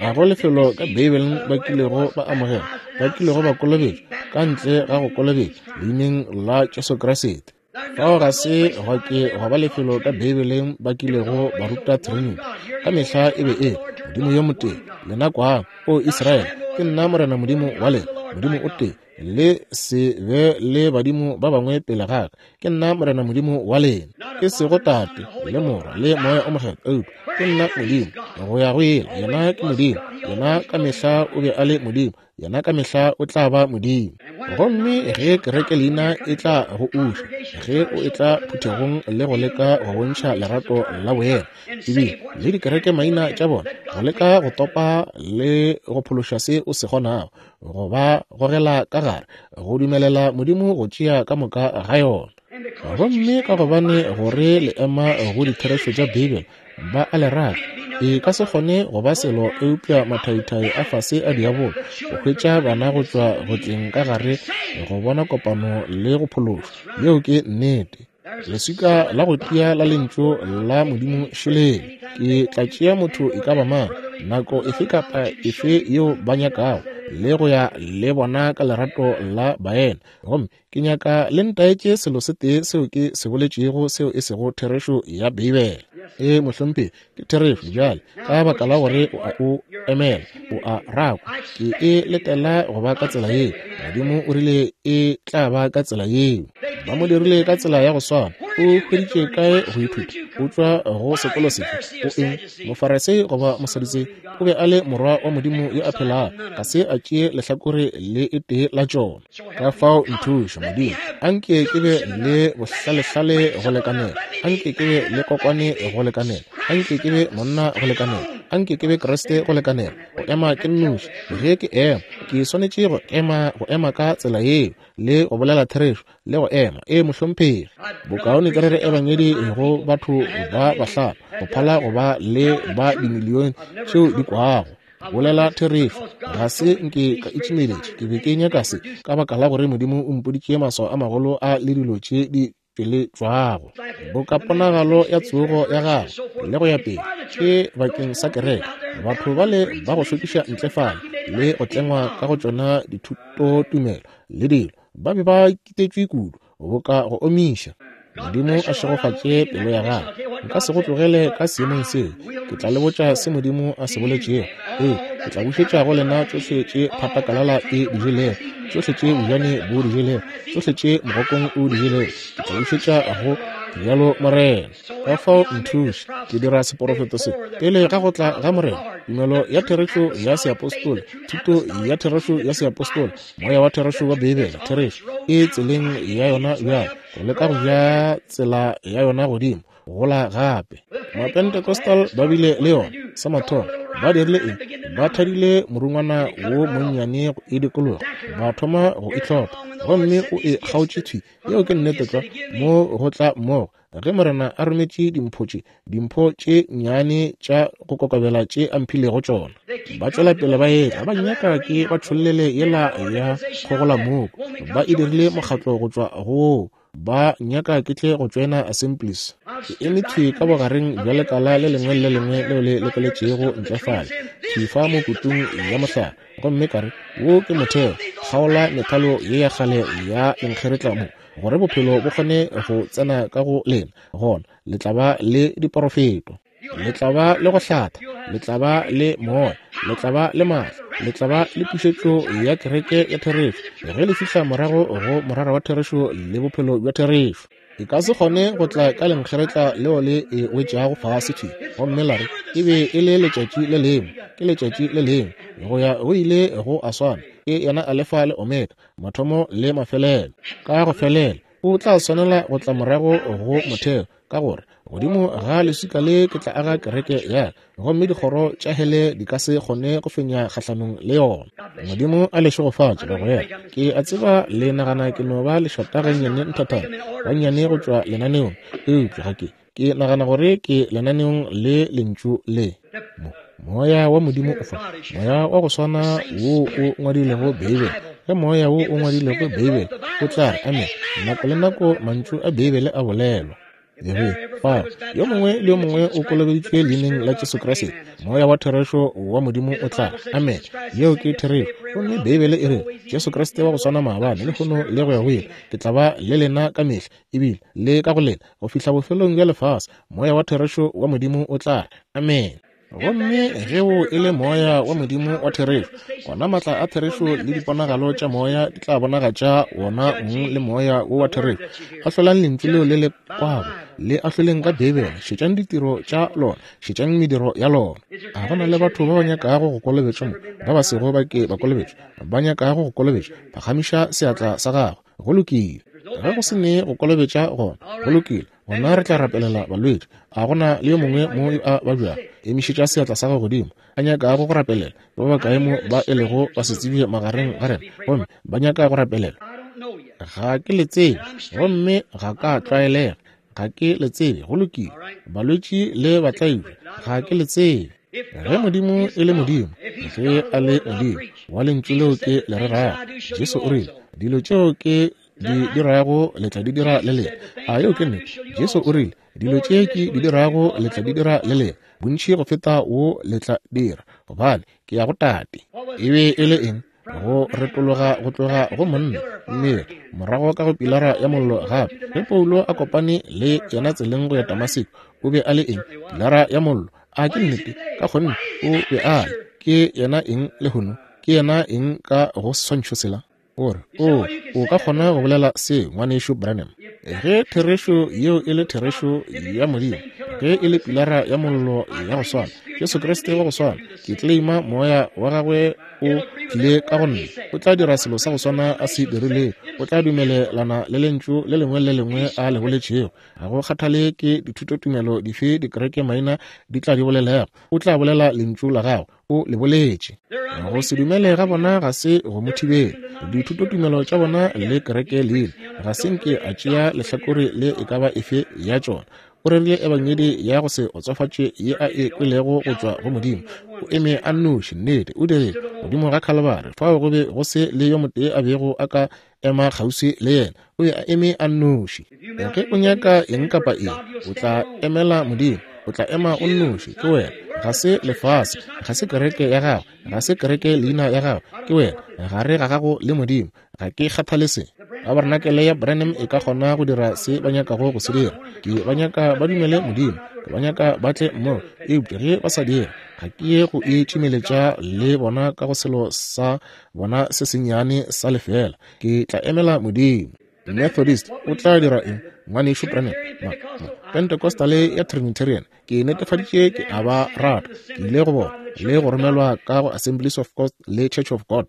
Ga go lefelo ka Beibeleng ba kilego ba amogela, ba kilego ba kolobetšwa, ka ntle ga go kolobetšwa leineng la Jesu Kriste. Fao ga se gwa ke gwa ba lefelo ka Beibeleng ba kilego ba ruta Trinity. Ka mehla e be e Modimo yo motee. Lena kwang, O Israele, ke nna Morena Modimo wa lena, Modimo o tee. Le se be le badimo ba bangwe pele ga ka. Ke nna Morena Modimo wa lena, e sego Tate le Morwa le Moya o Mokgethwa, eupša ke nna Modimo go ya go ile. Yena ke Modimo, yena ka mehla o be a le Modimo, yena ka mehla o tla ba Modimo. Gomme ge kereke leina e tla go uša, ge o etla phuthegong le go leka go bontšha lerato la boena, ebile le dikereke maina tša bona, go leka go topa le go phološa se o se kgonago, go ba gogela ka gare, go dumelela Modimo go tšea ka moka ga yona. Gomme ka gobane gore le ema go ditherešo tša Beibele, ba a le rata. E ka se kgone go ba selo eupša mathaithai a fase a diabolo, go hwetša bana go tšwa go tleng ka gare, go bona kopano le go phološwa. Yeo ke nnete. Leswika la go tia la Lentšu la Modimo šelele. Ke tla tšea motho e ka ba mang, nako efe kapa efe yeo ba nyakago, le go ya le bona ka lerato la baena. Gomme ke nyaka le ntaetše selo se tee seo ke se boletšego seo e sego therešo ya Beibele. Ee, mohlomphegi, ke therešo. Bjale, ka baka la gore o a o emela, o a rakwa, ke e letela go ba ka tsela yeo. Modimo o rile e tla ba ka tsela yeo. Ba mo dirile ka tsela ya go swana. O hweditše kae go ithuta? O tšwa go sekolo sefe? O eng? Mofarisei goba Mosadutsei? O be a le morwa wa Modimo yo a phelago. Ga se a tšee lehlakore le e tee la tšona. Ka fao nthuše, Modimo. Anke ke be le bohlalehlale go lekanela. Anke ke be le kokwane go lekanela. Anke ke be monna go lekanela. Anke ke be Kriste go lekanela. Go ema ke nnoši. Ge ke ema, ke swanetše go ema, go ema ka tsela yeo, le go bolela therešo, le go ema. Ee, mohlomphegi. Bokaone ke rere ebangedi go batho ba bahlano, go phala go ba le ba dimilione tšeo di kwago. Bolela therešo. Ga se nke ka itšimeletša. Ke be ke nyaka se, ka baka la gore Modimo o mpoditše maswao a magolo a le dilo tše di tšweletšwago, boka ponagalo ya tsogo ya gagwe le go ya pele, ke bakeng sa kereke. Batho bale ba go šokiša ntle fale le go tlengwa ka go tšona dithutotumelo le dilo, ba be ba kitetšwe kudu, boka go omiša. Modimo a šegofatše pelo ya gago. Nka se go tlogele ka seemong seo. Ke tla le botša se Modimo a se boletšego. Ee, ke tla bušetša go lena tšohle tše phatakalala e di jelego, tšohle tše bojane bo di jelego, tšohle tše mogokong o di jelego. Ke tla bušetša go bjalo Morena. Ka fao nthuše, ke dira seporofeto se pele ga go tla ga Morena. Tumelo ya therešo ya seapostola, thuto ya therešo ya seapostola, Moya wa therešo wa Beibele, therešo, e tseleng ya yona bjale, go leka go ja tsela ya yona godimo, gola gape. Mapentecostal ba bile le yona, sa mathomo. Ba dirile eng? Ba thadile morungwana wo monnyane go e dikologa, ba thoma go itlhopha, gomme o e kgaotše thwi. Yeo ke nnete tlwa, mo go tla mmogo. Ge Morena a rometše dimpho tše, dimpho tše nnyane tša go kokobela tše a mphilego tšona, ba tšwela pele ba etla, ba nnyaka ke ba tšhollele yela ya kgogolamoko. Ba e dirile mokgatlo go tšwa go woo. Ba nnyaka ke tle go tšoena Assemblies. Ke eme thwi ka bogareng bja lekala le lengwe le le lengwe leo le lekeletšego ntle fale, thwi fa mo kutung ya mohlare, gomme ka re, Wo ke motheo, kgaola methalo ye ya kgale ya lenkgeretla mo, gore bophelo bo kgone go tsena ka go lena, gona le tla ba le diporofeto, le tla ba le go hlatha, le tla ba le moya, le tla ba le maatla, le tla ba le pušetšo ya kereke ya therešo ge le fihla morago go morara wa therešo le bophelo bja therešo. E ka se kgone go tla ka lenkgeretla leo le e wetšago fase thwi gomme la re e be e le letšatši le lengwe, ke letšatši le lengwe, go ya go ile go a swana, ke yena Alefa le Omega, mathomo le mafelelo. Ka go felela o tla swanela go tla morago go motheo, ka gore godimo ga leswika le ke tla aga kereke ya ka, gomme dikgoro tša hele di ka se kgone go fenya kgahlanong le yona. Modimo a le šegofatše, bagwera. Ke a tseba le nagana ke no ba lešata gannyane nthathana, gannyane go tšwa lenaneong, eupša ga ke. Ke nagana gore ke lenaneong le Lentšu le. Mo, Moya wa Modimo o fa, Moya wa go swana wo o ngwadilego Beibele. Ge Moya wo o ngwadilego Beibele o tla re amen nako le nako mantšu a Beibele a bolelwa. Ge fa yo mongwe le yo mongwe o kolobeditšwe leineng la Jesu Kriste, Moya wa therešo wa Modimo o tla re amen. Yeo ke therešo. Gomme Beibele e re Jesu Kriste wa go swana maabane, lehono le go ya go ile, ke tla ba le lena ka mehla, ebile le ka go lena go fihla bofelong bja lefase. Moya wa therešo wa Modimo o tla re amen. Gomme ge wo e le Moya wa Modimo wa therešo, gona maatla a therešo le diponagalo tša Moya di tla bonagatša wona mong le Moya wo wa therešo. Ahlolang lentšu leo le le kwago, le ahloleng ka Beibele, šetšang ditiro tša lona, šetšang mediro ya lona. A go na le batho ba ba nyakago go kolobetšwa mo, ba ba sego ba ke ba kolobetšwa, ba nyakago go kolobetšwa? Phagamiša seatla sa gago. Go lokile. Ge go se ne go kolobetša gona, go lokile, gona re tla rapelela balwetši. A go na le yo mongwe mo yo a babjago? Emišetša seatla sa gago godimo, a nyakago go rapelela. Ba bakae mo ba e lego basetsebje magareng ga rena, gomme ba nyaka go rapelela? Ga ke le tsebe, gomme ga ka tlwaelega. Ga ke le tsebe. Go lokile. Balwetši le batlaišwa, ga ke le tsebe. Ge Modimo e le Modimo, ge a le Modimo wa Lentšu leo ke le rerago, Jesu o rile, dilo tšeo ke di dirago le tla di dira le lena. A yeo ke nnete? Jesu o rile, Dilo tše ke di dirago le tla di dira le lena, bontši go feta wo le tla dira, gobane ke ya go Tate. E be e le eng? Go retologa go tloga go monna, mmele, morago ka go pilara ya mollo gape. Ge Paulo a kopane le yena tseleng go ya Damaseko, o be a le eng? Pilara ya mollo. A ke nnete? Ka kgonne o be a le. Ke yena eng lehono? Ke yena eng ka go seswantšho sela? O re, O, o ka kgona go bolela se, Ngwanešu Branham. Ge therešo yeo e le therešo ya Modimo, ge e le pilara ya mollo ya go swana, Jesu Kriste wa go swana, ke claima Moya wa Gagwe o tlile ka go nna, o tla dira selo sa go swana a se dirilego, o tla dumelelana le Lentšu le lengwe le lengwe a le boletšego. Ga go kgathale ke dithutotumelo dife dikereke maina di tla di bolelago, o tla bolela Lentšu la Gagwe. O le boletše. Go se dumele ga bona ga se go mo thibele. Dithutotumelo tša bona le kereke leina ga se nke a tšea lehlakore le e ka ba efe ya tšona. O rerile ebangedi ya go se otsofatše ye a e kwelego go tšwa go Modimo. O eme a nnoši, nnete, o dirile, godimo ga Khalibari, fao go be go se le yo motee a bego a ka ema kgauswi le yena. O be a eme a nnoši. Ge o nyaka eng kapa eng, o tla emela Modimo. O tla ema o nnoši. Ke wena, ga se lefase, ga se kereke ya gago, ga se kereke leina ya gago. Ke wena, gare ga gago le Modimo. Ga ke kgathale se. Tabarenakele ya Branham e ka kgona go dira se ba nyakago go se dira. Ke ba nyaka ba dumele Modimo. Ke ba nyaka ba tle mmogo. Eupša ge ba sa dire, ga ke ye go itšimeletša le bona ka go selo sa bona se sennyane sa lefeela. Ke tla emela Modimo. Methodist o tla dira eng, Ngwanešu Branham? Ma, ma, Pentecostal ya Trinitarian, ke netefaditše ke a ba rata. Ke ile go bona le go romelwa ka go Assemblies of God le Church of God.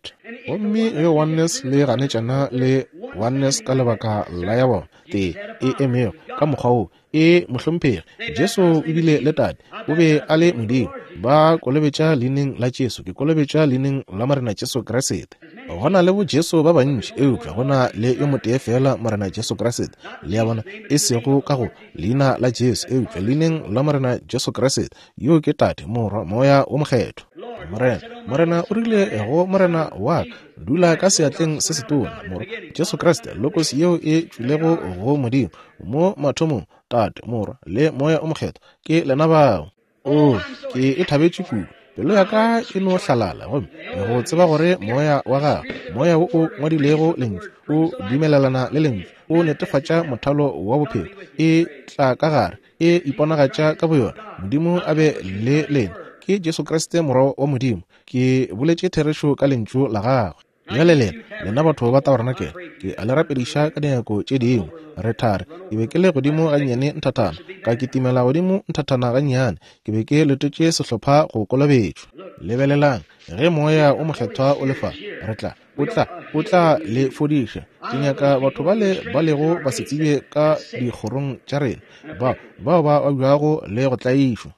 Gomme ge Oneness le ganetšana le Oneness ka lebaka la ya bona tee e emego ka mokgwa wo, E, mohlomphegi, Jesu o bile le Tate, o be a le Modimo. Ba kolobetša leineng la Jesu, ke kolobetša leineng la Morena Jesu Kriste. Go na le bo Jesu ba bantši, eupša go na le yo motee feela Morena Jesu Kriste. Le a bona, e sego ka go leina la Jesu, eupša leineng la Morena Jesu Kriste. Yo ke Tate, Morwa, Moya wo Mokgethwa. Morena, Morena o rile go Morena wa ka, dula ka seatleng se setona. Morwa, Jesu Kriste, Logos yeo e tšwilego go Modimo, Mo mathomong, Tate, Morwa, le Moya o Mokgethwa, ke lena bao. Oo, ke e thabetše kudu. Pelo ya ka e no hlalala, gomme go tseba gore Moya wa Gagwe, Moya wo o ngwadilego Lentšu, o dumelelana le Lentšu, o netefatša mothalo wa bophelo, e tla ka gare, e iponagatša ka boyona. Modimo a be le lena. Ke Jesu Kriste, Morwa wa Modimo. Ke boletše therešo ka Lentšu la Gagwe. Bjale lena, lena batho ba tabarenakele, ke a le rapediša ka dinako tše dingwe. Re thari, ke be ke le godimo gannyane nthathana, ka kitimela godimo nthathana gannyane. Ke be ke letetše sehlopha go kolobetšwa. Lebelelang, ge Moya wo Mokgethwa o le fa, re tla, O tla, O tla le fodiša. Ke nyaka batho bale ba lego basetsebje ka dikgorong tša rena, bao, bao ba babjago le go tlaišwa.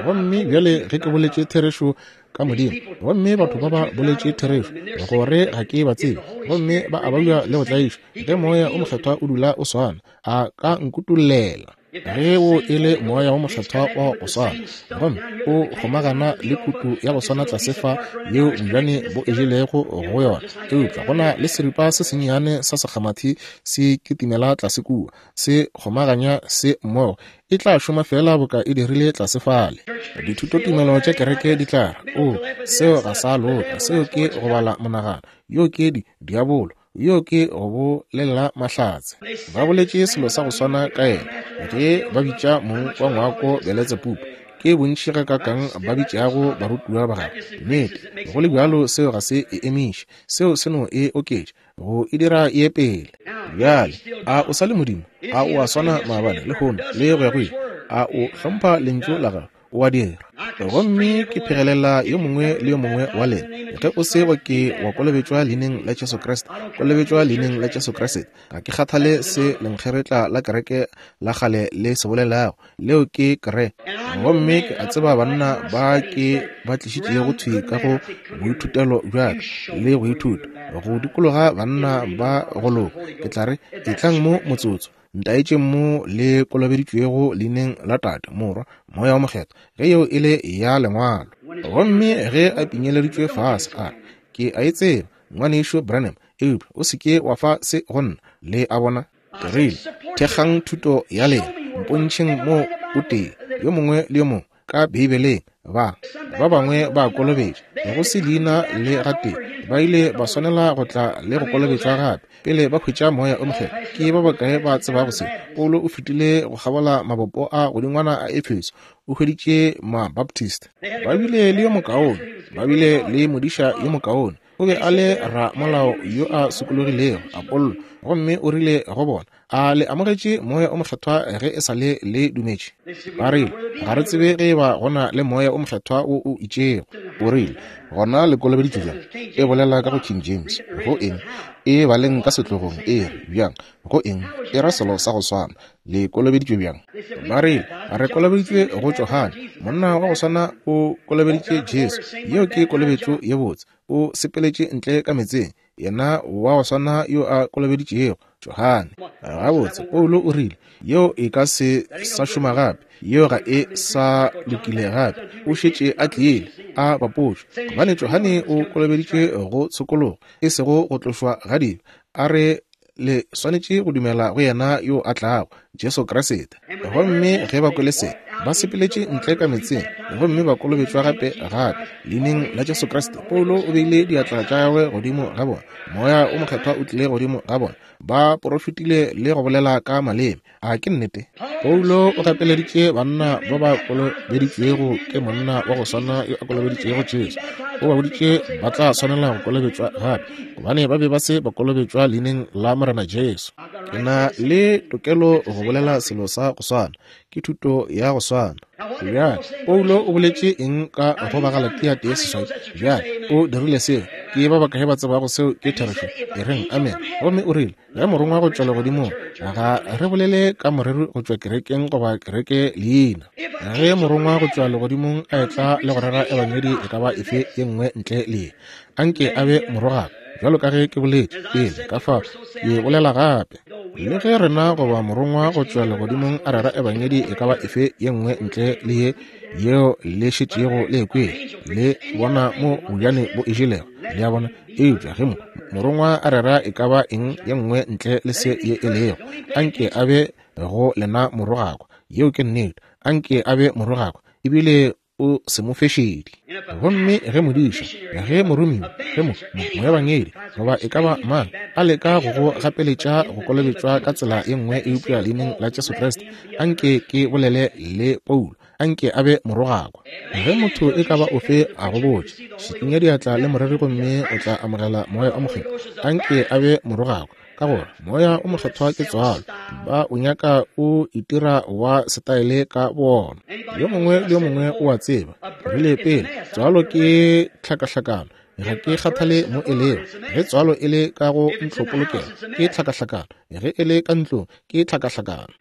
Gomme bjale ge ke boletše therešo ka Modimo, gomme batho ba ba boletše therešo gore ga ke ba tsebe, gomme ba a babja le go tlaišwa, ge Moya o Mokgethwa o dula o swana, a ka nkutollela. Ge wo e le Moya wo Mokgethwa wa go swana, gomme o kgomagana le kutu ya go swana tlase fa yeo bojane bo e jelego go yona, eupša go na le seripa se sennyane sa sekgamathi se kitimela tlase kua, se kgomaganya se mmogo, e tla šoma feela boka e dirile tlase fale. Dithutotumelo tša kereke di tla re, O, seo ga sa loka, seo ke go bala monagano, yo ke di, diabolo, yo ke go bolela mahlatse. Ba boletše selo sa go swana ka yena ge ba bitša mong wa ngwako Beletsebubu. Ke bontši gakaakang ba bitšago barutiwa ba gagwe. Nnete, go le bjalo seo ga se e emiše, seo se no e oketša. go e dira ye pele. Bjale, a o sa le Modimo? A o a swana maabane, lehono, le go ya go ile? A o hlompha Lentšu la Gagwe? O a dira. Gomme ke phegelela yo mongwe le yo mongwe wa lena, ge o se wa ke wa kolobetšwa Leineng la Jesu Kriste, kolobetšwa Leineng la Jesu Kriste. Ga ke kgathale se lenkgeretla la kereke la kgale le se bolelago, leo ke kre. Gomme ke a tseba banna ba ke ba tlišitšego thwi ka go boithutelo bja ka le go ithuta go dikologa banna ba go loka, ke tla re, Etlang mo motsotso, ntaetšeng mo le kolobeditšwego leineng la Tate, Morwa, Moya wo Mokgethwa, ge yeo e le ya Lengwalo. Gomme ge a pinyeleditšwe fase, a re, Ke a e tseba, Ngwanešu Branham. Eupša o se ke wa fa se go nna, le a bona. Ke rile, Thekgang thuto ya lena, mpontšheng mo o tee, yo mongwe le yo mongwe, ka Beibeleng. Ba, ba bangwe ba kolobetša, go se leina le gatee, ba ile ba swanela go tla le go kolobetšwa gape pele ba hwetša Moya o Mokgethwa. Ke ba bakae ba tsebago se? Paulo o fetile go kgabola mabopo a godingwana a Efeso, o hweditše Mabaptist. Ba bile le yo mokaone, ba bile le modiša yo mokaone. O be a le ramolao yo a sokologilego, Apollo, gomme o rile go bona, A le amogetše Moya o Mokgethwa ge e sa le le dumetše? Ba rile, Ga re tsebe ge e ba go na le Moya o Mokgethwa wo o itšego. O rile, Gona le kolobeditšwe bjang? E bolela ka go King James. Go eng? E baleng ka setlogong, e re, bjang? Go eng? E ra selo sa go swana. Le kolobeditšwe bjang? Ba rile, Re kolobeditšwe go Johane. Monna wa go swana o kolobeditše Jesu. Yeo ke kolobetšo ye botse. O sepeletše ntle ka meetseng, yena wa go swana yo a kolobeditšego Johane. Gabotse, Paulo o rile, yeo e ka se sa šoma gape. Yeo ga e sa lokile gape. O šetše a tlile, a bapotšwe. Gobane Johane o kolobeditšwe go tshokologo, e sego go tlošwa ga dibe. A re le swanetše go dumela go yena yo a tlago, Jesu Kriste. Gomme ge ba kwele se, ba sepeletše ntle ka metseng gomme ba kolobetšwa gape gape leineng la Jesu Kriste. Paulo o beile diatla tša gagwe godimo ga bona, Moya o Mokgethwa o tlile godimo ga bona, ba porofetile le go bolela ka maleme. A ke nnete? Paulo o gapeleditše banna ba ba kolobeditšwego ke monna wa go swana yo a kolobeditšego Jesu. O ba boditše ba tla swanela go kolobetšwa gape, gobane ba be ba se ba kolobetšwa leineng la Morena Jesu. Ke na le tokelo go bolela selo sa go swana. Ke thuto ya go swana. Bjale, Paulo o boletše eng ka go Bagalatia 1:8? Bjale, o dirile seo. Ke ba bakae ba tsebago seo ke therešo? E reng, amen. Gomme o rile, Ge morongwa go tšwa legodimong, ga re bolele ka moreri go tšwa kerekeng goba kereke leina. Ge morongwa go tšwa legodimong a etla le go rera ebangedi e ka ba efe ye nngwe ntle le ye, anke a be morogaka, bjalo ka ge ke boletše pele, ka fao ke bolela gape. Le ge rena goba morongwa go tšwa legodimong a rera ebangedi e ka ba efe ye nngwe ntle le ye yeo le šetšego le e kwele, le bona mo bojane bo e jelego, le a bona. Eupša ge mo, morongwa a rera e ka ba eng ye nngwe ntle le se ye e lego, anke a be go lena morogakwa. Yeo ke nnete. Anke a be morogakwa, ebile o se mo fe šedi. Gomme ge modiša, ge moromiwa, ge mo, mo, moebangedi, goba e ka ba mang, a leka go go gapeletša go kolobetšwa ka tsela ye nngwe eupša Leineng la Jesu Kriste, anke ke bolele le Paulo, anke a be morogakwa. Ge motho e ka ba ofe a go botša, šikinya diatla le moreri gomme o tla amogela Moya o Mokgethwa, anke a be morogakwa, ka gore Moya o Mokgethwa ke tswalo. Ba o nyaka o itira wa setaele ka bona. Yo mongwe le yo mongwe o a tseba, rile pele, tswalo ke tlhakahlakano. Ga ke kgathale mo e lego. Ge tswalo e le ka go ntlopolokelo, ke tlhakahlakano. Ge e le ka ntlong, ke tlhakahlakano.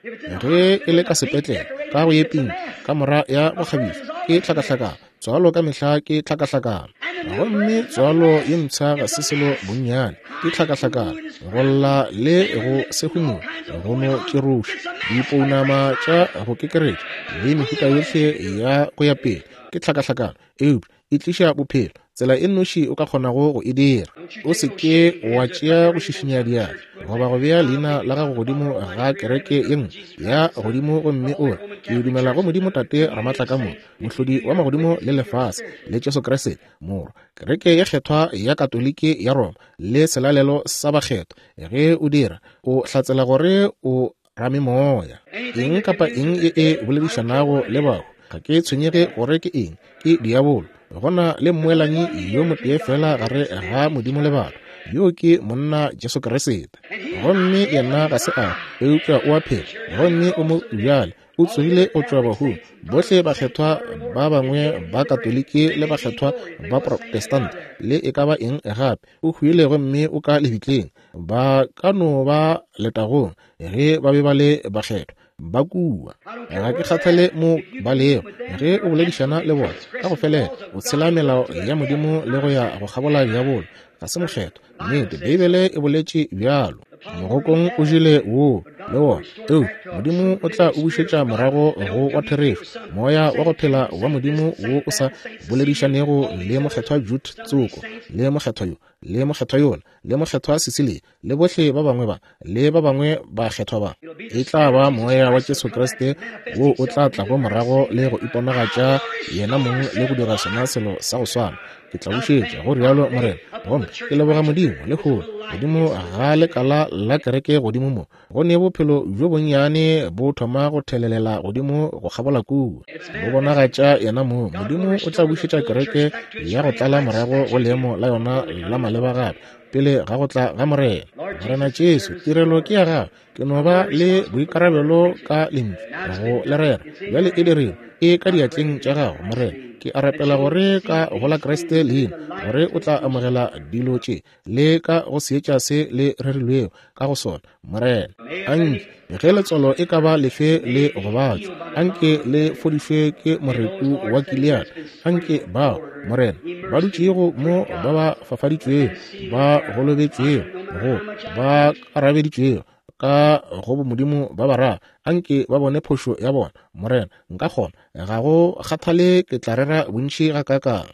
Ge e le ka sepetlele, ka go ye pinki, kamora ya bokgabišo, ke tlhakahlakano. Tswalo ka mehla ke tlhakahlakano. Gomme tswalo ye mpsha ga se selo bonnyane, ke tlhakahlakano. Go lla le go sehumula, go no tširoša, dipounama tša go kekeretša, le mehuta yohle ya go ya pele, ke tlhakahlakano. Eupša e tliša bophelo, tsela e nnoši o ka kgonago go e dira. O se ke wa tšea go šišinya diatla goba go bea leina la gago godimo ga kereke ye nngwe ya godimo gomme o re, Ke dumela go Modimo Tate Ramatlakamoka, Mohlodi wa magodimo le lefase, le Jesu Kriste, Morwa, Kereke ye Kgethwa ya Katoliki ya Roma, le Selalelo sa Bakgethwa. Ge o dira, o hlatsela gore o ramemoya. Eng kapa eng ye e boledišanago le bahu, ga ke tshwenyege gore ke eng, ke diabolo. Go na le mmoelanyi yo motee feela gare ga Modimo le batho, yoo ke monna Jesu Kriste. Gomme yena ga se a, eupša o a phela, gomme o mo bjale, o tsogile go tšwa bahung. Bohle bakgethwa ba bangwe ba Katoliki le bakgethwa ba Protestant le e ka ba eng gape, o hwile gomme o ka lebitleng. Ba ka no ba letagong ge ba be ba le bakgethwa ba kua. Ga ke kgathale mo ba lego. Ge o boledišana le bona ka go felela, o tshela melao ya Modimo le go ya go kgabola diabolo. Ga se mokgethwa. Nnete, Beibele e boletše bjalo. Mogokong o jele woo. le wona. Eupša Modimo o tla o bušetša morago go wa therešo, Moya wa go phela wa Modimo wo o sa boledišanego le Mokgethwa Jude tsoko, le mokgethwa yo, le mokgethwa yola, le mokgethwa Cecilia, le bohle ba bangwe ba, le ba bangwe bakgethwa ba. E tla ba Moya wa Jesu Kriste wo o tla tlago morago le go iponagatša yena mong le go dira sona selo sa go swana. Ke tla bušetša, go rialo Morena. Gomme ke leboga Modimo lehono, godimo ga lekala la kereke godimo mo, go ne bophelo bjo bonnyane bo thoma go thelelela godimo go kgabola kua, bo bonagatša yena mong. Modimo o tla bušetša kereke ya go tlala morago go leemo la yona la maleba gape, pele ga go tla ga Morena. Morena Jesu, tirelo ke ya gago. Ke no ba le boikarabelo ka Lentšu go le rera. Bjale e dirilwe, e ka diatleng tša gago, Morena. Ke a rapela gore ka go la Kriste leina, gore o tla amogela dilo tše le ka go seetša se le rerilwego ka go sona, Morena. Anke ge letswalo e ka ba lefe le gobatšwa, anke le fodišwe ke moreku wa Gilead. Anke bao, Morena, ba dutšego mo ba ba fafaditšwego, ba golobetšwego, go ba arabeditšwego ka go bomodimo ba bararo, anke ba bone phošo ya bona. Morena, nka kgona, ga go kgathale ke tla rera bontši gakaakang.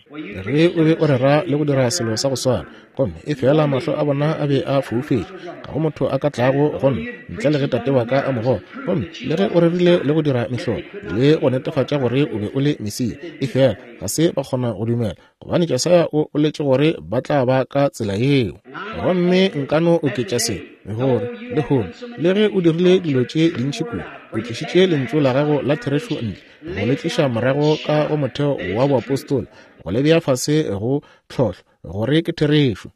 Ge o be o rera le go dira selo sa go swana, gomme efela mahlo a bona a be a foufetše, ga go motho a ka tlago go nna ntle le ge Tate wa ka a mo goga. Gomme le ge o rerile le go dira mehlolo le go netefatša gore o be o le Mesia, efela ga se ba kgona go dumela, gobane Jesaya o boletše gore ba tla ba ka tsela yeo. Gomme nka no oketša se, gore lehono, le ge o dirile dilo tše dintši kudu, o tlišitše lentšu la gago la therešo ntle, go le tliša morago ka go motheo wa boapostola, go le bea fase go tlhohlo, gore ke therešo.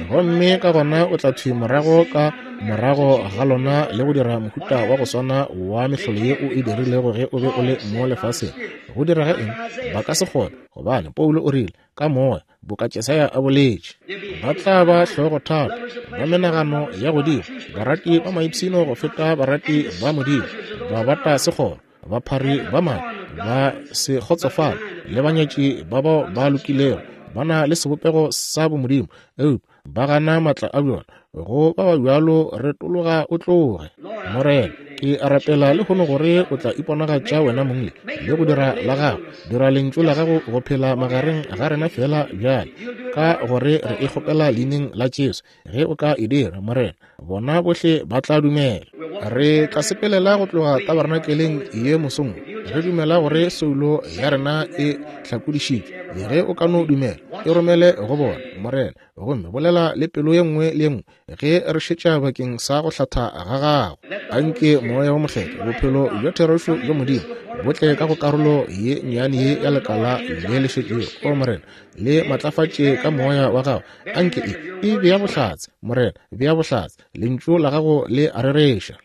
Gomme ka gona o tla thwi morago ka morago ga lona le go dira mohuta wa go swana wa mehlolo ye o e dirilego ge o be o le mo lefaseng. Go direga eng? Ba ka se kgone, gobane Paulo o rile, ka moya, boka Jesaya a boletše, ba tla ba hlogothata, ba menagano ya godimo, barati ba maipshino go feta barati ba Modimo, ba bata sekgoro, baphari ba maaka, ba se kgotsofale, le banyatši ba bao ba lokilego, ba na le sebopego sa bomodimo, eupša ba gana matla a bjona. Go ba ba bjalo retologa o tloge. Morena, ke a rapela lehono gore o tla iponagatša wena mong le go dira la gago, dira lentšu la gago go phela magareng ga rena feela bjale, ka gore re e kgopela leineng la Jesu. Ge o ka e dira, Morena, bona bohle ba tla dumela. Re tla sepelela go tloga tabernakeleng ye mosong, re dumela gore soulo ya rena e hlakodišitšwe. Ge o ka no dumela, e romele go bona, Morena, gomme bolela le pelo ye nngwe le ye nngwe ge re šetša bakeng sa go hlatha ga gago. Anke Moya wo Mokgethwa, bophelo bja therešo bja Modimo, bo tle ka go karolo ye nnyane ye ya lekala le le šetšego, o Morena, le matlafatše ka Moya wa gago. Anke e e bea bohlatse, Morena, bea bohlatse, Lentšu la gago le a rereša.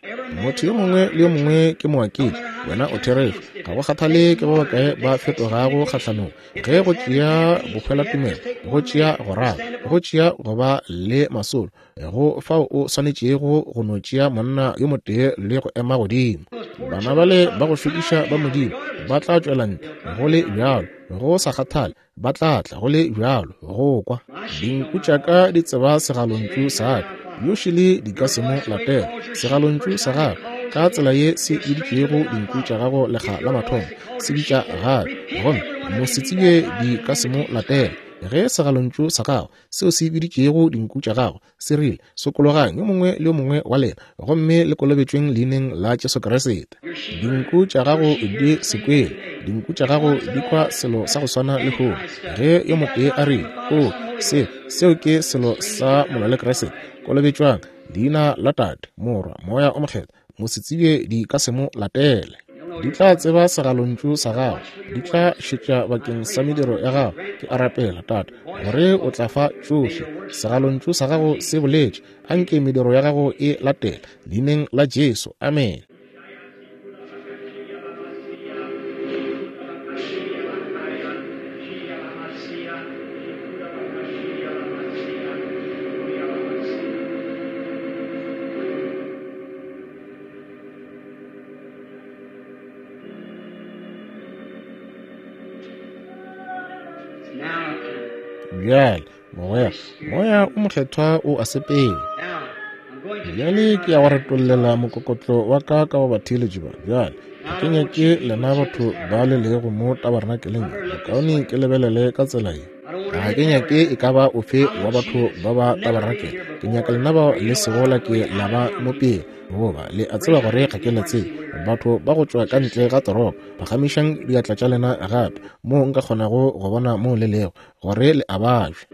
Motho yo mongwe le yo mongwe ke moaketši, wena o therešo. Ga go kgathale ke ba bakae ba fetogago kgahlanong, ge go tšea bohwelatumelo, go tšea go rata, go tšea go ba le masolo, go fao o swanetšego go no tšea monna yo motee le go ema godimo. Bana bale ba go šokiša ba Modimo ba tla tšwela ntle go le bjalo, go sa kgathale, ba tla tla go le bjalo go kwa. Dinku tša ka di tseba segalontšu sa ka, yo šele di ka se mo latela. Segalontšu sa gago, ka tsela ye se biditšego dinku tša gago lekga la mathomo, se bitša gape, gomme mosetsebje di ka se mo latela. Ge segalontšu sa gago, seo se biditšego dinku tša gago, se rile, Sokologang, yo mongwe le yo mongwe wa lena, gomme le kolobetšweng leineng la Jesu Kriste. Dinku tša gago di se kwele. Dinku tša gago di kwa selo sa go swana lehono. Ge yo motee a rile, O, se, seo ke selo sa molwa le Kriste, kolobetšwang, leina la Tate, Morwa, Moya o Mokgethwa, mosetsebje di ka se mo latele. Di tla tseba segalontšu sa gago, di tla šetša bakeng sa mediro ya gago. Ke a rapela, Tate, gore o tla fa tšohle. Segalontšu sa gago se boletše, anke mediro ya gago e latele. Leineng la Jesu, amene. Bjale, mogwera, Moya o Mokgethwa o a sepela. Bjale ke ya go retollela mokokotlo wa ka ka go batheeletši ba. Bjale, ga ke nyake lena batho ba le lego mo tabernakeleng ye, bokaone ke lebelele ka tsela ye. Ga ke nyake e ka ba ofe wa batho ba ba taberenakele. Ke nyaka lena bao le sego la ke la ba mo pele, goba le a tseba gore ga ke le tsebe. Batho ba go tšwa ka ntle ga toropo, phagamišang diatla tša lena gape, moo nka kgonago go bona moo le lego, gore le a babja.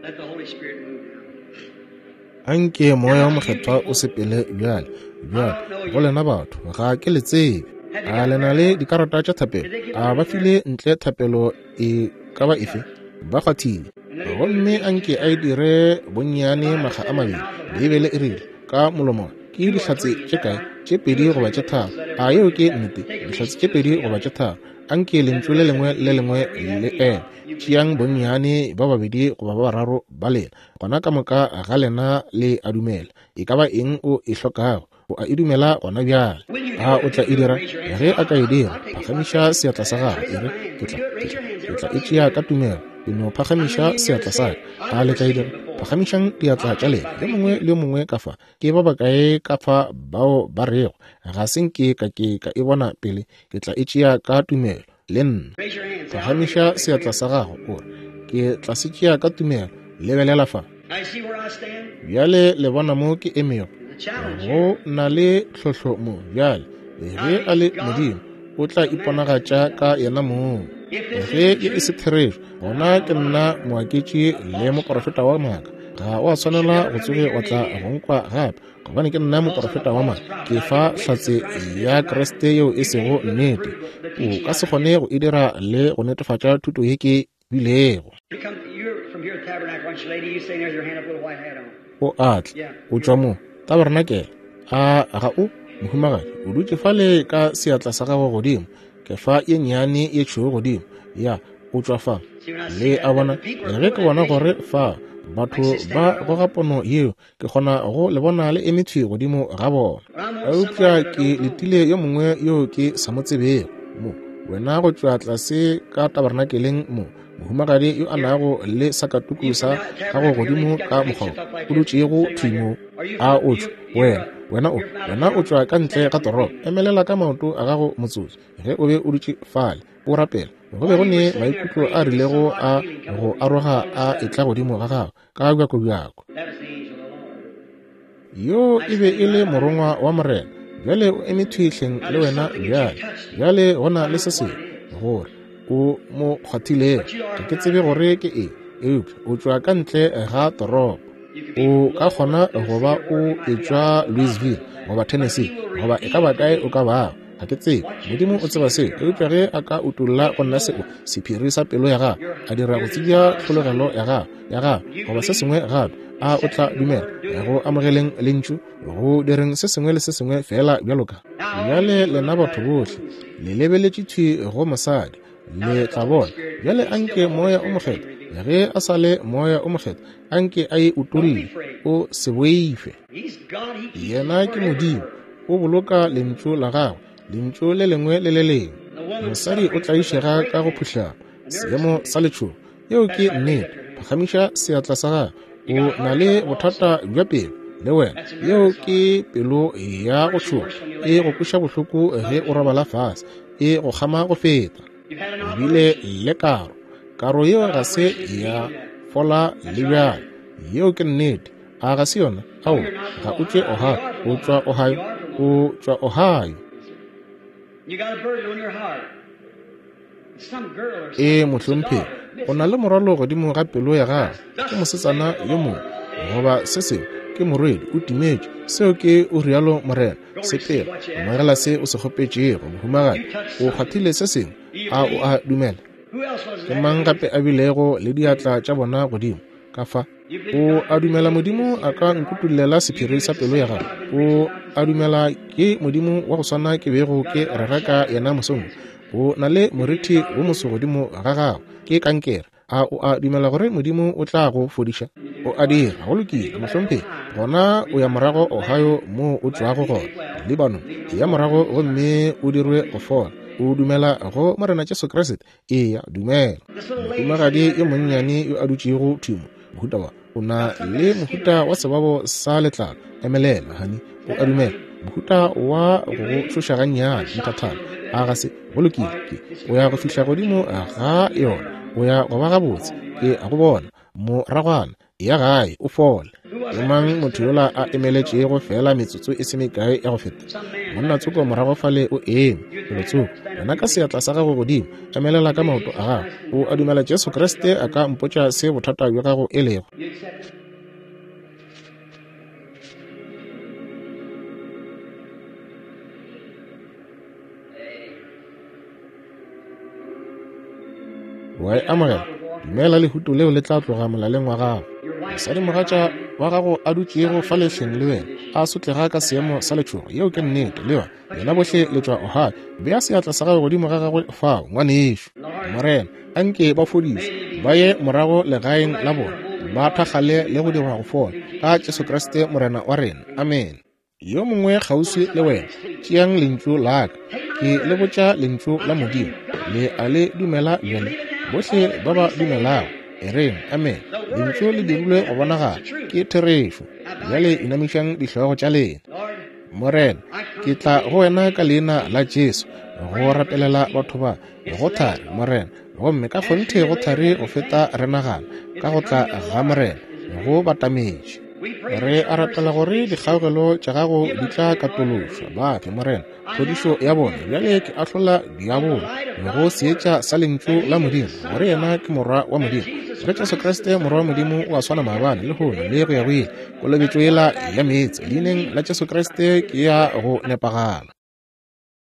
Anke Moya wo Mokgethwa o sepele bjale. Bjale, go lena batho, ga ke le tsebe. A le na le dikarata tša thapelo? A ba file ntle thapelo e ka ba efe? Ba kgwathile. Gomme anke a e dire bonnyane makga a mabedi. Beibele e rile, ka molomo, ke dihlatse tše kae? Tše pedi goba tše tharo. A yeo ke nnete? Dihlatse tše pedi goba tše tharo. Anke lentšu le lengwe le lengwe le eme. Tšeang bonnyane ba babedi goba ba bararo ba lena. Gona ka moka ga lena le a dumela. E ka ba eng o e hlokago, o a e dumela gona bjale. A o tla e dira? Ge a ka e dira, phagamiša seatla sa gago, e re, Ke tla, ke tla, ke tla e tšea ka tumelo. Ke no phagamiša seatla sa ka. A le tla e dira? Phagamišang diatla tša lena, yo mongwe le yo mongwe ka fa. Ke ba bakae ka fa bao ba rego, Ga se nke ka ke ka e bona pele, ke tla e tšea ka tumelo, le nna. Phagamiša seatla sa gago, o re, Ke tla se tšea ka tumelo. Lebelela fa. Bjale le bona mo ke emego? Go na le tlhohlo mo. Bjale, ge a le Modimo, o tla iponagatša ka yena mong. Ge ye e se therešo, gona ke nna moaketši le moprofeta wa maaka. Ga o a swanela go tsoge wa tla go nkwa gape, gobane ke nna moprofeta wa maaka. Ke fa hlatse ya Kriste yeo e sego nnete. O ka se kgone go e dira le go netefatša thuto ye ke bilego. O a tla, o tšwa mo tabernakel. A ga o, mohumagadi? O dutše fale ka seatla sa gago godimo, ke fa ye nnyane ye tšhweu godimo. Ya, o tšwa fa. Le a bona, ge ke bona gore fa batho ba goga pono yeo, ke kgona go le bona le eme thwi godimo ga bona. Eupša ke letile yo mongwe yo ke sa mo tsebego mo, wena go tšwa tlase ka tabernakeleng mo, mohumagadi yo a nago le sakatuku sa gago godimo ka mokgwa o dutšego thwi mo. A o tšwa, wena, wena o, wena o tšwa ka ntle ga toropo. Emelela ka maoto a gago motsotso, ge o be o dutše fale o rapela. Go be go ne maikutlo a rilego a go aroga a etla godimo ga gago ka bjakobjako. Yo e be e le morongwa wa Morena. Bjale o eme thwi hleng le wena bjale. Bjale go na le se sengwe gore o mo kgwathilego. Ga ke tsebe gore ke eng, eupša o tšwa ka ntle ga toropo. O ka kgona go ba o etšwa Louisville goba Tennessee goba e ka ba kae o ka bago. Ga ke tsebe. Modimo o tseba seo. Eupša ge a ka utolla go nna seo, sephiri sa pelo ya gago, a dira go tsebja tlhologelo ya gago, ya gago, goba se sengwe gape, a o tla dumela go amogeleng Lentšu, go direng se sengwe le se sengwe feela bjalo ka. Bjale lena batho bohle le lebeletše thwi go mosadi, le tla bona. Bjale anke Moya o Mokgethwa, ge a sa le Moya o Mokgethwa, anke a e utolle. O se boife. Yena ke Modimo, o boloka Lentšu la Gagwe, Lentšu le lengwe le le lengwe. Mosadi o tlaišega ka go phuhlama, seemo sa letšhogo. Yeo ke nnete. Phagamiša seatla sa gago. O na le bothata bja pelo, le wena. Yeo ke pelo ya go tšhoga. E go kweša bohloko ge o robala fase. E go kgama go feta. O bile le karo. Karo yeo ga se ya fola le bjale. Yeo ke nnete. A ga se yona? Ao, ga o tšwe Ohio. O tšwa Ohio. O tšwa Ohio. Ee, mohlomphegi, o na le morwalo godimo ga pelo ya gago. Ke mosetsana yo mongwe goba se sengwe, ke morwedi, o timetše. Seo ke o rialo morena. Sepela, amogela se o se kgopetšego, mohumagadi. O kgwathile se sengwe. A o a dumela? Ke mang gape a bilego le diatla tša bona godimo ka fa? O a dumela Modimo a ka nkutollela sephiri sa pelo ya gago? O a dumela ke Modimo wa go swana ke bego ke rera ka yena mosong? O na le morithi wo moso godimo ga gago, ke kankere. A o a dumela gore Modimo o tla go fodiša? O a dira. Go lokile, mohlomphegi. Gona o ya morago Ohio moo o tšwago gona, Lebanon. Eya morago gomme o dirwe go fola. O dumela go Morena Jesu Kriste? Eya, dumela. Mohumagadi yo monnyane yo a dutšego thwi mo, mohuta wa. O na le mohuta wa sebabo sa letlalo. Emelela, hani. O a dumela? Mohuta wa go go tšhoša gannyane, nthathana. A ga se? Go lokile. Ke, o ya go fihla godimo ga yona. O ya go ba gabotse. Ke a go bona. Moragwana, ya gae, o fole. Ke mang motho yola a emeletšego feela metsotso e se mekae ya go feta? Monna tsoko morago fale o eme, felotsoko. Wena ka seatla sa gago godimo, emelela ka maoto a gago. O a dumela Jesu Kriste a ka mpotša se bothata bja gago e lego? Wa e amogela? Dumela lehuto leo le tla tloga molaleng wa gago. Mosadimogatša wa gago a dutšego fa lehleng le wena, a sotlega ka seemo sa letšhogo. Yeo ke nnete, le yona. Lena bohle le tšwa Ohio. Bea seatla sa gago godimo ga gagwe fao, ngwanešu. Morena, a nke ba fodišwe, ba ye morago legaeng la bona, ba thakgale le go dirwa go fola, ka Jesu Kriste Morena wa rena. Amene. Yo mongwe kgauswi le wena, tšeang lentšu la ka. Ke le botša lentšu la Modimo. Le a le dumela bjale? Bohle ba ba dumelago, e reng, Amene. Lentšu le dirilwe go bonagala. Ke therešo. Bjale inamišang dihlogo tša lena. Morena, ke tla go wena ka leina la Jesu, go rapelela batho ba. Go thari, Morena, gomme ka kgonthe go thari go feta re nagana, ka go tla ga Morena, go batametše. Re a rapela gore dikgaogelo tša gago di tla katološwa. Ba fe, Morena, phodišo ya bona. Bjale ke ahlola diabolo go seetša sa Lentšu la Modimo, gore yena ke Morwa wa Modimo, gore Jesu Kriste Morwa wa Modimo o a swana maabane, lehono, le go ya go ile. Kolobetšo yela ya meetse, Leineng la Jesu Kriste, ke ya go nepagala.